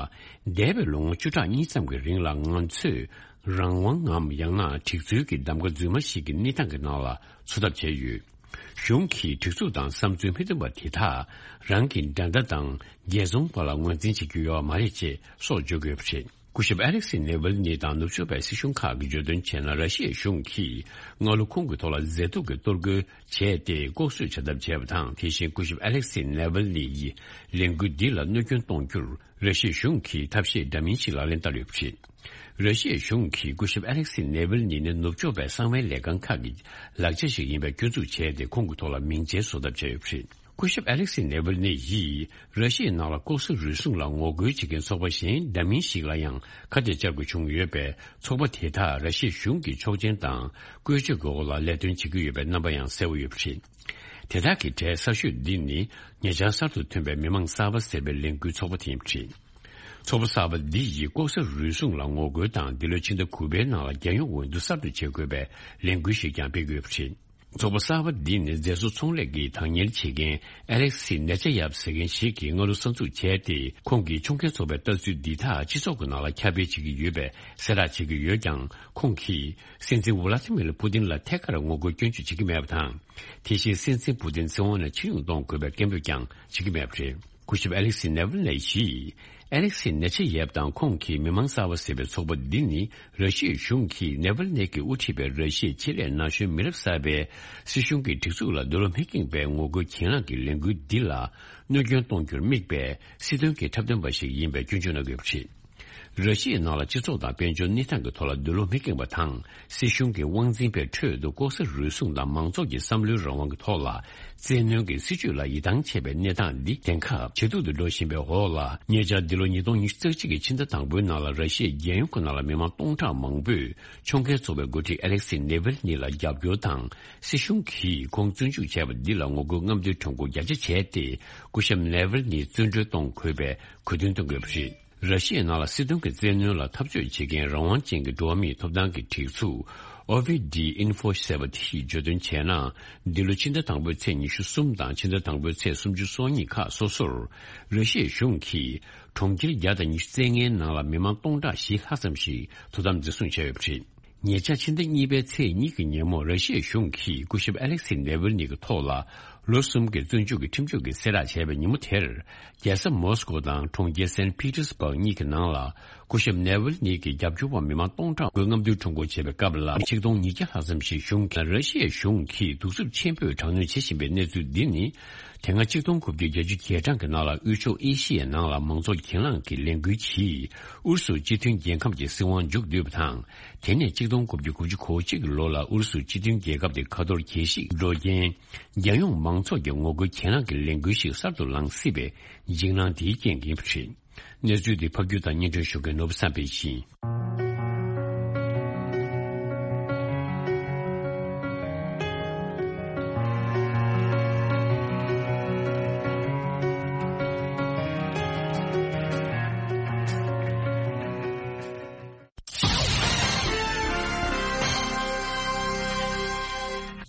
འདས་པའི་ལོ་ངོ་བཅུ་ཕྲག་གཉིས་ཙམ་གྱི་རིང་ལ་ང་ཚོས་རང་དབང་ངམ་ཡང་ན་སྒྲིག་འཛུགས་ཀྱི་གདམ་ག་རྫུན་མ་ཞིག་གི་གནས་སྟངས་ཀྱི་ནང་ལ་འཚོ་ཐབས་བྱས་ཡོད། གཞུང་གིས་སྒྲིག་འཛུགས་དང་བསམ་ཚུལ་མི་མཐུན་པ་དེ་དག་རང་གི་འགྲན་ཟླ་དང་རྒྱལ་ཚོང་བར་ལ་ངོས་འཛིན་བྱེད་རྒྱུ་ཡོད་མ་རེད་ཅེས་སོགས་བརྗོད་དགོས་པ་རེད། སྐུ་ཞབས་ཨ་ལེག་སི་ནེ་ཝལ་ནི་དང་ནུབ་ཕྱོགས་པའི་སྲིད་གཞུང་ཁག་གིས་བརྗོད་དོན་བྱས་ན་ར་ཤི་ཡའི་གཞུང་གིས་སྔ་ལོ་ཁོང་གི་ཐོག་ལ་མཛེས་སྡུག་གི་གཏོར་རྒོལ་བྱས་ཏེ་ལྐོག་གསོད་བྱ་ཐབས་བྱས་པ་དང་དེ་བཞིན་སྐུ་ཞབས་ཨ་ལེག་སི་ནེ་ཝལ་ནི་ཡིས་ལས་འགུལ་འདི་ལ་གནོད་སྐྱོན་གཏོང་རྒྱུར། ར་ཤི་ཡའི་གཞུང་གིས་ཐབས་ཤེས་འདྲ་མིན་ཞིག་ལག་ལེན་བསྟར་ཡོད་པ་རེད། ར་ཤི་ཡའི་གཞུང་གིས་སྐུ་ཞབས་ཨ་ལེག་སི་ནེ་ཝིལ་ནི་ནི་ནུབ་ཕྱོགས་པའི་གསང་བའི་ལས་ཁང་ཁག་གི་ལག་ཆ་ཞིག་ཡིན་པའི་སྐྱོན་འཛུགས་བྱས་ཏེ་ཁོང་གི་ཐོག་ལ་མིང་ཆེན་བཟོ་ཐབས་བྱས་ཡོད་པ་རེད། སྐུ་ཞབས་ཨ་ལེག་སི་ནེ་ཝིལ་ནི་ཡིས་ར་ཤི་ཡའི་ནང་ལ་ལྐོག་ཟ་རུལ་སུངས་ལ་ངོ་རྒོལ་བྱེད་མཁན་ཚོགས་པ་གཞན་འདྲ་མིན་ཞིག་ལ་ཡང་ཁ་གཏད་བཅག་དགོས་བྱུང་ཡོད་པས་ཚོགས་པ་དེ་དག་ར་ཤི་ཡའི་གཞུང་གི་ཆོག་མཆན་དང་བཀོལ་སྤྱོད་ཀྱི་འོག་ལ་ལས་དོན་བྱེད་ཀྱི་ཡོད་པའི་རྣམ་པ་ཡང་གསལ་བོ་ཡོད་པ་རེད། དེ་དག་གི་གྲས་གསར་ཤོས་འདི་ནི་ཉེ་ཆར་གསར་དུ་ཐོན་པའི་མི་མང་གསར་པ་ཟེར་བའི་ལས་འགུལ་ཚོགས་པ་དེ་ཡིན་པ་རེད། ཚོགས་པ་གསར་པ་འདི་ཡིས་ལྐོག་ཟ་རུལ་སུངས་ལ་ངོ་རྒོལ་དང་འདི་ལོའི་ཕྱི་ཟླ་དགུ་པའི་ནང་ལ་རྒྱལ་ཡོངས་འོས་བསྡུ་གསར་དུ་བྱེད་དགོས་པའི་ལས་འགུལ་ཞིག་ཀྱང་སྤེལ་གྱི་ཡོད་པ་རེད། ཚོགས་པ་གསར་པ་འདི་ནི་མཛེས་བཟོ་ཚོང་ལས་ཀྱི་བདག་གཉེར་བྱེད་མཁན་ཨ་ལེག་སི་ནེ་ཆ་ཡབ་ཟེར་མཁན་ཞིག་གིས་སྔ་ལོ་གསར་འཛུགས་བྱས་ཏེ་ཁོང་གིས་ཁྱོན་གོས་ཚོགས་པའི་ལྟ་ཚུལ་འདི་དག་སྤྱི་ཚོགས་ཀྱི་ནང་ལ་ཁྱབ་སྤེལ་བྱེད་ཀྱི་ཡོད་པའི་གསལ་བསྒྲགས་བྱེད་ཀྱི་ཡོད་ཀྱང་ཁོང་གིས་སྲིད་འཛིན་ཝ་ལ་ཏི་མིར་པུ་ཏིན་ལ་ཐད་ཀར་ངོ་རྒོལ་སྐྱོན་བརྗོད་བྱེད་ཀྱི་མེད་པ་དང་། དེ་བཞིན་སྲིད་འཛིན་པུ་ཏིན་སྲིད་དབང་ནས་ཕྱིར་ཡོང་གཏོང་དགོས་པའི་སྐད་འབོད་ཀྱང་བྱེད་ཀྱི་མེད་པ་རེད། སྐུ་ཞབས་ཨ་ལེག་སི་ནེ་ཝིལ་ནེ་ཡིས། ཨ་ལེག་སི་ནེ་ཆེ་ཡེབ་དང་ཁོང་གིས་མི་མང་གསར་པ་ཟེར་བའི་ཚོགས་པ་འདི་ནི་ར་ཤི་ཡའི་གཞུང་གིས་ནེ་ཝིལ་ནེ་གིས་དབུ་ཁྲིད་པའི་ར་ཤི་ཡའི་ཆེད་ལས་ན་གཞོན་མི་རབས་གསར་པས་སྲིད་གཞུང་གི་སྒྲིག་འཛུགས་ལ་འདོད་བློ་མི་ཁེངས་པའི་ངོ་རྒོལ་གྱེན་ལངས་ཀྱི་ལས་འགུལ་འདི་ལ་གནོད་སྐྱོན་གཏོང་རྒྱུར་དམིགས་པའི་སྲིད་དོན་གྱི་འཁྲབ་སྟོན་པ་ཞིག་ཡིན་པའི་སྐྱོན་བརྗོད་གནང་ཡོད་པ་རེད། ར་ཤི་ཡའི་ནང་ལ་སྤྱི་ཚོགས་དང་དཔལ་འབྱོར་གནས་སྟངས་ཀྱི་ཐོག་ལ་འདོད་བློ་མི་ཁེངས་པ་དང་། སྲིད་གཞུང་གི་དབང་འཛིན་པའི་ཁྲོད་དུ་ལྐོག་ཟ་རུལ་སུངས་དང་མང་ཚོགས་ཀྱི་བསམ་བློའི་རང་དབང་གི་ཐོག་ལ་བཙན་གནོན་གྱི་སྲིད་བྱུས་ལ་ཡིད་ཐང་ཆད་པའི་གནས་སྟངས་འདི་དེང་སྐབས་ཇེ་སྡུག་ཏུ་འགྲོ་བཞིན་པའི་འོག་ལ། ཉེ་ཆར་འདི་ལོ་ཉིས་སྟོང་ཉི་ཤུ་རྩ་གཅིག་གི་ཕྱི་ཟླ་དང་པོའི་ནང་ལ་ར་ཤི་ཡའི་རྒྱལ་ཡོངས་ཀྱི་ནང་ལ་མི་མང་སྟོང་ཕྲག་མང་པོས་ཕྱོགས་འགལ་ཚོགས་པའི་འགོ་ཁྲིད་ཨ་ལེག་སི་ནེ་ཝལ་ནི་ལ་རྒྱབ་སྐྱོར་དང་། སྲིད་གཞུང་གིས་ཁོང་བཙོན་འཇུག་བྱས་པ་འདི་ལ་ངོ་རྒོལ་རྔམ་སྟོན་ཁྲོམ་སྐོར་རྒྱ་ཆེ་བྱས་ཏེ། སྐུ་ཞབས་ནེ་ཝལ་ནི་བཙོན་གྲོལ་གཏོང་དགོས་པའི་གོ་སྟོན་གཏོང་གི་ཡོད་པ་རེད། ར་ཤི་ཡའི་ནང་ལ་སྲིད་དོན་གྱི་བཙན་གནོན་ལ་འཐབ་རྩོད་བྱེད་མཁན་རང་དབང་ཅན་གྱི་འགྲོ་བ་མིའི་ཐོབ་ཐང་གི་སྒྲིག་འཛུགས་ཨོ་བྷི་ཌི་ཨིན་ཧྥོ་ཟེར་བ་དེས་བརྗོད་དོན་བྱས་ན། འདི་ལོ་ཕྱི་ཟླ་དང་པོའི་ཚེས་ཉི་ཤུ་གསུམ་དང་ཕྱི་ཟླ་དང་པོའི་ཚེས་སུམ་ཅུ་སོ་གཉིས་ཁག་སོ་སོར། ར་ཤི་ཡའི་གཞུང་གིས་གྲོང་ཁྱེར་བརྒྱ་དང་ཉི་ཤུ་རྩ་ལྔའི་ནང་ལ་མི་མང་སྟོང་ཕྲག་བཞི་ལྷག་ཙམ་ཞིག་དོ་དམ་འཛིན་བཟུང་བྱས་ཡོད་པ་རེད། ཉེ་ཆར་ཕྱི་ཟླ་གཉིས་པའི་ཚེས་གཉིས་ཀྱི་ཉིན་མོ། ར་ཤི་ཡའི་གཞུང་གིས་སྐུ་ཞབས་ཨ་ལེག་སི་ནེ་ཝལ་ནི་གི་ཐོག་ལ་ལོ་གསུམ་གྱི་བཙོན་འཇུག་གི་ཁྲིམས་གཅོད་ཀྱི་གསལ་བསྒྲགས་བྱས་པའི་ཉིན་མོ་དེར། རྒྱལ་ས་མོ་སི་ཀོ་དང་གྲོང་ཁྱེར་སན་པི་ཏེར་སྦུག་གཉིས་ཀྱི་ནང་ལ། སྐུ་ཞབས་ནེ་ཝལ་ནི་གི་རྒྱབ་སྐྱོར་བ་མི་མང་སྟོང་ཕྲག་མགོ་རྔམ་སྟོན་ཁྲོམ་སྐོར་བྱས་པའི་སྐབས་ལ། ཆིག་སྟོང་ཉིས་བརྒྱ་ལྷག་ཙམ་ཞིག་གཞུང་གིས། ར་ཤི་ཡའི་གཞུང་གིས་གདུག་རྩུབ་ཆེན་པོས་དྲག་གནོན་བྱེད་བཞིན་པའི་གནས་ཚུལ་འདི་ནི། དེ་སྔ་ཆིག་སྟོང་དགུ་བརྒྱ་བརྒྱད་ཅུ་གྱ་གྲངས་ཀྱི་ནང་ལ་དབུས་ཕྱོགས་ཨེ་ཤི་ཡའི་ནང་ལ་མང་གཙོ་གྱེན་ལངས་ཀྱི་ལས་འགུལ་གྱིས་ཨུ་རུ་སུ་སྤྱི་མཐུན་རྒྱལ་ཁབ་ཀྱི་སྲིད་དབང་མཇུག་བསྡུས་པ་དང་། དེ་ནས་ཆིག་སྟོང་དགུ་བརྒྱ་དགུ་བཅུ་གོ་གཅིག་གི་ལོ་ལ་ཨུ་རུ་སུ་སྤྱི་མཐུན་རྒྱལ་ཁབ་དེ་ཁ་ཐོར་གྱེས་ཤིག་འགྲོ་རྐྱེན། རྒྱལ་ཡོངས་མང་ཚོགས་ཀྱི་ངོ་རྒོལ་གྱེན་ལངས་ཀྱི་ལས་འགུལ་ཞིག་གསར་དུ་ལངས་སྲིད་པའི་འཇིགས་སྣང་དེའི་རྐྱེན་ཡིན་པ་རེད། གནས་ཚུལ་འདི་ཕབ་སྒྱུར་དང་སྙན་སྒྲོན་ཞུ་མཁན་ནོར་བུ་བསམ་འཕེལ་ཡིན།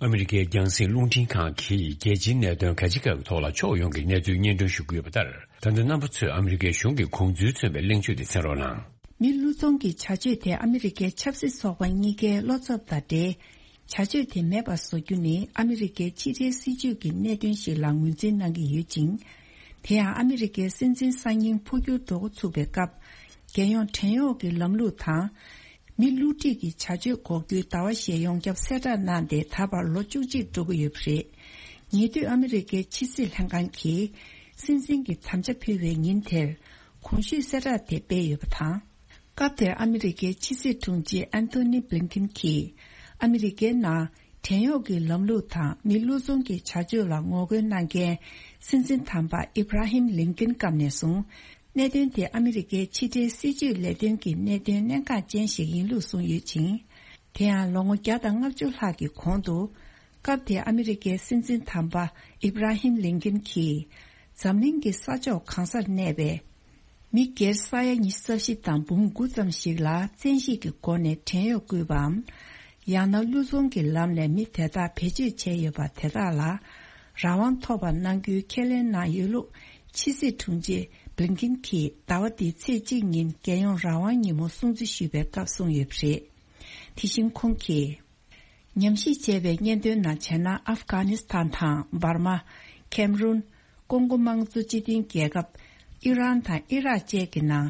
ཨ་མི་རི་ཀའི་རྒྱང་སྲིང་རླུང་འཕྲིན་ཁང་གིས་རྒྱལ་སྤྱིའི་གནད་དོན་གལ་ཆེ་ཁག་གི་ཐོག་ལ་ཕྱོགས་ཡོངས་ཀྱི་གནས་ཚུལ་སྙན་སྒྲོན་ཞུ་གི་ཡོད་པ་ལྟར། ད་ལྟ་རྣམ་པ་ཚོས་ཨ་མི་རི་ཀའི་གཞུང་གི་དགོངས་ཚུལ་མཚོན་པའི་གླེང་བརྗོད་དེ་གསན་རོགས་གནང་། མི་བློ་བཟང་གི་བྱ་སྤྱོད་དེ་ཨ་མི་རི་ཀའི་ཆབ་སྲིད་ཚོགས་པ་གཉིས་ཀའི་བློ་འཚབ་དང་འབྲེལ། བྱ་སྤྱོད་དེ་མེད་པར་བཟོ་རྒྱུ་ནི་ཨ་མི་རི་ཀའི་ཕྱི་འབྲེལ་སྲིད་ཇུས་ཀྱི་གནད་དོན་ཞིག་ལ་ངོས་འཛིན་གནང་གི་ཡོད་ཅིང་། དེ་ཡང་ཨ་མི་རི་ཀའི་སྲིད་འཛིན་གསར་རྙིང་འཕོ་འགྱུར་འགྲོ་འགོ་ཚུགས་པའི་སྐབས། རྒྱལ་ཡོངས་བྲན་གཡོག་གི་ལམ་ལུགས་དང་། མི་བསླུ་བྲིད་ཀྱི་བྱ་སྤྱོད་འགོག་རྒྱུའི་ཟླ་བ་ཞེས་ཡོངས་ཁྱབ་གསལ་བསྒྲགས་གནང་སྟེ་ད་བར་ལོ་བཅུ་གཅིག་འགྲོ་གི་ཡོད་པ་རེད། ཉེ་དུས་ཨ་མི་རི་ཀའི་ཕྱི་སྲིད་ལྷན་ཁང་གིས་སྲིད་འཛིན་གྱི་དམ་བཅའ་ཕུལ་བའི་ཉིན་དེར་གོང་ཞུས་གསལ་བསྒྲགས་དེ་སྤེལ་ཡོད་པ་དང་། སྐབས་དེར་ཨ་མི་རི་ཀའི་ཕྱི་སྲིད་དྲུང་ཆེ་ཨན་ཐོ་ནི་བྷི་ལིན་ཀིན་གྱིས་ཨ་མི་རི་ཀའི་ནང་བྲན་གཡོག་གི་ལམ་ལུགས་དང་མི་བློ་བཟང་གི་བྱ་སྤྱོད་ལ་ངོ་རྒོལ་གནང་མཁན་སྲིད་འཛིན་དམ་པ་ཨིབ་ར་ཧིམ་ལིན་ཀིན་སྐབས་ནས་བཟུང་། གནད་དོན་དེ་ཨ་མི་རི་ཀའི་ཕྱི་འབྲེལ་སྲིད་ཇུས་ལས་དོན་གྱི་གནད་དོན་གནད་འགག་ཅན་ཞིག་ཡིན་ལུགས་གསུངས་ཡོད་ཅིང་། དེ་ཡང་ལོ་ངོ་བརྒྱ་དང་ལྔ་བཅུ་ལྷག་གི་གོང་དུ། སྐབས་དེའི་ཨ་མི་རི་ཀའི་སྲིད་འཛིན་དམ་པ་ཨིབ་ར་ཧིམ་ལིན་ཀིན་གྱིས། འཛམ་གླིང་གི་ས་ཕྱོགས་གང་སར་གནས་པའི་མི་སྒེར་ས་ཡ་ཉི་ཤུ་རྩ་བཞི་དང་འབུམ་དགུ་ཙམ་ཞིག་ལ་བཙན་ཤེད་ཀྱི་སྒོ་ནས་བྲན་གཡོག་བསྐུལ་བའམ། ཡང་ན་བློ་བཟང་གི་ལམ་ནས་མི་དེ་དག་བེད་སྤྱོད་བྱས་ཡོད་པ་དེ་དག་ལ་རང་དབང་ཐོབ་པ་གནང་རྒྱུའི་ཁས་ལེན་གནང་ཡོད་ལུགས་ཕྱི་སྲིད་དྲུང་ཆེ་བྷི་ལིན་ཀིན་གྱིས་ཟླ་བ་འདིའི་ཚེས་གཅིག་ཉིན་རྒྱལ་ཡོངས་རང་དབང་ཉིན་མོ་སྲུང་བརྩི་ཞུས་པའི་སྐབས་གསུངས་ཡོད་པ་རེད། དེ་བཞིན་ཁོང་གིས། ཉམས་ཞིབ་བྱས་པའི་སྙན་ཐོའི་ནང་བྱས་ན། ཨབ་གྷ་ནི་སི་ཐན་དང་འབར་མ། ཁེམ་རུན། ཀོང་གོ་དམངས་གཙོ་སྤྱི་མཐུན་རྒྱལ་ཁབ། ཨི་རན་དང་ཨི་རག་བཅས་ཀྱི་ནང་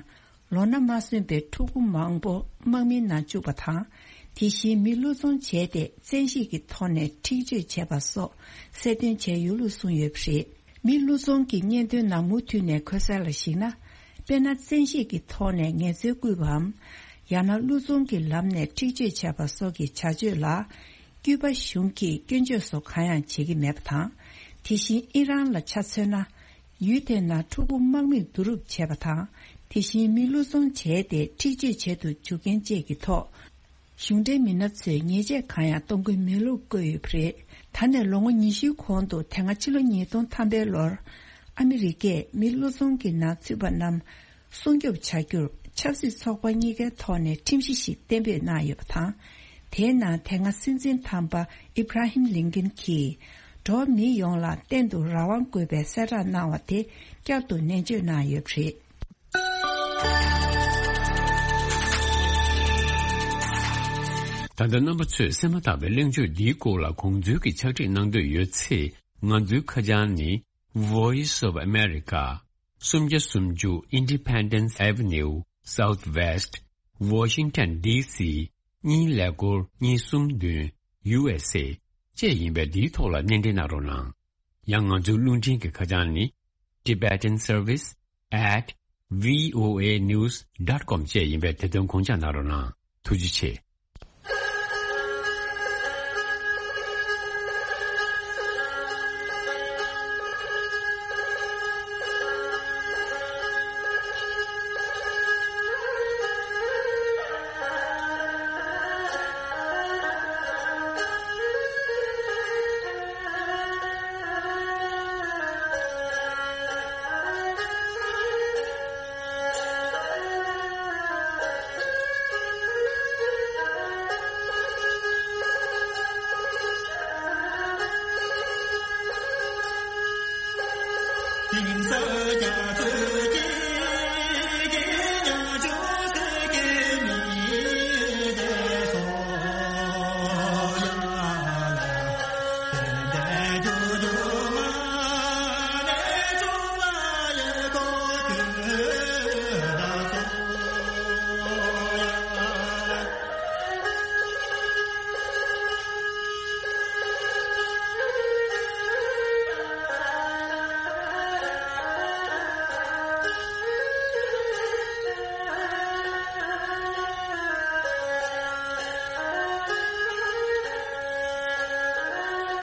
ལོ་ན་མ་སོན་པའི་ཕྲུ་གུ་མང་པོ་དམག་མིའི་ནང་བཅུག་པ་དང་། དེ་བཞིན་མི་བློ་བཟང་བྱས་ཏེ་བཙན་ཤེད་ཀྱི་ཐོག་ནས་འཁྲིག་སྤྱོད་བྱས་པ་སོགས་གསལ་སྟོན་བྱས་ཡོད་ལུགས་གསུངས་ཡོད་པ་རེད། མི་བློ་བཟང་གི་སྙན་ཐོའི་ནང་མུ་མཐུད་ནས་འཁོད་གསལ་ལ་གཞིགས་ན། དཔེར་ན། བཙན་ཤེད་ཀྱི་ཐོག་ནས་ངལ་རྩོལ་བསྐུལ་བའམ། ཡང་ན་བློ་བཟང་གི་ལམ་ནས་འཁྲིག་སྤྱོད་བྱས་པ་སོགས་ཀྱི་བྱ་སྤྱོད་ལ། ཀྱུ་པ་གཞུང་གིས་སྐྱོན་བརྗོད་སོགས་གང་ཡང་བྱེད་ཀྱི་མེད་པ་དང་། དེ་བཞིན་ཨི་རན་ལ་ཆ་མཚོན་ན། ཡུལ་དེའི་ནང་ཕྲུ་གུ་དམག་མིས་བསྡུ་རུབ་བྱས་པ་དང་། དེ་བཞིན་མི་བློ་བཟང་བྱས་ཏེ་འཁྲིག་སྤྱོད་བྱེད་དུ་འཇུག་མཁན་བཅས་ཀྱི་ཐོག་གཞུང་འབྲེལ་མི་སྣ་ཚོས་ཉེས་ཆད་གང་ཡང་གཏོང་གི་མེད་ལུགས་བཀོད་ཡོད་པ་རེད། ད་ནས་ལོ་ངོ་ཉི་ཤུའི་གོང་དུ། དེ་སྔ་ཕྱི་ལོ་ཉིས་སྟོང་ཐམ་པའི་ལོར། ཨ་མི་རི་ཀས་མི་བློ་བཟང་གི་ནང་ཚུད་པ་རྣམས་སྲུང་སྐྱོབ་བྱ་རྒྱུར་ཆབ་སྲིད་ཚོགས་པ་གཉིས་ཀའི་ཐོག་ནས་ཁྲིམས་གཞི་ཞིག་གཏན་འབེབས་གནང་ཡོད་པ་དང་། དེའི་ནང་དེ་སྔ་སྲིད་འཛིན་དམ་པ་ཨིབ་ར་ཧིམ་ལིན་ཀིན་གྱིས། འགྲོ་བ་མི་ཡོངས་ལ་གཏན་དུ་རང་དབང་དགོས་པའི་གསལ་བསྒྲགས་གནང་བ་དེ་བསྐྱར་དུ་ནན་བརྗོད་གནང་ཡོད་པ་རེད། ད་ལྟ་རྣམ་པ་ཚོས་གསན་མ་ཐག་པའི་གླེང་བརྗོད་འདིའི་སྐོར་ལ་དགོངས་ཚུལ་གྱི་ཕྱག་བྲིས་གནང་འདོད་ཡོད་ཚེ། ང་ཚོའི་ཁ་བྱང་ནི། Voice of America། སུམ་བརྒྱ་སུམ་ཅུ་Independence Avenue Southwest Washington D C གཉིས་ཀླད་ཀོར་གཉིས་གསུམ་བདུན། U S A བཅས་ཡིན་པས་འདིའི་ཐོག་ལ་སྣེ་འདྲེན་གནང་རོགས་གནང་། ཡང་ང་ཚོའི་རླུང་འཕྲིན་གྱི་ཁ་བྱང་ནི། Tibetan Service at V O A news dot com བཅས་ཡིན་པས་དེ་དོན་དགོངས་འཇགས་གནང་རོགས་གནང་། ཐུགས་རྗེ་ཆེ།